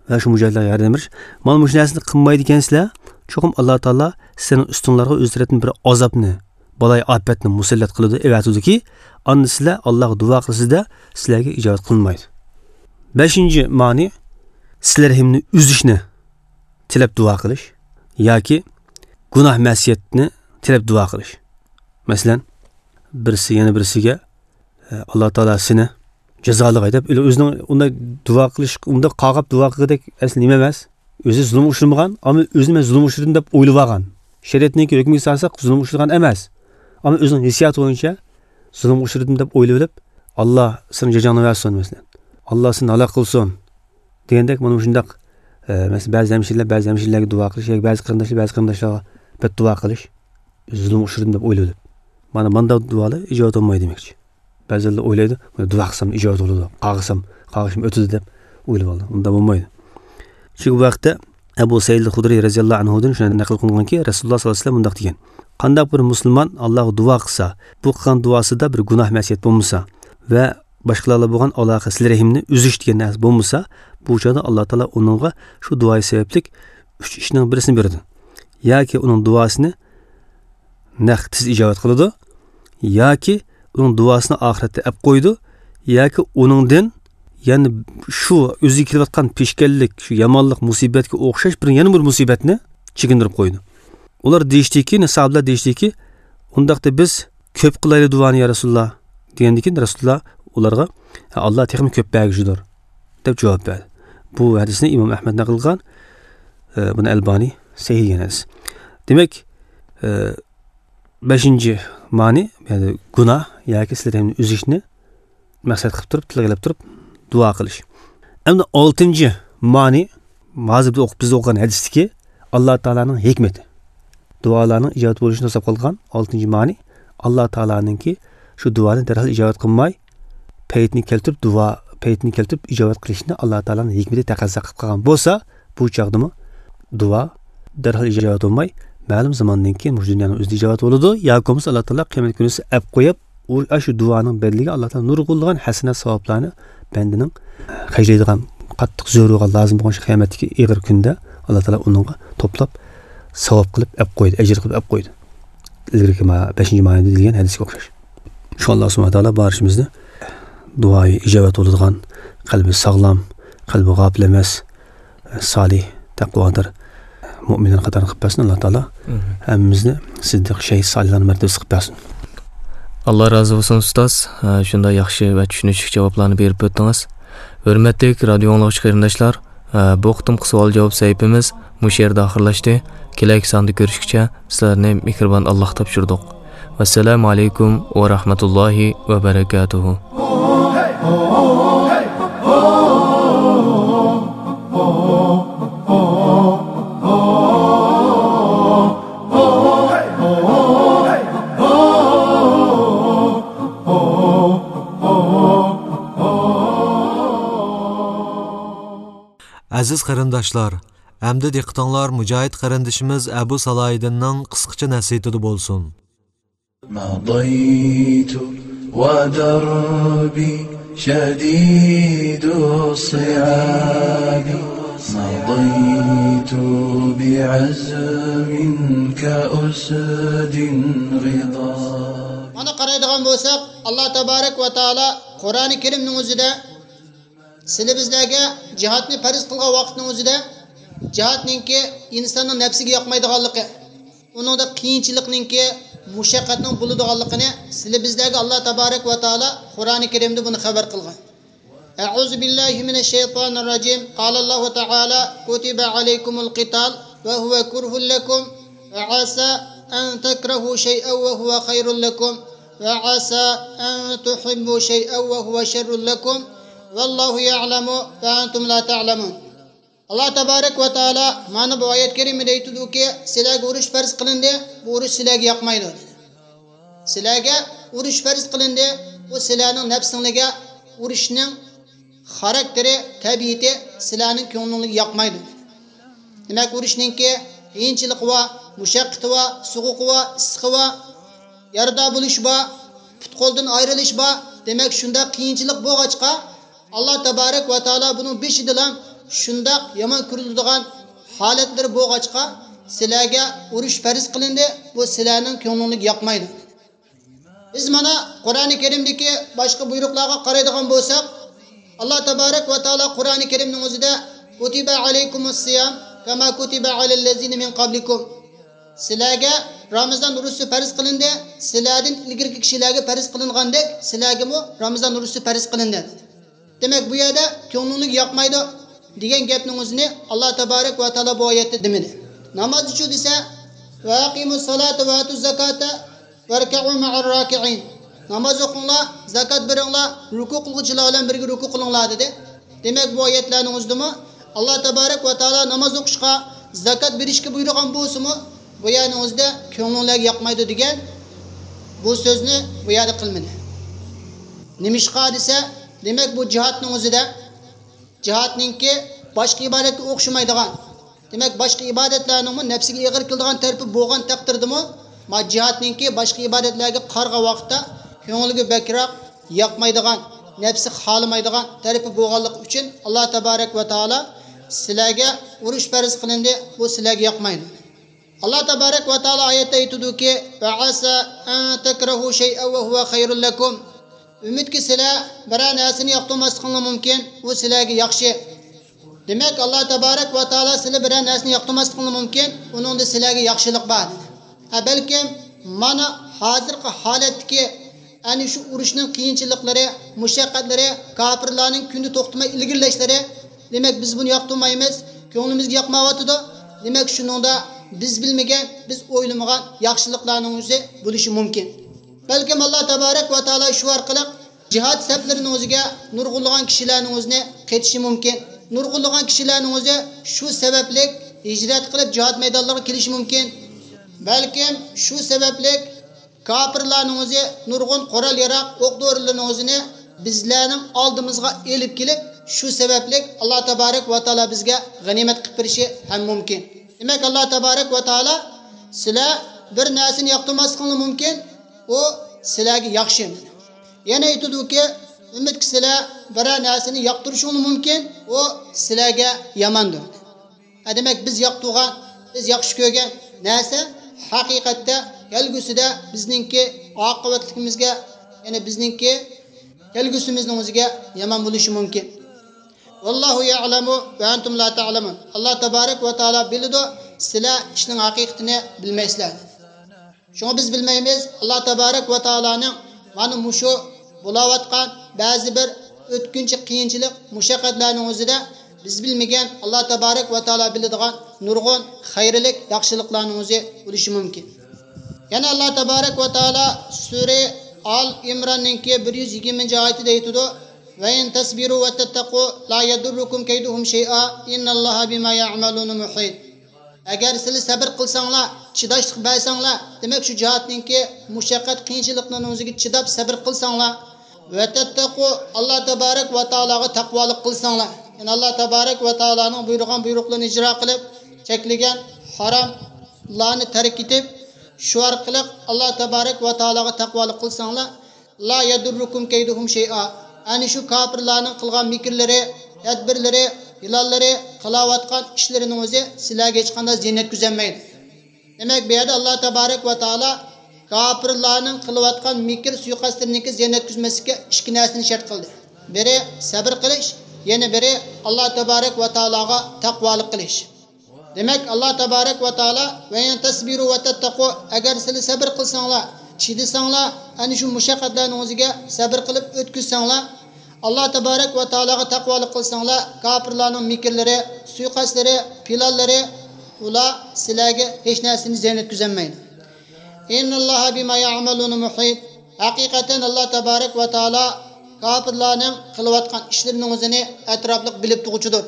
ۋە شۇ مۇجاھىدلارغا ياردەم بېرىش. مانا مۇشۇ نەرسىنى قىلمايدىكەنسىلەر، چوقۇم ئاللا تائالا سىلەرنىڭ ئۈستۈڭلارغا ئۆز تەرىپىدىن بىر ئازابنى، بالايىئاپەتنى مۇسەللەت قىلىدۇ، ئەۋەتىدۇكى، ئاندىن سىلەر ئاللاغا دۇئا قىلىسىزدە، سىلەرگە ئىجابەت قىلىنمايدۇ. بەشىنچى مانى، سىلە رەھىمنى ئۈزۈشنى تىلەپ دۇئا قىلىش ياكى گۇناھ مەسىيەتنى تىلەپ دۇئا قىلىش. مەسىلەن، بىرسى يەنە بىرسىگە، ئە، «ئاللا تائالا سېنى جازالىغاي» دەپ، ئۆزىنىڭ ئۇنداق دۇئا قىلىش، ئۇنداق قاغاپ دۇئا قىلغۇدەك ئەسلى نېمە ئەمەس. ئۆزى زۇلۇمغا ئۇچرىمىغان، ئەمما ئۆزىنى مەن زۇلۇمغا ئۇچرىدىم دەپ ئويلىۋالغان. شەرىئەتنىڭكى ھۆكمىگە سالساق زۇلۇمغا ئۇچرىغان ئەمەس. ئەمما ئۆزىنىڭ ھېسسىياتى بويىچە زۇلۇمغا ئۇچرىدىم دەپ ئويلىۋېلىپ، «ئاللا سېنىڭ جازاڭنى بەرسۇن» مەسىلەن. «ئاللا سېنى ھالاك قىلسۇن» دېگەندەك، مانا مۇشۇنداق، ئە، مەسىلەن، بەزى ھەمشىرىلەر بەزى ھەمشىرىلەرگە دۇئا قىلىش ياكى بەزى قېرىنداشلار بەزى قېرىنداشلارغا بەددۇئا قىلىش، زۇلۇمغا ئۇچرىدىم دەپ ئويلىۋېلىپ. مانا مانداق دۇئالار ئىجابەت بولمايدۇ دېمەكچى. بەزىلەر ئويلايدۇ، «دۇئا قىلسام ئىجابەت بولىدۇ، قاغىسام، قاغىشىم ئۆتىدۇ» دەپ ئويلاپ ئالىدۇ. ئۇنداق بولمايدۇ. چۈنكى بۇ ھەقتە ئەبۇ سەئىد خۇدرىي رەزىياللاھۇ ئەنھۇدىن شۇنداق نەقىل قىلىنغانكى، رەسۇلۇللا ساللاللاھۇ ئەلەيھى ۋەسەللەم مۇنداق دېگەن: «قانداق بىر مۇسۇلمان ئاللاغا دۇئا قىلسا، بۇ قىلغان دۇئاسىدا بىر گۇناھ مەسىيەت بولمىسا ۋە باشقىلار بىلەن بولغان ئالاقە، سىلە رەھىمنى ئۈزۈش دېگەن نەرسە بولمىسا، بۇ چاغدا ئاللا تائالا ئۇنىڭغا شۇ دۇئايى سەۋەبلىك ئۈچ ئىشنىڭ بىرسىنى بېرىدۇ. ياكى ئۇنىڭ دۇئاسىنى نەق تېز ئىجابەت قىلىدۇ، ياكى ئۇنىڭ دۇئاسىنى ئاخىرەتتە ئەپ قويىدۇ، ياكى ئۇنىڭدىن يەنە شۇ ئۆزىگە كېلىۋاتقان پېشكەللىك، شۇ يامانلىق، مۇسىبەتكە ئوخشاش بىر، يەنە بىر مۇسىبەتنى چېكىندۈرۈپ قويىدۇ.» ئۇلار دېيىشتىكى، ساھابىلەر دېيىشتىكى، «ئۇنداقتا بىز كۆپ قىلايلى دۇئانى، يا رەسۇلۇللا» دېگەندىن كېيىن رەسۇلۇللا ئۇلارغا، «ھە، ئاللا تېخىمۇ كۆپ بەرگۈچىدۇر» دەپ جاۋاب بەردى. بۇ ھەدىسنى ئىمام ئەھمەد نەقىل قىلغان، ئە، بۇنى ئەلبانى سەھىھ دېگەن ھەدىس. دېمەك، ئە، بەشىنچى مانى، يەنى گۇناھ ياكى سىلە رەھىمنى ئۈزۈشنى مەقسەت قىلىپ تۇرۇپ، تىلغا ئېلىپ تۇرۇپ دۇئا قىلىش. ئەمدى ئالتىنچى مانى، ھازىر بىز ئوقۇپ، بىز ئوقۇغان ھەدىستىكى ئاللا تائالانىڭ ھېكمىتى. دۇئالارنىڭ ئىجابەت بولۇشىنى توساپ قالغان ئالتىنچى مانى، ئاللا تائالانىڭكى شۇ دۇئانى دەرھال ئىجابەت قىلماي، پەيتنى كەلتۈرۈپ دۇئا، پەيتنى كەلتۈرۈپ ئىجابەت قىلىشنى ئاللا تائالانىڭ ھېكمىتى تەقەززا قىلىپ قالغان بولسا، بۇ چاغدىمۇ دۇئا دەرھال ئىجابەت بولماي، مەلۇم زاماندىن كېيىن مۇشۇ دۇنيانىڭ ئۆزىدە ئىجابەت بولىدۇ، ياكى بولمىسا ئاللا تائالا قىيامەت كۈنىسى ئەپ قويۇپ، ئۇ، ئاشۇ دۇئانىڭ بەدىلىگە ئاللا تائالا نۇرغۇنلىغان ھەسەنات، ساۋابلارنى بەندىنىڭ خەجلەيدىغان، قاتتىق زۆرۈر بولغان، لازىم بولغان شۇ قىيامەتتىكى ئېغىر كۈندە ئاللا تائالا ئۇنىڭغا توپلاپ ساۋاب قىلىپ ئەپ قويدى، ئەجىر قىلىپ ئەپ قويدى. ئىلگىرىكى ما-، بەشىنچى مانىدا دېگەن ھەدىسكە ئوخشاش. شۇ ئاللا سۇبھانەھۇ ۋە تائالا بارچىمىزنى دۇئايى ئىجابەت بولىدىغان، قەلبى ساغلام، قەلبى غاپىل ئەمەس، سالىھ، تەقۋادار مۆمىنلەر قاتارىدا قىلىپ بەرسۇن ئاللا تائالا. ئامىن. ھەممىمىزنى سىددىق، شەھىد، سالىھلارنىڭ مەرتىۋىسىدە قىلىپ بەرسۇن. ئاللا رازى بولسۇن، ئۇستاز. ھە، شۇنداق ياخشى ۋە چۈشىنىشلىك جاۋابلارنى بېرىپ ئۆتتىڭىز. ھۆرمەتلىك رادىيو ئاڭلىغۇچى قېرىنداشلار، ھە، بۇ قېتىمقى سوئال-جاۋاب سەھىپىمىز مۇشۇ يەردە ئاخىرلاشتى. كېلەركى ساندا كۆرۈشكىچە سىلەرنى مېھرىبان ئاللاغا تاپشۇردۇق. ۋەسسالامۇ ئەلەيكۇم ۋە رەھمەتۇللاھى ۋە بەرەكاتۇھۇ. ئەزىز قېرىنداشلار، ئەمدى دىققىتىڭلار مۇجاھىد قېرىندىشىمىز ئەبۇ سالاھىدىننىڭ قىسقىچە نەسىھىتىدە بولسۇن. مضيت ودربي شديد الصعاب، مضيت بعزم كأسد غضاب. مانا قارايدىغان بولساق، ئاللا تابارەك ۋە تائالا قۇرئانى كەرىمنىڭ ئۆزىدە سىلى بىزلەرگە جىھادنى پەرز قىلغان ۋاقىتنىڭ ئۆزىدە، جىھادنىڭكى ئىنساننىڭ نەپسىگە ياقمايدىغانلىقى، ئۇنىڭدا قىيىنچىلىقنىڭكى، مۇشەققەتنىڭ بولىدىغانلىقىنى سىلى بىزلەرگە ئاللا تابارەك ۋە تائالا قۇرئانى كەرىمدە بۇنى خەۋەر قىلغان. أعوذ بالله من الشيطان الرجيم. قال الله تعالى: كتب عليكم القتال وهو كره لكم وعسى أن تكرهوا شيئا وهو خير لكم وعسى أن تحبوا شيئا وهو شر لكم والله يعلم وأنتم لا تعلمون. ئاللا تابارەك ۋە تائالا مانا بۇ ئايەت كەرىمىدە ئېيتىدۇكى، سىلەرگە ئۇرۇش پەرز قىلىندى، بۇ ئۇرۇش سىلەرگە ياقمايدۇ. سىلەرگە ئۇرۇش پەرز قىلىندى، بۇ سىلەرنىڭ نەپسىڭلىگە ئۇرۇشنىڭ خاراكتېرى، تەبىئىتى سىلەرنىڭ كۆڭلۈڭلارغا ياقمايدۇ. دېمەك، ئۇرۇشنىڭكى قىيىنچىلىقى بار، مۇشەققىتى بار، سوغۇقى بار، ئىسسىقى بار، يارىدار بولۇشى بار، پۇت-قولدىن ئايرىلىش بار. دېمەك، شۇنداق قىيىنچىلىق بولغاچقا، ئاللا تابارەك ۋە تائالا بۇنىڭ بېشىدىلا شۇنداق يامان كۆرۈلىدىغان ھالەتلىرى بولغاچقا، سىلەرگە ئۇرۇش پەرز قىلىندى، بۇ سىلەرنىڭ كۆڭلۈڭلارغا ياقمايدۇ. بىز مانا قۇرئانى كەرىمدىكى باشقا بۇيرۇقلارغا قارايدىغان بولساق، ئاللا تابارەك ۋە تائالا قۇرئانى كەرىمنىڭ ئۆزىدە، كتب عليكم الصيام كما كتب على الذين من قبلكم. سىلەرگە رامىزان روزىسى پەرز قىلىندى، سىلەردىن ئىلگىرىكى كىشىلەرگە پەرز قىلىنغاندەك، سىلەرگىمۇ رامىزان روزىسى پەرز قىلىندى. دېمەك، بۇ يەردە كۆڭلۈڭلارغا ياقمايدۇ دېگەن گەپنىڭ ئۆزىنى ئاللا تابارەك ۋە تائالا بۇ ئايەتتە دېمىدى. نامازچۇ دېسە، وأقيموا الصلاة وآتوا الزكاة واركعوا مع الراكعين. ناماز ئوقۇڭلار، زاكات بېرىڭلار، رۇكۇ قىلغۇچىلار بىلەن بىرگە رۇكۇ قىلىڭلار دېدى. دېمەك، بۇ ئايەتلەرنىڭ ئۆزىدىمۇ ئاللا تابارەك ۋە تائالا ناماز ئوقۇشقا، زاكات بېرىشكە بۇيرۇغان بولسىمۇ، بۇ يەرنىڭ ئۆزىدە كۆڭلۈڭلارغا ياقمايدۇ دېگەن بۇ سۆزنى بۇ يەردە قىلمىدى. نېمىشقا دېسە، دېمەك، بۇ جىھادنىڭ ئۆزىدە، جىھادنىڭكى باشقا ئىبادەتكە ئوخشىمايدىغان، دېمەك، باشقا ئىبادەتلەرنىڭمۇ نەپسىگە ئېغىر كېلىدىغان تەرىپى بولغان تەقدىردىمۇ، ما جىھادنىڭكى باشقا ئىبادەتلەرگە قارىغان ۋاقىتتا كۆڭلىگە بەكرەك ياقمايدىغان، نەپسى خالىمايدىغان تەرىپى بولغانلىقى ئۈچۈن، ئاللا تابارەك ۋە تائالا سىلەرگە ئۇرۇش پەرز قىلىندى، بۇ سىلەرگە ياقمايدۇ. ئاللا تابارەك ۋە تائالا ئايەتتە ئېيتىدۇكى، وعسى أن تكرهوا شيئا وهو خير لكم. ئۈمىدكى سىلەر بىرەر نەرسىنى ياقتۇرماسلىقىڭلار مۇمكىن، ئۇ سىلەرگە ياخشى. دېمەك، ئاللا تابارەك ۋە تائالا سىلەر بىرەر نەرسىنى ياقتۇرماسلىقىڭلار مۇمكىن، ئۇنىڭدا سىلەرگە ياخشىلىق بار، دېدى. ھە، بەلكىم مانا ھازىرقى ھالەتتىكى ئەنە شۇ ئۇرۇشنىڭ قىيىنچىلىقلىرى، مۇشەققەتلىرى، كاپىرلارنىڭ كۈندە توختىماي ئىلگىرىلەشلىرى، دېمەك، بىز بۇنى ياقتۇرمايمىز، كۆڭلىمىزگە ياقمايۋاتىدۇ. دېمەك، شۇنىڭدا بىز بىلمىگەن، بىز ئويلىمىغان ياخشىلىقلارنىڭ ئۆزى بولۇشى مۇمكىن. بەلكىم ئاللا تابارەك ۋە تائالا شۇ ئارقىلىق جىھاد سەپلىرىنىڭ ئۆزىگە نۇرغۇنلىغان كىشىلەرنىڭ ئۆزىنى قېتىشى مۇمكىن. نۇرغۇنلىغان كىشىلەرنىڭ ئۆزى شۇ سەۋەبلىك ھىجرەت قىلىپ جىھاد مەيدانلىرىغا كېلىشى مۇمكىن. بەلكىم شۇ سەۋەبلىك كاپىرلارنىڭ ئۆزى نۇرغۇن قورال-ياراغ، ئوق-دورىلىرىنىڭ ئۆزىنى بىزلەرنىڭ ئالدىمىزغا ئېلىپ كېلىپ، شۇ سەۋەبلىك ئاللا تابارەك ۋە تائالا بىزگە غەنىيمەت قىلىپ بېرىشى ھەم مۇمكىن. دېمەك، ئاللا تابارەك ۋە تائالا سىلەر بىر نەرسىنى ياقتۇرماسلىقىڭلار مۇمكىن، ئۇ سىلەرگە ياخشى. يەنە ئېيتىدۇكى، ئۈمىدكى سىلەر بىرەر نەرسىنى ياقتۇرۇشۇڭلار مۇمكىن، ئۇ سىلەرگە ياماندۇر. ھە، دېمەك، بىز ياقتۇرغان، بىز ياخشى كۆرگەن نەرسە ھەقىقەتتە كەلگۈسىدە بىزنىڭكى ئاقىۋەتلىكىمىزگە، يەنى بىزنىڭكى كەلگۈسىمىزنىڭ ئۆزىگە يامان بولۇشى مۇمكىن. والله يعلم وأنتم لا تعلمون. ئاللا تابارەك ۋە تائالا بىلىدۇ، سىلەر ئىشنىڭ ھەقىقىتىنى بىلمەيسىلەر. شۇڭا بىز بىلمەيمىز، ئاللا تابارەك ۋە تائالانىڭ مانا مۇشۇ بولاۋاتقان بەزى بىر ئۆتكۈنچى قىيىنچىلىق، مۇشەققەتلەرنىڭ ئۆزىدە بىز بىلمىگەن، ئاللا تەبارەك ۋە تائالا بىلىدىغان نۇرغۇن خەيرلىك ياخشىلىقلارنىڭ ئۆزى بولۇشى مۇمكىن. يەنە ئاللا تەبارەك ۋە تائالا سۈرە ئال ئىمراننىڭكى بىر يۈز يىگىرمىنچى ئايىتىدە ئېيتىدۇ، «وَإِن تَصْبِرُوا وَتَتَّقُوا لَا يَضُرُّكُمْ كَيْدُهُمْ شَيْئًا إِنَّ اللَّهَ بِمَا يَعْمَلُونَ مُحِيطٌ.» ئەگەر سىلەر سەبىر قىلساڭلار، چىداشلىق بەرسەڭلار، دېمەك، شۇ جىھادنىڭكى مۇشەققەت، قىيىنچىلىقلىرىنىڭ ئۆزىگە چىداپ سەبىر قىلساڭلار، «وَتَتَّقُوا»، ئاللا تەبارەك ۋە تائالاغا تەقۋالىق قىلساڭلار، يەنى ئاللا تەبارەك ۋە تائالانىڭ بۇيرۇغان بۇيرۇقلىرىنى ئىجرا قىلىپ، چەكلىگەن ھاراملارنى تەرك ئېتىپ، شۇ ئارقىلىق ئاللا تەبارەك ۋە تائالاغا تەقۋالىق قىلساڭلار، «لَا يَضُرُّكُمْ كَيْدُهُمْ شَيْئًا»، ئەنە شۇ كاپىرلارنىڭ قىلغان مىكىرلىرى، تەدبىرلىرى، پىلانلىرى، قىلاۋاتقان ئىشلىرىنىڭ ئۆزى سىلەرگە ھېچقانداق زىيان يەتكۈزەلمەيدۇ. دېمەك، بۇ يەردە ئاللا تەبارەك ۋە تائالا كاپىرلارنىڭ قىلىۋاتقان مىكىر سۇيىقەستلىرىنىڭكى زىيان يەتكۈزمەسلىككە ئىككى نەرسىنى شەرت قىلدى. بىرى سەبىر قىلىش، يەنە بىرى ئاللا تەبارەك ۋە تائالاغا تەقۋالىق قىلىش. دېمەك، ئاللا تەبارەك ۋە تائالا، «وَإِن تَصْبِرُوا وَتَتَّقُوا»، ئەگەر سىلەر سەبىر قىلساڭلار، چىدىساڭلار، ئەنە شۇ مۇشەققەتلەرنىڭ ئۆزىگە سەبىر قىلىپ ئۆتكۈزسەڭلار، ئاللا تەبارەك ۋە تائالاغا تەقۋالىق قىلساڭلار، كاپىرلارنىڭ مىكىرلىرى، سۇيىقەستلىرى، پىلانلىرى، ئۇلار سىلەرگە ھېچ نەرسىنى زىيان يەتكۈزەلمەيدۇ. «إِنَّ اللَّهَ بِمَا يَعْمَلُونَ مُحِيطٌ»، ھەقىقەتەن ئاللا تەبارەك ۋە تائالا كاپىرلارنىڭ قىلىۋاتقان ئىشلىرىنىڭ ئۆزىنى ئەتراپلىق بىلىپ تۇرغۇچىدۇر.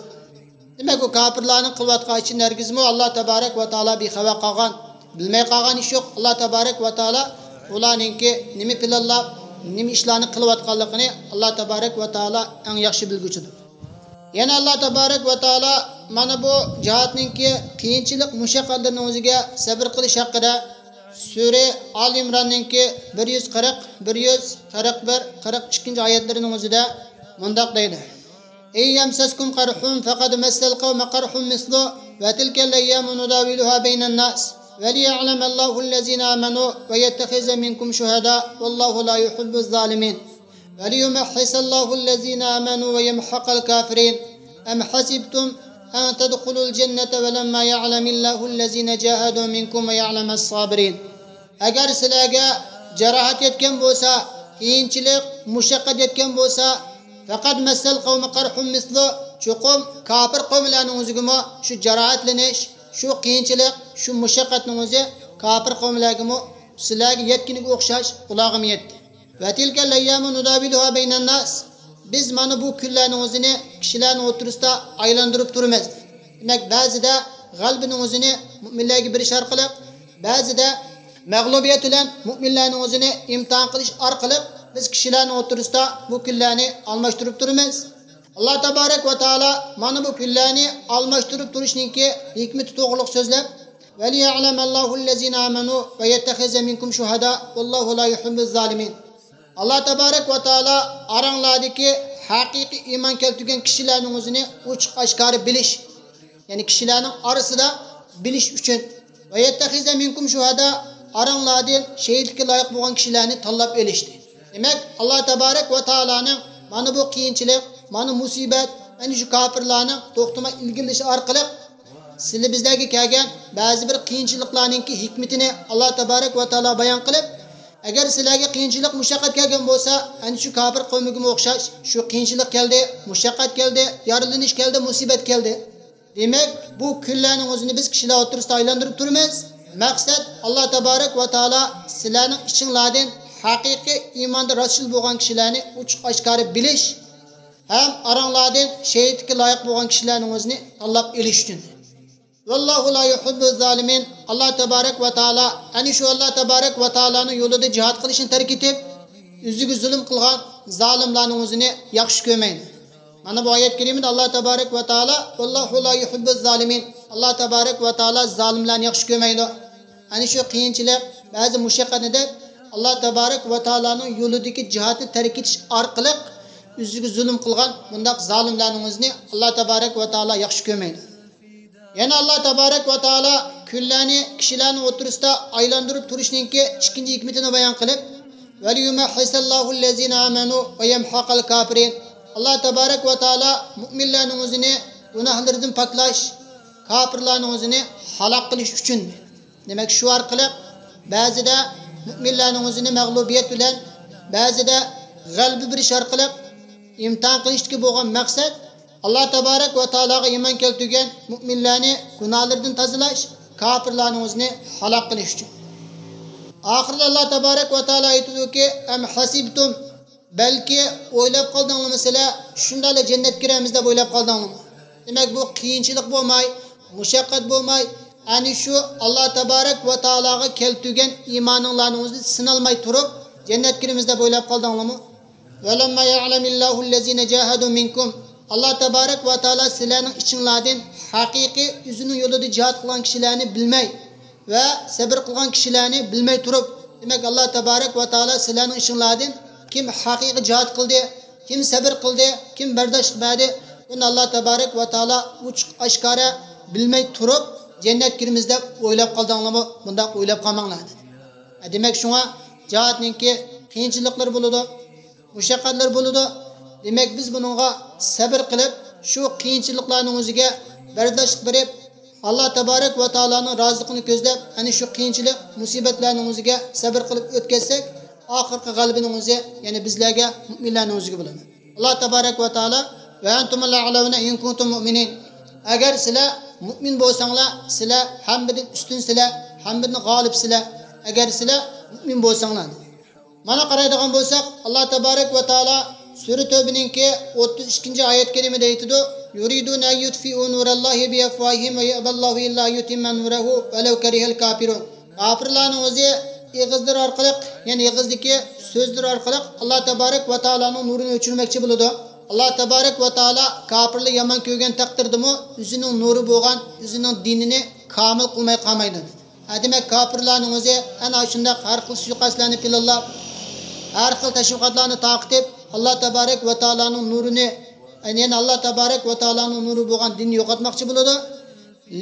دېمەك، ئۇ كاپىرلارنىڭ قىلىۋاتقان ئىشىنى ھەرگىزمۇ ئاللا تەبارەك ۋە تائالا بىخەۋەر قالغان، بىلمەي قالغان ئىش يوق. ئاللا تەبارەك ۋە تائالا ئۇلارنىڭكى نېمە پىلانلاپ، نېمە ئىشلارنى قىلىۋاتقانلىقىنى ئاللا تەبارەك ۋە تائالا ئەڭ ياخشى بىلگۈچىدۇر. يەنە ئاللا تەبارەك ۋە تائالا مانا بۇ جىھادنىڭكى قىيىنچىلىق، مۇشەققەتلىرىنىڭ ئۆزىگە سەبىر قىلىش ھەققىدە سۈرە ئال ئىمراننىڭكى بىر يۈز قىرىق، بىر يۈز قىرىق بىر، قىرىق ئىككىنچى ئايەتلىرىنىڭ ئۆزىدە مۇنداق دەيدۇ. «إِنْ يَمْسَسْكُمْ قَرْحٌ فَقَدْ مَسَّ الْقَوْمَ قَرْحٌ مِثْلُهُ وَتِلْكَ الْأَيَّامُ نُدَاوِلُهَا بَيْنَ النَّاسِ وَلِيَعْلَمَ اللَّهُ الَّذِينَ آمَنُوا وَيَتَّخِذَ مِنْكُمْ شُهَدَاءَ وَاللَّهُ لَا يُحِبُّ الظَّالِمِينَ. وَلِيُمَحِّصَ اللَّهُ الَّذِينَ آمَنُوا وَيَمْحَقَ الْكَافِرِينَ. أَمْ حَسِبْتُمْ أَنْ تَدْخُلُوا الْجَنَّةَ وَلَمَّا يَعْلَمِ اللَّهُ الَّذِينَ جَاهَدُوا مِنْكُمْ وَيَعْلَمَ الصَّابِرِينَ.» ئەگەر سىلەرگە جاراھەت يەتكەن بولسا، قىيىنچىلىق، مۇشەققەت يەتكەن بولسا، «فَقَدْ مَسَّ الْقَوْمَ قَرْحٌ مِثْلُهُ»، چوقۇم كاپىر قوملارنىڭ ئۆزىگىمۇ شۇ جاراھەتلىنىش، شۇ قىيىنچىلىق، شۇ مۇشەققەتنىڭ ئۆزى كاپىر قوملارغىمۇ، سىلەرگە يەتكىنىگە ئوخشاش ئۇلارغىمۇ يەتتى. «وَتِلْكَ الْأَيَّامُ نُدَاوِلُهَا بَيْنَ النَّاسِ»، بىز مانا بۇ كۈنلەرنىڭ ئۆزىنى كىشىلەرنىڭ ئوتتۇرىسىدا ئايلاندۇرۇپ تۇرىمىز. دېمەك، بەزىدە غەلىبىنىڭ ئۆزىنى مۇئمىنلەرگە بېرىش ئارقىلىق، بەزىدە مەغلۇبىيەت بىلەن مۇئمىنلەرنىڭ ئۆزىنى ئىمتىھان قىلىش ئارقىلىق بىز كىشىلەرنىڭ ئوتتۇرىسىدا بۇ كۈنلەرنى ئالماشتۇرۇپ تۇرىمىز. ئاللا تەبارەك ۋە تائالا مانا بۇ كۈنلەرنى ئالماشتۇرۇپ تۇرۇشنىڭكى ھېكمىتى توغرۇلۇق سۆزلەپ، «وَلِيَعْلَمَ اللَّهُ الَّذِينَ آمَنُوا وَيَتَّخِذَ مِنْكُمْ شُهَدَاءَ وَاللَّهُ لَا يُحِبُّ الظَّالِمِينَ.» ئاللا تەبارەك ۋە تائالا ئاراڭلاردىكى ھەقىقىي ئىمان كەلتۈرگەن كىشىلەرنىڭ ئۆزىنى ئوچۇق ئاشكارا بىلىش، يەنى كىشىلەرنىڭ ئارىسىدا بىلىش ئۈچۈن، «وَيَتَّخِذَ مِنْكُمْ شُهَدَاءَ»، ئاراڭلاردىن شېھىتلىككە لايىق بولغان كىشىلەرنى تاللاپ ئېلىشتى. دېمەك، ئاللا تەبارەك ۋە تائالانىڭ مانا بۇ قىيىنچىلىق، مانا مۇسىبەت، ئەنە شۇ كاپىرلارنىڭ توختىماي ئىلگىرىلىشى ئارقىلىق سىلى بىزلەرگە كەلگەن بەزى بىر قىيىنچىلىقلارنىڭكى ھېكمىتىنى ئاللا تەبارەك ۋە تائالا بايان قىلىپ، ئەگەر سىلەرگە قىيىنچىلىق، مۇشەققەت كەلگەن بولسا، ئەنە شۇ كاپىر قومىگىمۇ ئوخشاش شۇ قىيىنچىلىق كەلدى، مۇشەققەت كەلدى، يارىلىنىش كەلدى، مۇسىبەت كەلدى. دېمەك، بۇ كۈنلەرنىڭ ئۆزىنى بىز كىشىلەر ئوتتۇرىسىدا ئايلاندۇرۇپ تۇرىمىز. مەقسەت، ئاللا تەبارەك ۋە تائالا سىلەرنىڭ ئىچىڭلاردىن ھەقىقىي ئىماندا راستچىل بولغان كىشىلەرنى ئوچۇق ئاشكارا بىلىش ھەم ئاراڭلاردىن شېھىتلىككە لايىق بولغان كىشىلەرنىڭ ئۆزىنى تاللاپ ئېلىش ئۈچۈن. «وَاللَّهُ لَا يُحِبُّ الظَّالِمِينَ»، ئاللا تەبارەك ۋە تائالا، ئەنە شۇ ئاللا تەبارەك ۋە تائالانىڭ يولىدا جىھاد قىلىشنى تەرك ئېتىپ، ئۆزىگە زۇلۇم قىلغان زالىملارنىڭ ئۆزىنى ياخشى كۆرمەيدۇ. مانا بۇ ئايەت كەرىمىدە ئاللا تەبارەك ۋە تائالا، «وَاللَّهُ لَا يُحِبُّ الظَّالِمِينَ»، ئاللا تەبارەك ۋە تائالا زالىملارنى ياخشى كۆرمەيدۇ. ئەنە شۇ قىيىنچىلىق، بەزى مۇشەققەتنى دەپ، ئاللا تەبارەك ۋە تائالانىڭ يولىدىكى جىھادنى تەرك ئېتىش ئارقىلىق ئۆزىگە زۇلۇم قىلغان بۇنداق زالىملارنىڭ ئۆزىنى ئاللا تەبارەك ۋە تائالا ياخشى كۆرمەيدۇ. يەنە ئاللا تەبارەك ۋە تائالا كۈنلەرنى كىشىلەرنىڭ ئوتتۇرىسىدا ئايلاندۇرۇپ تۇرۇشنىڭكى ئىككىنچى ھېكمىتىنى بايان قىلىپ، «وَلِيُمَحِّصَ اللَّهُ الَّذِينَ آمَنُوا وَيَمْحَقَ الْكَافِرِينَ»، ئاللا تەبارەك ۋە تائالا مۇئمىنلارنىڭ ئۆزىنى گۇناھلىرىدىن پاكلاش، كاپىرلارنىڭ ئۆزىنى ھالاك قىلىش ئۈچۈن. دېمەك، شۇ ئارقىلىق بەزىدە مۇئمىنلارنىڭ ئۆزىنى مەغلۇبىيەت بىلەن بەزىدە غەلىبە بېرىش ئارقىلىق ئىمتىھان قىلىشتىكى بولغان مەقسەت ئاللا تابارەك ۋە تائالاغا ئىمان كەلتۈرگەن مۇئمىنلارنى گۇناھلىرىدىن تازىلاش، كاپىرلارنىڭ ئۆزىنى ھالاك قىلىش ئۈچۈن. ئاخىرىدا ئاللا تابارەك ۋە تائالا ئېيتىدۇكى، ئەم ھەسىبتۇم، بەلكى ئويلاپ قالدىڭلىمۇ سىلەر، شۇنداقلا جەننەتكە كىرەرمىز دەپ ئويلاپ قالدىڭلىمۇ؟ دېمەك، بۇ قىيىنچىلىق بولماي، مۇشەققەت بولماي، ئەنە شۇ ئاللا تابارەك ۋە تائالاغا كەلتۈرگەن ئىمانىڭلارنىڭ ئۆزىدە سىنالماي تۇرۇپ، جەننەتكە كىرىمىز دەپ ئويلاپ قالدىڭلىمۇ؟ ۋەلەمما يەئلەمىللاھۇللەزىنە جاھەدۇ مىنكۇم. ئاللا تابارەك ۋە تائالا سىلەرنىڭ ئىچىڭلاردىن ھەقىقىي ئۆزىنىڭ يولىدا جىھاد قىلغان كىشىلەرنى بىلمەي، ۋە سەبر قىلغان كىشىلەرنى بىلمەي تۇرۇپ، دېمەك، ئاللا تابارەك ۋە تائالا سىلەرنىڭ ئىچىڭلاردىن كىم ھەقىقىي جىھاد قىلدى، كىم سەبر قىلدى، كىم بەرداشلىق بەردى، ئۇنى ئاللا تابارەك ۋە تائالا ئوچۇق ئاشكارا بىلمەي تۇرۇپ، جەننەتكە كىرىمىز دەپ ئويلاپ قالدىڭلارمۇ؟ بۇنداق ئويلاپ قالماڭلار، دېدى. دېمەك، شۇڭا جىھادنىڭكى قىيىنچىلىقلىرى بولىدۇ، مۇشەققەتلەر بولىدۇ. دېمەك، بىز بۇنىڭغا سەبر قىلىپ، شۇ قىيىنچىلىقلارنىڭ ئۆزىگە بەرداشلىق بېرىپ، ئاللا تابارەك ۋە تائالانىڭ رازىلىقىنى كۆزلەپ، ئەنە شۇ قىيىنچىلىق، مۇسىبەتلەرنىڭ ئۆزىگە سەبر قىلىپ ئۆتكەزسەك، ئاخىرقى غەلىبىنىڭ ئۆزى، يەنى بىزلەرگە، مۇئمىنلارنىڭ ئۆزىگە بولىدۇ. ئاللا تابارەك ۋە تائالا، ۋە ئەنتۇمۇل ئەئلەۋنە ئىن كۇنتۇم مۇئمىنىن. ئەگەر سىلەر مۇئمىن بولساڭلار، سىلەر ھەممىدىن ئۈستۈنسىلەر، ھەممىدىن غالىبسىلەر، ئەگەر سىلەر مۇئمىن بولساڭلار، دېدى. مانا قارايدىغان بولساق، ئاللا تابارەك ۋە تائالا سۈرە تەۋبىنىڭكى ئوتتۇز ئىككىنچى ئايەت كەرىمىدە ئېيتىدۇ، يۇرىدۇنە ئەن يۇتفىئۇ نۇرەللاھى بىئەفۋاھىھىم ۋە يەئبەللاھۇ ئىللا يۇتىممە نۇرەھۇ ۋەلەۋ كەرىھەل كاپىرۇن. كاپىرلارنىڭ ئۆزى ئېغىزلىرى ئارقىلىق، يەنى ئېغىزدىكى سۆزلىرى ئارقىلىق ئاللا تابارەك ۋە تائالانىڭ نۇرىنى ئۆچۈرمەكچى بولىدۇ. ئاللا تابارەك ۋە تائالا كاپىرلار يامان كۆرگەن تەقدىردىمۇ ئۆزىنىڭ نۇرى بولغان ئۆزىنىڭ دىنىنى كامىل قىلماي قالمايدۇ. ھە، دېمەك، كاپىرلارنىڭ ئۆزى ئەنە شۇنداق ھەر خىل سۇيىقەستلەرنى پىلانلاپ، ھەر خىل تەشۋىقاتلارنى تارقىتىپ، ئاللا تابارەك ۋە تائالانىڭ نۇرىنى، يەنى ئاللا تابارەك ۋە تائالانىڭ نۇرى بولغان دىننى يوقاتماقچى بولىدۇ.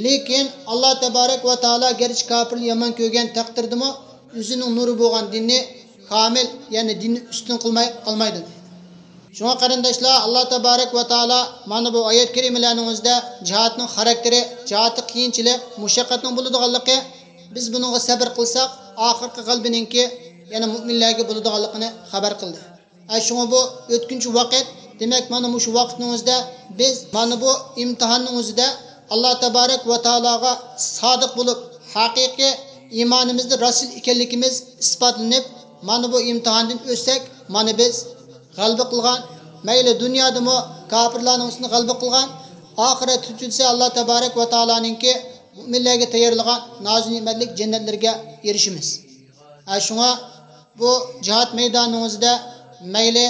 لېكىن ئاللا تابارەك ۋە تائالا گەرچە كاپىرنى يامان كۆرگەن تەقدىردىمۇ، ئۆزىنىڭ نۇرى بولغان دىننى كامىل، يەنى دىننى ئۈستۈن قىلماي قالمايدۇ. شۇڭا قېرىنداشلار، ئاللا تابارەك ۋە تائالا مانا بۇ ئايەت كەرىمىلەرنىڭ ئۆزىدە جىھادنىڭ خاراكتېرى، جىھادتا قىيىنچىلىق، مۇشەققەتنىڭ بولىدىغانلىقى، بىز بۇنىڭغا سەبر قىلساق، ئاخىرقى غەلىبىنىڭكى يەنە مۇئمىنلەرگە بولىدىغانلىقىنى خەۋەر قىلدى. ئە، شۇڭا بۇ ئۆتكۈنچى ۋاقىت، دېمەك، مانا مۇشۇ ۋاقىتنىڭ ئۆزىدە بىز مانا بۇ ئىمتىھاننىڭ ئۆزىدە ئاللا تابارەك ۋە تائالاغا سادىق بولۇپ، ھەقىقىي ئىمانىمىزدا راسىل ئىكەنلىكىمىز ئىسپاتلىنىپ، مانا بۇ ئىمتىھاندىن ئۆتسەك، مانا بىز غەلىبە قىلغان، مەيلى دۇنيادىمۇ كاپىرلارنىڭ ئۈستىدە غەلىبە قىلغان، ئاخىرەتتە تۈزۈلسە ئاللا تابارەك ۋە تائالانىڭكى مۇئمىنلەرگە تەييارلىغان نازۇ نېمەتلىك جەننەتلىرىگە ئېرىشىمىز. ھە، شۇڭا بۇ جىھاد مەيدانىنىڭ ئۆزىدە مەيلى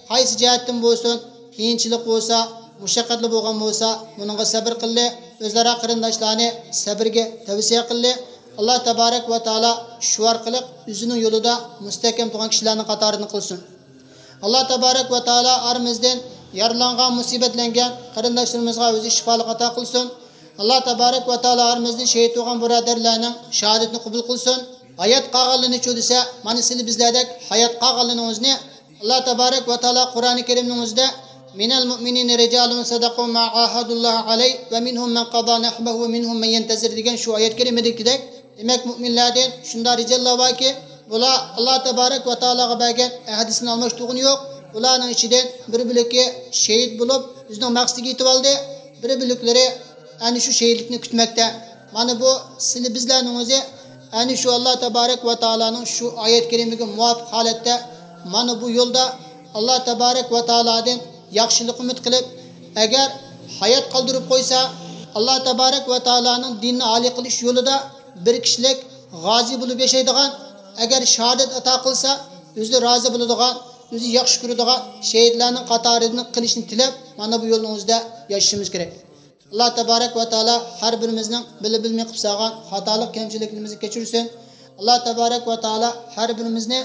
قايسى جەھەتتىن بولسۇن، قىيىنچىلىق بولسا، مۇشەققەتلىك بولغان بولسا، بۇنىڭغا سەبر قىلدى، ئۆزئارا قېرىنداشلارنى سەبرگە تەۋسىيە قىلدى. ئاللا تابارەك ۋە تائالا شۇ ئارقىلىق ئۆزىنىڭ يولىدا مۇستەھكەم تۇرغان كىشىلەرنىڭ قاتارىدىن قىلسۇن. ئاللا تابارەك ۋە تائالا ئارىمىزدىن يارىلانغان، مۇسىبەتلەنگەن قېرىنداشلىرىمىزغا ئۆزى شىپالىق ئاتا قىلسۇن. ئاللا تابارەك ۋە تائالا ئارىمىزدىن شېھىت بولغان بۇرادەرلەرنىڭ شاھادىتىنى قوبۇل قىلسۇن. ھايات قالغانلىرىنىچۇ دېسە، مانا سىلى بىزلەردەك ھايات قالغانلىرىنىڭ ئۆزىنى ئاللا تابارەك ۋە تائالا قۇرئانى كەرىمنىڭ ئۆزىدە، مىنەل مۇئمىنىنە رىجالۇن سەدەقۇ ما ئاھەدۇللاھە ئەلەيھ ۋە مىنھۇم مەن قازا نەھبەھۇ ۋە مىنھۇم مەن يەنتەزىر دېگەن شۇ ئايەت كەرىمىدىكىدەك، دېمەك، مۇئمىنلاردىن شۇنداق رىجاللار باركى، بۇلار ئاللا تابارەك ۋە تائالاغا بەرگەن ئەھدىسىنى ئالماشتۇرغىنى يوق. بۇلارنىڭ ئىچىدىن بىر بۆلىكى شېھىت بولۇپ، ئۆزىنىڭ مەقسىتىگە يېتىۋالدى، بىر بۆلەكلىرى ئەنە شۇ شېھىتلىكنى كۈتمەكتە. مانا بۇ سىلى بىزلەرنىڭ ئۆزى ئەنە شۇ ئاللا تابارەك ۋە تائالانىڭ شۇ ئايەت كەرىمىگە مۇۋاپىق ھالەتتە مانا بۇ يولدا ئاللا تابارەك ۋە تائالادىن ياخشىلىق ئۈمىد قىلىپ، ئەگەر ھايات قالدۇرۇپ قويسا، ئاللا تابارەك ۋە تائالانىڭ دىنىنى ئالىي قىلىش يولىدا بىر كىشىلىك غازى بولۇپ ياشايدىغان، ئەگەر شاھادەت ئاتا قىلسا، ئۆزى رازى بولىدىغان، ئۆزى ياخشى كۆرىدىغان شېھىتلەرنىڭ قاتارىدىن قىلىشنى تىلەپ، مانا بۇ يولنىڭ ئۆزىدە ياشىشىمىز كېرەك. ئاللا تابارەك ۋە تائالا ھەر بىرىمىزنىڭ بىلە بىلمەي قىلىپ سالغان خاتالىق، كەمچىلىكلىرىمىزنى كەچۈرسۇن. ئاللا تابارەك ۋە تائالا ھەر بىرىمىزنى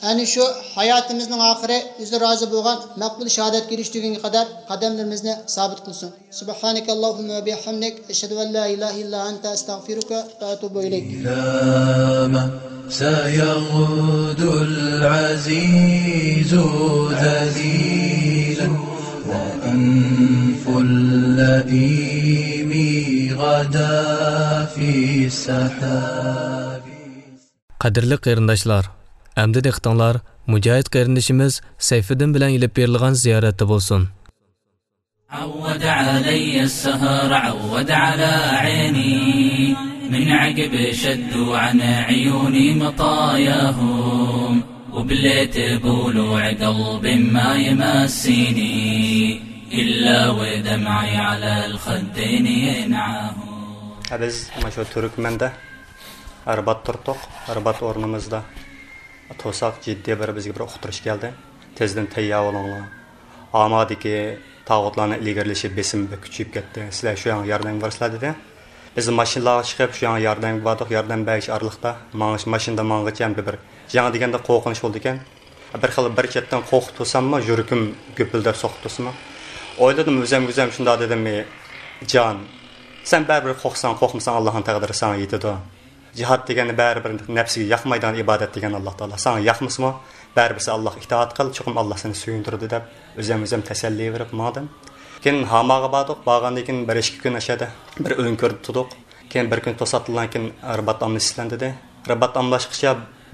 ئەنە شۇ ھاياتىمىزنىڭ ئاخىرى ئۆزى رازى بولغان مەقبۇل شاھادەتكە ئېرىشتۈرگۈنگە قەدەر قەدەملىرىمىزنى سابىت قىلسۇن. سبحانك اللهم وبحمدك، أشهد أن لا إله إلا أنت، أستغفرك وأتوب إليك. إلى ما سيغدو العزيز ذليلا، وأنف اللئيم غدا في السحاب. قەدىرلىك قېرىنداشلار، ئەمدى دىققىتىڭلار مۇجاھىد قېرىندىشىمىز سەيفىدىن بىلەن ئېلىپ بېرىلغان زىيارەتتە بولسۇن. عود علي السهر، عود على عيني، من عقب شدوا عن عيوني مطاياهم، وبليت بولوع قلب ما يمسيني، إلا ودمعي على الخدين ينعاهم. بىز مانا شۇ تۈركمەندە رىبات تۇردۇق. رىبات ئورنىمىزدا توساق جىددىي بىر، بىزگە بىر ئۇقتۇرۇش كەلدى. تېزدىن تەييار بولۇڭلار. ھامادىكى تاغۇتلارنىڭ ئىلگىرىلىشى، بېسىمى بەك كۈچىيىپ كەتتى. سىلەر شۇ يەرگە ياردەمگە بارىسىلەر دېدى. بىز ماشىنىلارغا چىقىپ شۇ يەرگە ياردەمگە باردۇق. ياردەم بەرگەچ ئارىلىقتا ماڭىش، ماشىنىدا ماڭغىچە ھەمدە بىر جەڭ دېگەندە قورقۇنچ بولىدىكەن. بىر خىل بىر چەتتىن قورقۇپ تۇرساممۇ، يۈرىكىم گۈپۈلدەپ سوقۇپ تۇرسىمۇ. ئويلىدىم ئۆزۈمگە ئۆزۈم شۇنداق دېدىم، جان، سەن بەرىبىر قورقساڭ، قورقمىساڭ، ئاللاھنىڭ تەقدىرى ساڭا يېتىدۇ. جىھاد دېگەن بەرىبىر نەپسىگە ياقمايدىغان ئىبادەت دېگەن ئاللاھ تائالا. ساڭا ياقمىسىمۇ، بەرىبىر سەن ئاللاھقا ئىتائەت قىل، چوقۇم ئاللاھ سېنى سۆيۈندۈرىدۇ دەپ ئۆزۈم ئۆزۈم تەسەللى بېرىپ ماڭدىم. كېيىن ھاماغا باردۇق. بارغاندىن كېيىن بىر ئىككى كۈن ئاشۇ يەردە بىر ئۆڭكۈردە تۇردۇق. كېيىن بىر كۈن توساتتىنلا كېيىن رىبات ئاممىسى سىلەن دېدى. رىبات ئاممىلاشقىچە،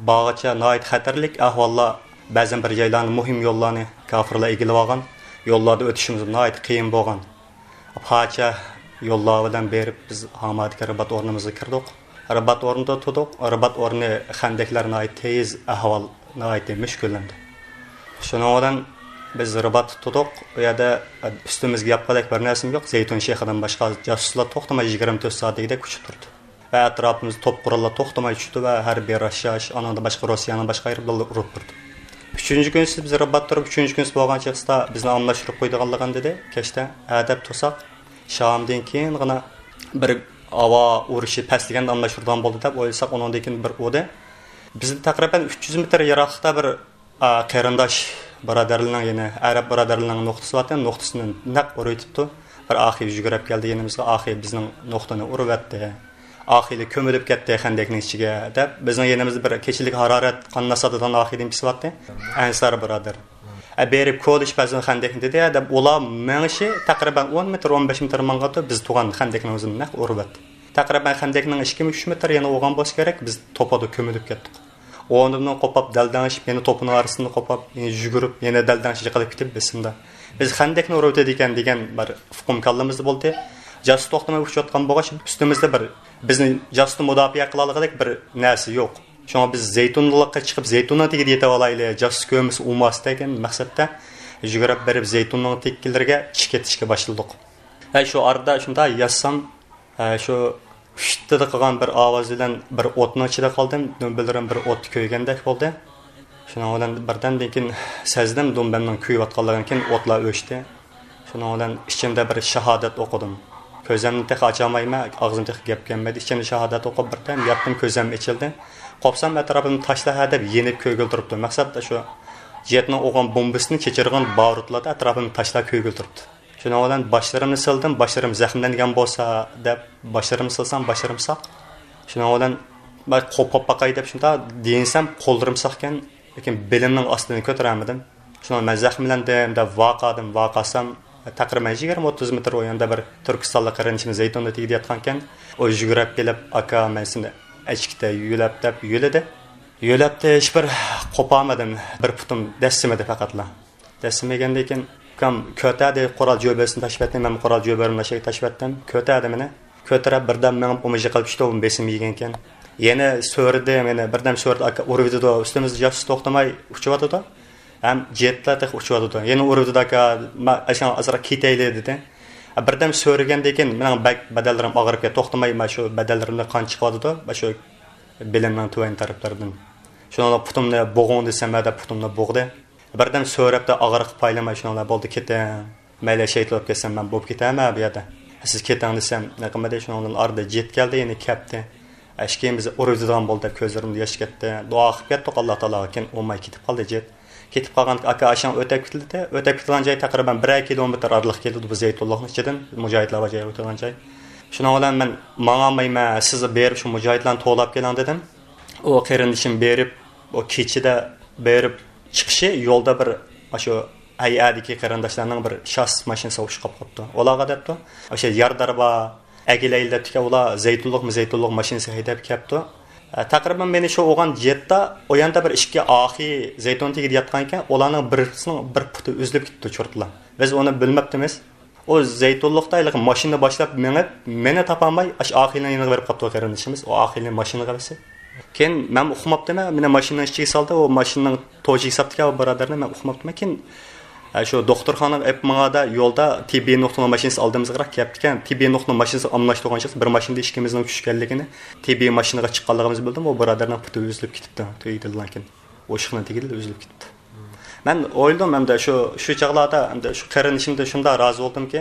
بارغىچە ناھايىتى خەتەرلىك ئەھۋاللار، بەزەن بىر جايلارنى، مۇھىم يوللارنى كاپىرلار ئىگىلىۋالغان. يوللاردا ئۆتۈشىمىز ناھايىتى قىيىن بولغان. پاچە يوللار بىلەن بېرىپ، بىز ھامادىكى رىبات ئورنىمىزغا كىردۇق. رىبات ئورنىدا تۇردۇق. رىبات ئورنى خەندەكلەر ناھايىتى تېز ئەھۋال، ناھايىتى مۈشكۈللەندى. شۇنىڭ بىلەن بىز رىباتتا تۇردۇق. ئۇ يەردە ئۈستىمىزگە ياپقۇدەك بىر نەرسىمۇ يوق. زەيتۇن شېخىدىن باشقا جاسۇسلار توختىماي يىگىرمە تۆت سائەت دېگۈدەك ئۇچۇپ تۇردى. ۋە ئەتراپىمىزدا توپ قوراللار توختىماي چۈشتى ۋە ھەربىي راشلاش، ئانىڭدىن باشقا روسىيەنىڭ باشقا ئايروپىلانلىرى ئۇرۇپ تۇردى. ئۈچىنچى كۈنى بىز رىبات تۇرۇپ، ئۈچىنچى كۈنى بولغان چاغدا بىزنى ئاملاشتۇرۇپ قويىدىغانلىقىنى دېدى. كەچتە ھە دەپ تۇرساق، شامدىن كېيىنغىنا بىر ھاۋا ئۇرۇشى پەسلىگەندە ئاملاشتۇرىدىغان بولدى دەپ ئويلىساق، ئۇنىڭدىن كېيىن بىر ئۇردى. بىزدىن تەقرىبەن ئۈچ يۈز مېتىر يىراقلىقتا بىر، ئا، قېرىنداش بۇرادەرلىرىنىڭ، يەنى ئەرەب بۇرادەرلىرىنىڭ نۇقتىسى بارتى، نۇقتىسىنى نەق ئۇرۇۋېتىپتۇ. بىر ئاخىي يۈگۈرۈپ كەلدى يېنىمىزغا، ئاخىي بىزنىڭ نۇقتىنى ئۇرۇۋەتتى. ئاخىيلار كۆمۈلۈپ كەتتى خەندەكنىڭ ئىچىگە، دەپ بىزنىڭ يېنىمىزدا بىر كېچىلىك ھارارەت قاننى ساتىدىغان ئاخىي دېگەن كىشى بارتى. ئەنسار بۇرادەر. ئە، بېرىپ كولىشىپ بەرسۇن خەندەكنى دېدى، دەپ ئۇلار مېڭىشى تەقرىبەن ئون مېتىر، ئون بەش مېتىر ماڭغانتى، بىز تۇرغان خەندەكنىڭ ئۆزىنى نەق ئۇرۇۋەتتى. تەقرىبەن خەندەكنىڭ ئىككى مىڭ، ئۈچ مېتىر يەنە بولغان بولسا كېرەك، بىز توپىدا كۆمۈلۈپ كەتتۇق. ئورنىمىزدىن قوپاپ، دەلدەڭشىپ، يەنە توپىنىڭ ئارىسىنى قوپاپ، يەنە يۈگۈرۈپ، يەنە دەلدەڭشىپ يىقىلىپ كېتىپ بېسىمدا. بىز خەندەكنى ئۇرۇۋېتىدىكەن دېگەن بىر ئۇقۇم كاللىمىزدا بولدى. جاسۇس توختىماي ئۇچۇۋاتقان بولغاچ، ئۈستىمىزدە بىر بىزنى جاسۇستىن مۇداپىئە قىلالىغۇدەك بىر نەرسە يوق. شۇڭا بىز زەيتۇنلۇققا چىقىپ، زەيتۇننىڭ تېگىدە يېتىۋالايلى، جاسۇس كۆرمىسە ئۇرماس دېگەن مەقسەتتە يۈگۈرۈپ بېرىپ، زەيتۇننىڭ تېكىلىرىگە چىقىپ كېتىشكە باشلىدۇق. ھە، شۇ ئارىدا شۇنداق ياتسام، ھە، شۇ ئۈشتىدە قىلغان بىر ئاۋاز بىلەن بىر ئوتنىڭ ئىچىدە قالدىم. دۈمبىلىرىم بىر ئوتتا كۆيگەندەك بولدى. شۇنىڭ بىلەن بىردەمدىن كېيىن سەزدىم دۈمبەمنىڭ كۆيۈۋاتقانلىقىنى، كېيىن ئوتلار ئۆچتى. شۇنىڭ بىلەن ئىچىمدە بىر شاھادەت ئوقۇدۇم. كۆزۈمنى تېخى ئاچالمايمەن، ئاغزىمدا تېخى گەپ كەلمىدى. ئىچىمدە شاھادەت ئوقۇپ بىردەم ياتتىم، كۆزۈم ئېچىلدى. قوپسام ئەتراپىمدا تاشلار ھە دەپ يېنىپ كۆيگىلى تۇرۇپتۇ. مەقسەت شۇ جېتنىڭ ئۇرغان بومبىسىنى چېچىرغان بارۇتلاردا ئەتراپىمدا تاشلار كۆيگىلى تۇرۇپتۇ. شۇنىڭ بىلەن باشلىرىمنى سىلدىم، باشلىرىم زەخىملەنگەن بولسا دەپ باشلىرىمنى سىلسام، باشلىرىم ساق. شۇنىڭ بىلەن بىر قوپاپ باقاي دەپ شۇنداق دېيىنسەم، قوللىرىم ساقكەن، لېكىن بېلىمنىڭ ئاستىنى كۆتۈرەلمىدىم. شۇنىڭ بىلەن مەن زەخىملەندىم دەپ ۋارقىرىدىم، ۋارقىرىسام، تەقرىبەن يىگىرمە ئوتتۇز مېتىر ئۇ ياندا بىر تۈركىستانلىق قېرىندىشىم زەيتۇننىڭ تېگىدە ياتقانىكەن، ئۇ يۈگۈرۈپ كېلىپ، ئاكا، مەن سېنى ئەچكىتەي يۆلەپ دەپ يۆلىدى. يۆلەپتى، ھېچبىر قوپالمىدىم، بىر پۇتۇم دەسسىمىدى پەقەتلا. دەسسىمىگەندىن كېيىن، ئۇكام، كۆتەردى، قورال جۆبىسىنى تاشلىۋەتتى، مەن قورال جۆبىمنى ئاشاققا تاشلىۋەتتىم. كۆتەردى مېنى. كۆتۈرۈپ بىردەم مېڭىپ ئۇمۇ يىقىلىپ چۈشتى، ئۇمۇ بېسىم يېگەنكەن. يەنە سۆرىدى، مېنى بىردەم سۆرىدى، ئاكا ئۇرۇۋېتىدۇ، ئۈستىمىزدە جاسۇس توختىماي ئۇچۇۋاتىدۇ. ھەم جېتلار تېخى ئۇچۇۋاتىدۇ. يەنە ئۇرۇۋېتىدۇ، ئاكا، ما-، ئاشۇ ئازراق كېتەيلى دېدى. بىردەم سۆرىگەندىن كېيىن مېنىڭ بەك بەدەنلىرىم ئاغرىپ كەتتى. توختىماي مانا شۇ بەدەنلىرىمدىن قان چىقىۋاتىدۇ، مانا شۇ بېلىمنىڭ تۆۋەن تەرەپلىرىدىن. شۇنىڭ بىلەن پۇتۇمنى بوغۇڭ دېسەم، ھە دەپ پۇتۇمنى بوغدى. بىردەم سۆرەپتە ئاغرىققا پايلىماي شۇنىڭ بىلەن بولدى، كېتىڭ. مەيلى شېھىت بولۇپ كەتسەم مەن بولۇپ كېتەمەن بۇ يەردە. سىز كېتىڭ دېسەم نېمە قىلمىدى، شۇنىڭ بىلەن ئارىدا جېت كەلدى، يەنە كەپتى. ئەشكىيىن بىز ئۇرۇۋېتىدىغان بولدى دەپ كۆزلىرىمدىن ياش كەتتى. دۇئا قىلىپ كەتتۇق ئاللا تائالاغا، كېيىن ئۇرماي كېتىپ قالدى جېت. كېتىپ قالغاندىكىن ئاكا ئاشۇڭ ئۆتەپ كېتىلدى. ئۆتەپ كېتىدىغان جاي تەقرىبەن بىرەر كىلومېتىر ئارىلىق كېلىدۇ بۇ زەيتۇنلۇقنىڭ ئىچىدىن، مۇجاھىدلار بار جاي ئۆتىدىغان جاي. شۇنىڭ بىلەن مەن ماڭالمايمەن، سىز بېرىپ شۇ مۇجاھىدلارنى توۋلاپ كېلىڭ دېدىم. ئۇ قېرىندىشىم بېرىپ، ئۇ كېچىدە بېرىپ چىقىشى يولدا بىر، شۇ ھەيئەدىكى قېرىنداشلارنىڭ بىر شاس ماشىنىسى ئۇرۇشۇپ قاپتۇ. ئۇلارغا دەپتۇ، ئاشۇ يارىدار بار، ئەكېلەيلى دەپتىكەن، ئۇلار زەيتۇنلۇقمۇ زەيتۇنلۇق ماشىنىسى ھەيدەپ كەپتۇ. ئە، تەقرىبەن مېنى شۇ ئوغان جەتتا، ئۇ ياندا بىر ئىككى ئاخى زەيتۇن تېگىدە ياتقان ئىكەن، ئۇلارنىڭ بىرسىنىڭ بىر پۇتى ئۈزۈلۈپ كېتىپتۇ چۇرتلا. بىز ئۇنى بىلمەپتىمىز. ئۇ زەيتۇنلۇقتا ھېلىقى ماشىنا باشلاپ مېڭىپ، مېنى تاپالماي، ئاشۇ ئاخىنىڭ يېنىغا بېرىپ قاپتۇ قېرىندىشىمىز. ئۇ ئاخىنى ماشىنىغا بەرسە. كېيىن مەن ئۇقماپتىمەن، مېنى ماشىنىنىڭ ئىچىگە سالدى، ئۇ ماشىنىنىڭ توشىغا ساپتىكەن ئۇ بۇرادەرنى، مەن ئۇقماپتىمەن. كېيىن، ئە، شۇ دوختۇرخانىغا ئېلىپ ماڭغاندا يولدا تېببىي نۇقتىنىڭ ماشىنىسى ئالدىمىزغىراق كەپتىكەن. تېببىي نۇقتىنىڭ ماشىنىسى ئالماشتۇرغان چاغدا بىر ماشىنىدا ئىككىمىزنىڭ چۈشكەنلىكىنى، تېببىي ماشىنىغا چىققانلىقىمىزنى بىلدىم، ئۇ بۇرادەرنىڭ پۇتى ئۈزۈلۈپ كېتىپتۇ، تېگىدىلا كېيىن. ئۇ ئىشىقنىڭ تېگىدىلا ئۈزۈلۈپ كېتىپتۇ. مەن ئويلىدىم ئەمدى شۇ، شۇ چاغلاردا ئەمدى شۇ قېرىندىشىمدىن شۇنداق رازى بولدۇمكى،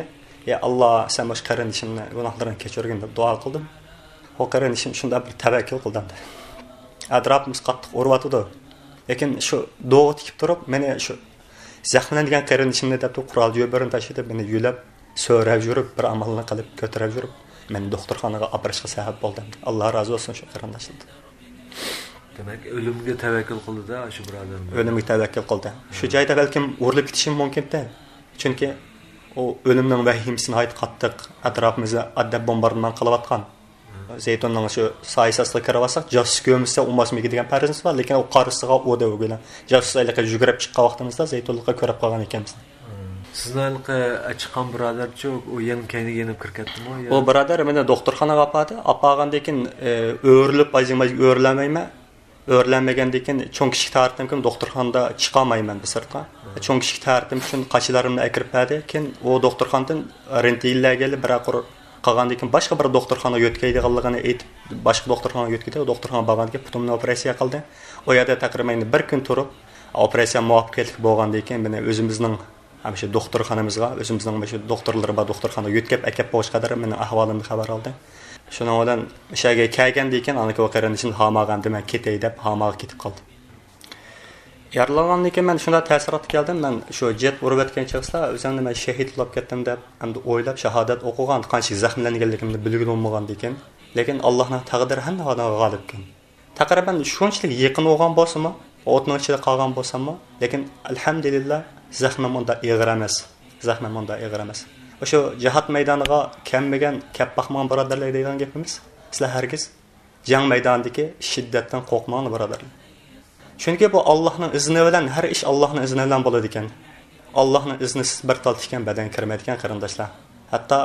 ئى ئاللا، سەن مۇشۇ قېرىندىشىمنى گۇناھلىرىنى كەچۈرگىن دەپ دۇئا قىلدىم. ئۇ قېرىندىشىم شۇنداق بىر تەۋەككۈل قىلدى ئەمدى. ئەتراپىمىز قاتتىق ئۇرۇۋاتىدۇ. لېكىن شۇ دوغا تىكىپ تۇرۇپ، مېنى شۇ زەخىملەنگەن قېرىندىشىمنى دەپتۇ، قورال جۆبىرىنى تاشلىتىپ، مېنى يۆلەپ، سۆرەپ يۈرۈپ، بىر ئامالنى قىلىپ، كۆتۈرۈپ يۈرۈپ، مېنى دوختۇرخانىغا ئاپىرىشقا سەۋەب بولدى. ئاللا رازى بولسۇن شۇ قېرىنداشلاردىن. دېمەك، ئۆلۈمگە تەۋەككۈل قىلدى-دە، شۇ بۇرادەرمۇ. ئۆلۈمگە تەۋەككۈل قىلدى. شۇ جايدا بەلكىم ئۇرۇلۇپ كېتىشىم مۇمكىنتى. چۈنكى ئۇ ئۆلۈمنىڭ ۋەھىمىسى ناھايىتى قاتتىق. ئەتراپىمىزدا ئادەم بومباردىمان قىلىۋاتقان. زەيتۇننىڭ شۇ سايىسى ئاستىغا كىرىۋالساق، جاسۇس كۆرمىسە ئۇ ماس مىگى دېگەن پەرىزىمىز بار، لېكىن ئۇ قارىسىغا ئۇ دەۋگىلى. جاسۇس ھېلىقى يۈگۈرۈپ چىققان ۋاقتىمىزدا زەيتۇنلۇققا كۆرۈپ قالغان ئىكەنمىز. سىزنىڭ ھېلىقى چىققان بۇرادەرچۇ، ئۇ يەنە كەينىگە يېنىپ كىرىپ كەتتىمۇ؟ ئۇ بۇرادەر مېنى دوختۇرخانىغا ئاپاردى. ئاپارغاندىن كېيىن، ئۆرۈلۈپ، ئايزىڭ ئۆرۈلەلمەيمەن. ئۆرۈلەلمىگەندىن كېيىن چوڭ كىشىلىك تارىتىم كېيىن دوختۇرخانىدا چىقالمايمەن بىر سىرتقا. چوڭ كىشىلىك تارىتىم ئۈچۈن قاچىلىرىمنى ئەكىرىپ بەردى. كېيىن ئۇ دوختۇرخانىدىن رېنتگېنلەرگە ئېلىپ بىرەر قۇر قالغاندىن كېيىن باشقا بىر دوختۇرخانىغا يۆتكەيدىغانلىقىنى ئېيتىپ، باشقا دوختۇرخانىغا يۆتكىدى. ئۇ دوختۇرخانىغا بارغاندىن كېيىن پۇتۇمنى ئوپېراتسىيە قىلدى. ئۇ يەردە تەقرىبەن بىر كۈن تۇرۇپ، ئوپېراتسىيە مۇۋەپپەقىيەتلىك بولغاندىن كېيىن مېنى ئۆزىمىزنىڭ ھەم شۇ دوختۇرخانىمىزغا، ئۆزىمىزنىڭ مۇشۇ دوختۇرلىرى بار دوختۇرخانىغا يۆتكەپ ئەكەپ بولغۇچقا قەدەر مېنىڭ ئەھۋالىمدىن خەۋەر ئالدى. شۇنىڭ بىلەن ئىشەگە كەلگەندىن كېيىن، ئاندىن كېيىن ئۇ قېرىندىشىم ھاماغا ئەمدى مەن كېتەي دەپ، ھاماغا كېتىپ قالدى. يارىلانغاندىن كېيىن مەن شۇنداق تەسىراتقا كەلدىم، مەن شۇ جېت ئۇرۇۋەتكەن چېغىسىدا ئۆزۈمنى مەن شېھىت بولۇپ كەتتىم دەپ ئەمدى ئويلاپ، شاھادەت ئوقۇغان، قانچىلىك زەخىملەنگەنلىكىمنى بىلگىلى بولمىغاندىكىن. لېكىن ئاللاھنىڭ تەقدىرى ھەممە ئادەمگە غالىبكەن. تەقرىبەن شۇنچىلىك يېقىن بولغان بولسىمۇ، ئوتنىڭ ئىچىدە قالغان بولساممۇ، لېكىن ئەلھەمدۇلىللا، زەخمىم ئۇنداق ئېغىر ئەمەس. زەخمىم ئۇنداق ئېغىر ئەمەس. ئاشۇ جىھاد مەيدانىغا كەلمىگەن، كەپ باقمىغان بۇرادەرلەرگە دەيدىغان گېپىمىز، سىلەر ھەرگىز جەڭ مەيدانىدىكى شىددەتتىن قورقماڭلار، بۇرادەرلەر. چۈنكى بۇ ئاللاھنىڭ ئىزنى بىلەن، ھەر ئىش ئاللاھنىڭ ئىزنى بىلەن بولىدىكەن. ئاللاھنىڭ ئىزنىسىز بىر تال تىكەن بەدەنگە كىرمەيدىكەن، قېرىنداشلار. ھەتتا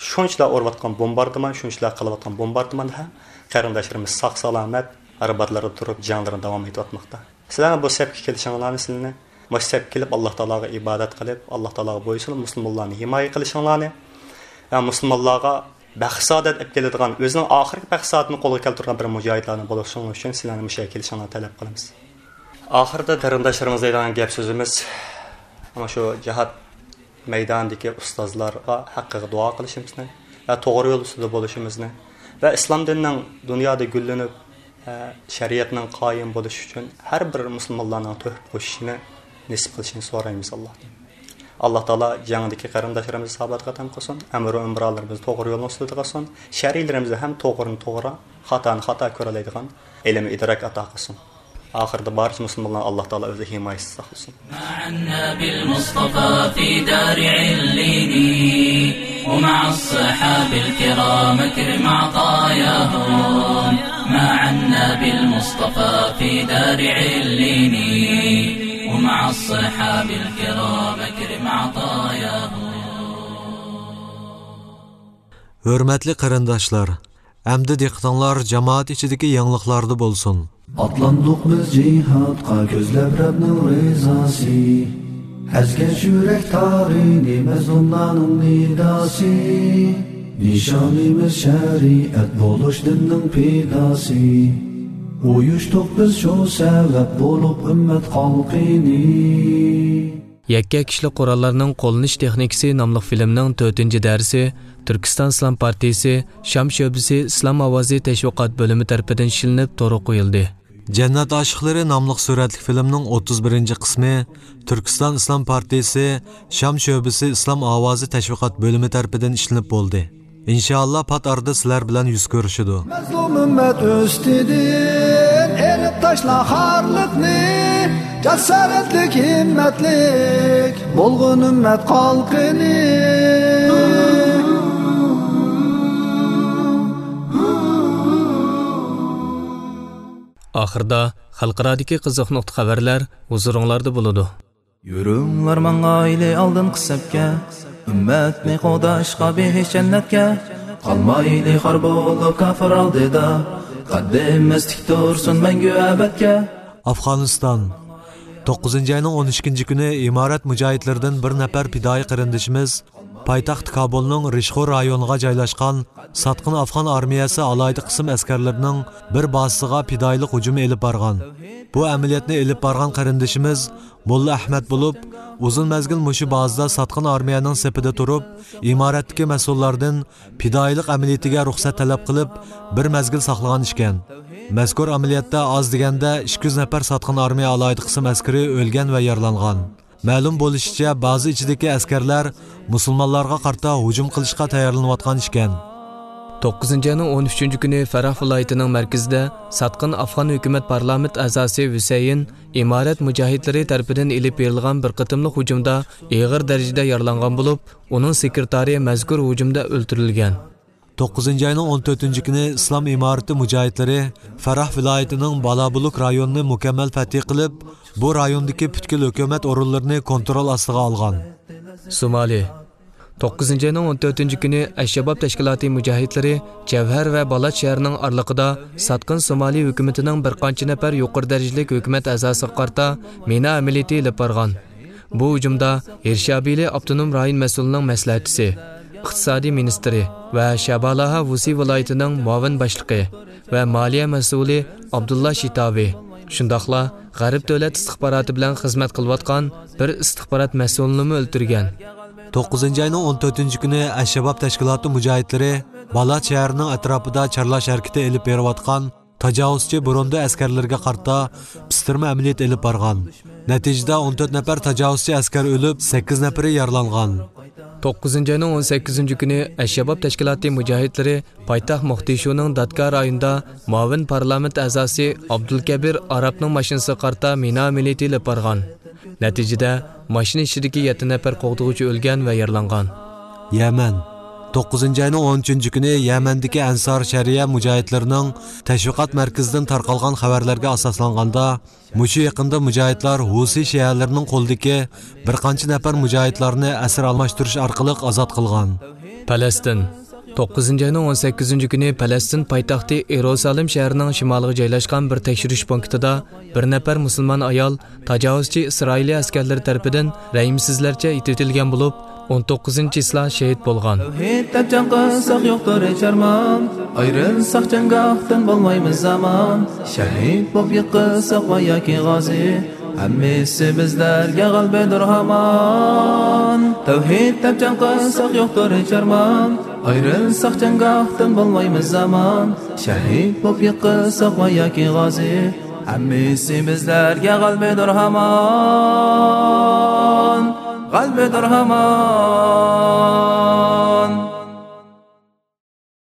شۇنچىلا ئۇرۇۋاتقان بومباردىمان، شۇنچىلا قىلىۋاتقان بومباردىماندا ھەم قېرىنداشلىرىمىز ساق-سالامەت ئارباتلاردا تۇرۇپ جەڭلىرىنى داۋام ئېتىۋاتماقتا. سىلەرنىڭ بۇ سەپكە كېلىشىڭلارنى، سىلەرنى مۇشۇ سەپكە كېلىپ، ئاللا تائالاغا ئىبادەت قىلىپ، ئاللا تائالاغا بويسۇنۇپ، مۇسۇلمانلارنى ھىمايە قىلىشىڭلارنى ۋە مۇسۇلمانلارغا بەخت-سائادەت ئېلىپ كېلىدىغان، ئۆزىنىڭ ئاخىرقى بەخت-سائادىتىنى قولغا كەلتۈرىدىغان بىر مۇجاھىدلارنىڭ بولۇشىڭلار ئۈچۈن سىلەرنى مۇشۇ يەرگە كېلىشىڭلارنى تەلەپ قىلىمىز. ئاخىرىدا قېرىنداشلىرىمىز دەيدىغان گەپ سۆزىمىز، مانا شۇ جىھاد مەيدانىدىكى ئۇستازلارغا ھەققىگە دۇئا قىلىشىمىزنى ۋە توغرا يول ئۈستىدە بولۇشىمىزنى ۋە ئىسلام دىنىنىڭ دۇنيادا گۈللىنىپ، ۋە شەرىئەتنىڭ قايىم بولۇشى ئۈچۈن ھەر بىر مۇسۇلمانلارنىڭ تۆھپە قوشۇشىنى نېسىپ قىلىشىنى سورايمىز ئاللاھتىن. ئاللا تائالا جەڭدىكى قېرىنداشلىرىمىزنى ساۋابىغا تەم قىلسۇن، ئەمىر ئۆمرالىرىمىزنى توغرا يولنىڭ ئۈستىدە قىلسۇن، شەرئىيلىرىمىزنى ھەم توغرىنى توغرا، خاتانى خاتا كۆرەلەيدىغان ئىلىم ئىدراك ئاتا قىلسۇن. ئاخىرىدا بارچە مۇسۇلمانلارنى ئاللا تائالا ئۆزى ھىمايىسىدە ساقلىسۇن. مع النبي المصطفى في دار عليين، ومع الصحاب الكرام أكرم عطاياهم. مع النبي المصطفى في دار عليين، ومع الصحاب الكرام أكرم عطاياهم. ھۆرمەتلىك قېرىنداشلار، ئەمدى دىققىتىڭلار جامائەت ئىچىدىكى يېڭىلىقلاردا بولسۇن. ئاتلاندۇق بىز جىھادقا كۆزلەپ رەبنىڭ رىزاسى. ئەزگەن يۈرەك تارىنى مەزلۇملارنىڭ نىداسى. نىشانىمىز شەرىئەت بولۇش دىننىڭ پىداسى. ئۇيۇشتۇق بىز شۇ سەۋەب بولۇپ ئۈممەت خەلقىنى. يەككە كىشىلىك قوراللارنىڭ قوللىنىش تېخنىكىسى ناملىق فىلىمنىڭ تۆتىنچى دەرسى تۈركىستان ئىسلام پارتىيىسى شام شۆبىسى ئىسلام ئاۋازى تەشۋىقات بۆلۈمى تەرىپىدىن ئىشلىنىپ تورغا قويۇلدى. جەننەت ئاشىقلىرى ناملىق سۈرەتلىك فىلىمنىڭ ئوتتۇز بىرىنچى قىسمى تۈركىستان ئىسلام پارتىيىسى شام شۆبىسى ئىسلام ئاۋازى تەشۋىقات بۆلۈمى تەرىپىدىن ئىشلىنىپ بولدى. ئىنشائاللا، پات ئارىدا سىلەر بىلەن يۈز كۆرۈشىدۇ. مەزلۇم ئۈممەت ئۈستىدىن ئېلىپ تاشلا خارلىقنى، جاسارەتلىك، ھىممەتلىك بولغىن ئۈممەت خەلقىنى. ئاخىردا خەلقئارادىكى قىزىق نۇقتا خەۋەرلەر ھۇزۇرۇڭلاردا بولىدۇ. يۈرۈڭلار ماڭايلى ئالدىنقى سەپكە، ئۈممەتنى قوغداشقا بېھىش جەننەتكە. قالمايلى خار بولۇپ كاپىر ئالدىدا، قەددىمىز تىك تۇرسۇن مەڭگۈ ئەبەدكە. ئافغانىستان. توققۇزىنچى ئاينىڭ ئون ئىككىنچى كۈنى ئىمارەت مۇجاھىدلىرىدىن بىر نەپەر پىدائىي قېرىندىشىمىز پايتەخت كابۇلنىڭ رىشخور رايونىغا جايلاشقان ساتقىن ئافغان ئارمىيەسى ئالاھىدە قىسىم ئەسكەرلىرىنىڭ بىر بازىسىغا پىدائىيلىق ھۇجۇمى ئېلىپ بارغان. بۇ ئەمەلىيەتنى ئېلىپ بارغان قېرىندىشىمىز موللا ئەھمەت بولۇپ، ئۇزۇن مەزگىل مۇشۇ بازىدا ساتقىن ئارمىيەنىڭ سېپىدە تۇرۇپ، ئىمارەتتىكى مەسئۇللاردىن پىدائىيلىق ئەمەلىيىتىگە رۇخسەت تەلەپ قىلىپ، بىر مەزگىل ساقلىغان ئىكەن. مەزكۇر ئەمەلىيەتتە ئاز دېگەندە ئىككى يۈز نەپەر ساتقىن ئارمىيە ئالاھىدە قىسىم ئەسكىرى ئۆلگەن ۋە يارىلانغان. مەلۇم بولۇشىچە، بازا ئىچىدىكى ئەسكەرلەر مۇسۇلمانلارغا قارىتا ھۇجۇم قىلىشقا تەييارلىنىۋاتقان ئىكەن. توققۇزىنچى ئاينىڭ ئون ئۈچىنچى كۈنى فەراھ ۋىلايىتىنىڭ مەركىزىدە ساتقىن ئافغان ھۆكۈمەت پارلامېنت ئەزاسى ھۈسەيىن ئىمارەت مۇجاھىدلىرى تەرىپىدىن ئېلىپ بېرىلغان بىر قېتىملىق ھۇجۇمدا ئېغىر دەرىجىدە يارىلانغان بولۇپ، ئۇنىڭ سېكرېتارى مەزكۇر ھۇجۇمدا ئۆلتۈرۈلگەن. توققۇزىنچى ئاينىڭ ئون تۆتىنچى كۈنى ئىسلام ئىمارىتى مۇجاھىدلىرى فەراھ ۋىلايىتىنىڭ بالابۇلۇك رايونىنى مۇكەممەل پەتھى قىلىپ، بۇ رايوندىكى پۈتكۈل ھۆكۈمەت ئورۇنلىرىنى كونترول ئاستىغا ئالغان. سومالى. توققۇزىنچى ئاينىڭ ئون تۆتىنچى كۈنى ئەلشاباب تەشكىلاتى مۇجاھىدلىرى جەۋھەر ۋە بالاچ شەھىرىنىڭ ئارىلىقىدا ساتقىن سومالى ھۆكۈمىتىنىڭ بىر قانچە نەپەر يۇقىرى دەرىجىلىك ھۆكۈمەت ئەزاسىغا قارىتا مىنا ئەمەلىيىتى ئېلىپ بارغان. بۇ ھۇجۇمدا ھىرشابىلى ئاپتونوم رايون مەسئۇلىنىڭ مەسلىھەتچىسى، ئىقتىسادىي مىنىستىرى ۋە شابالاھا ۋۇسى ۋىلايىتىنىڭ مۇئاۋىن باشلىقى ۋە مالىيە مەسئۇلى ئابدۇللا شىتاۋى، شۇنداقلا غەرب دۆلەت ئىستىخباراتى بىلەن خىزمەت قىلىۋاتقان بىر ئىستىخبارات مەسئۇلىنىمۇ ئۆلتۈرگەن. توققۇزىنچى ئاينىڭ ئون تۆتىنچى كۈنى ئەلشاباب تەشكىلاتى مۇجاھىدلىرى بالاچ شەھىرىنىڭ ئەتراپىدا چارلاش ھەرىكىتى ئېلىپ بېرىۋاتقان تاجاۋۇزچى بۇرۇندى ئەسكەرلىرىگە قارىتا پىستىرما ئەمەلىيەت ئېلىپ بارغان. نەتىجىدە ئون تۆت نەپەر تاجاۋۇزچى ئەسكەر ئۆلۈپ، سەككىز نەپىرى يارىلانغان. توققۇزىنچى ئاينىڭ ئون سەككىزىنچى كۈنى ئەلشاباب تەشكىلاتى مۇجاھىدلىرى پايتەخت موقدىشۇنىڭ دادكا رايونىدا مۇئاۋىن پارلامېنت ئەزاسى ئابدۇلكەبىر ئارابنىڭ ماشىنىسىغا قارىتا مىنا ئەمەلىيىتى ئېلىپ بارغان. نەتىجىدە، ماشىنا ئىچىدىكى يەتتە نەپەر قوغدىغۇچى ئۆلگەن ۋە يارىلانغان. يەمەن. توققۇزىنچى ئاينىڭ ئون ئۈچىنچى كۈنى يەمەندىكى ئەنسار شەرىئە مۇجاھىدلىرىنىڭ تەشۋىقات مەركىزىدىن تارقالغان خەۋەرلەرگە ئاساسلانغاندا، مۇشۇ يېقىندا مۇجاھىدلار ھۇسى شىئەلىرىنىڭ قولىدىكى بىر قانچە نەپەر مۇجاھىدلارنى ئەسىر ئالماشتۇرۇش ئارقىلىق ئازاد قىلغان. پەلەستىن. توققۇزىنچى ئاينىڭ ئون سەككىزىنچى كۈنى پەلەستىن پايتەختى ئىيرۇسالىم شەھىرىنىڭ شىمالىغا جايلاشقان بىر تەكشۈرۈش پونكىتىدا بىر نەپەر مۇسۇلمان ئايال تاجاۋۇزچى ئىسرائىلىي ئەسكەرلىرى تەرىپىدىن رەھىمسىزلەرچە ئېتىۋېتىلگەن بولۇپ، ئون توققۇزىنچى چىسلا شېھىت بولغان. تەۋھىد دەپ جەڭ قىلساق يوقتۇر ھېچ ئارمان، ئايرىلساق جەڭگاھتىن بولمايمىز ئامان. شەھىد بولۇپ يىقىلساق ۋە ياكى غازى، ھەممىسى بىزلەرگە غەلىبىدۇر ھامان. تەۋھىد دەپ جەڭ قىلساق يوقتۇر ھېچ ئارمان، ئايرىلساق جەڭگاھتىن بولمايمىز ئامان. شەھىد بولۇپ يىقىلساق ۋە ياكى غازى، ھەممىسى بىزلەرگە غەلىبىدۇر ھامان، غەلىبىدۇر ھامان.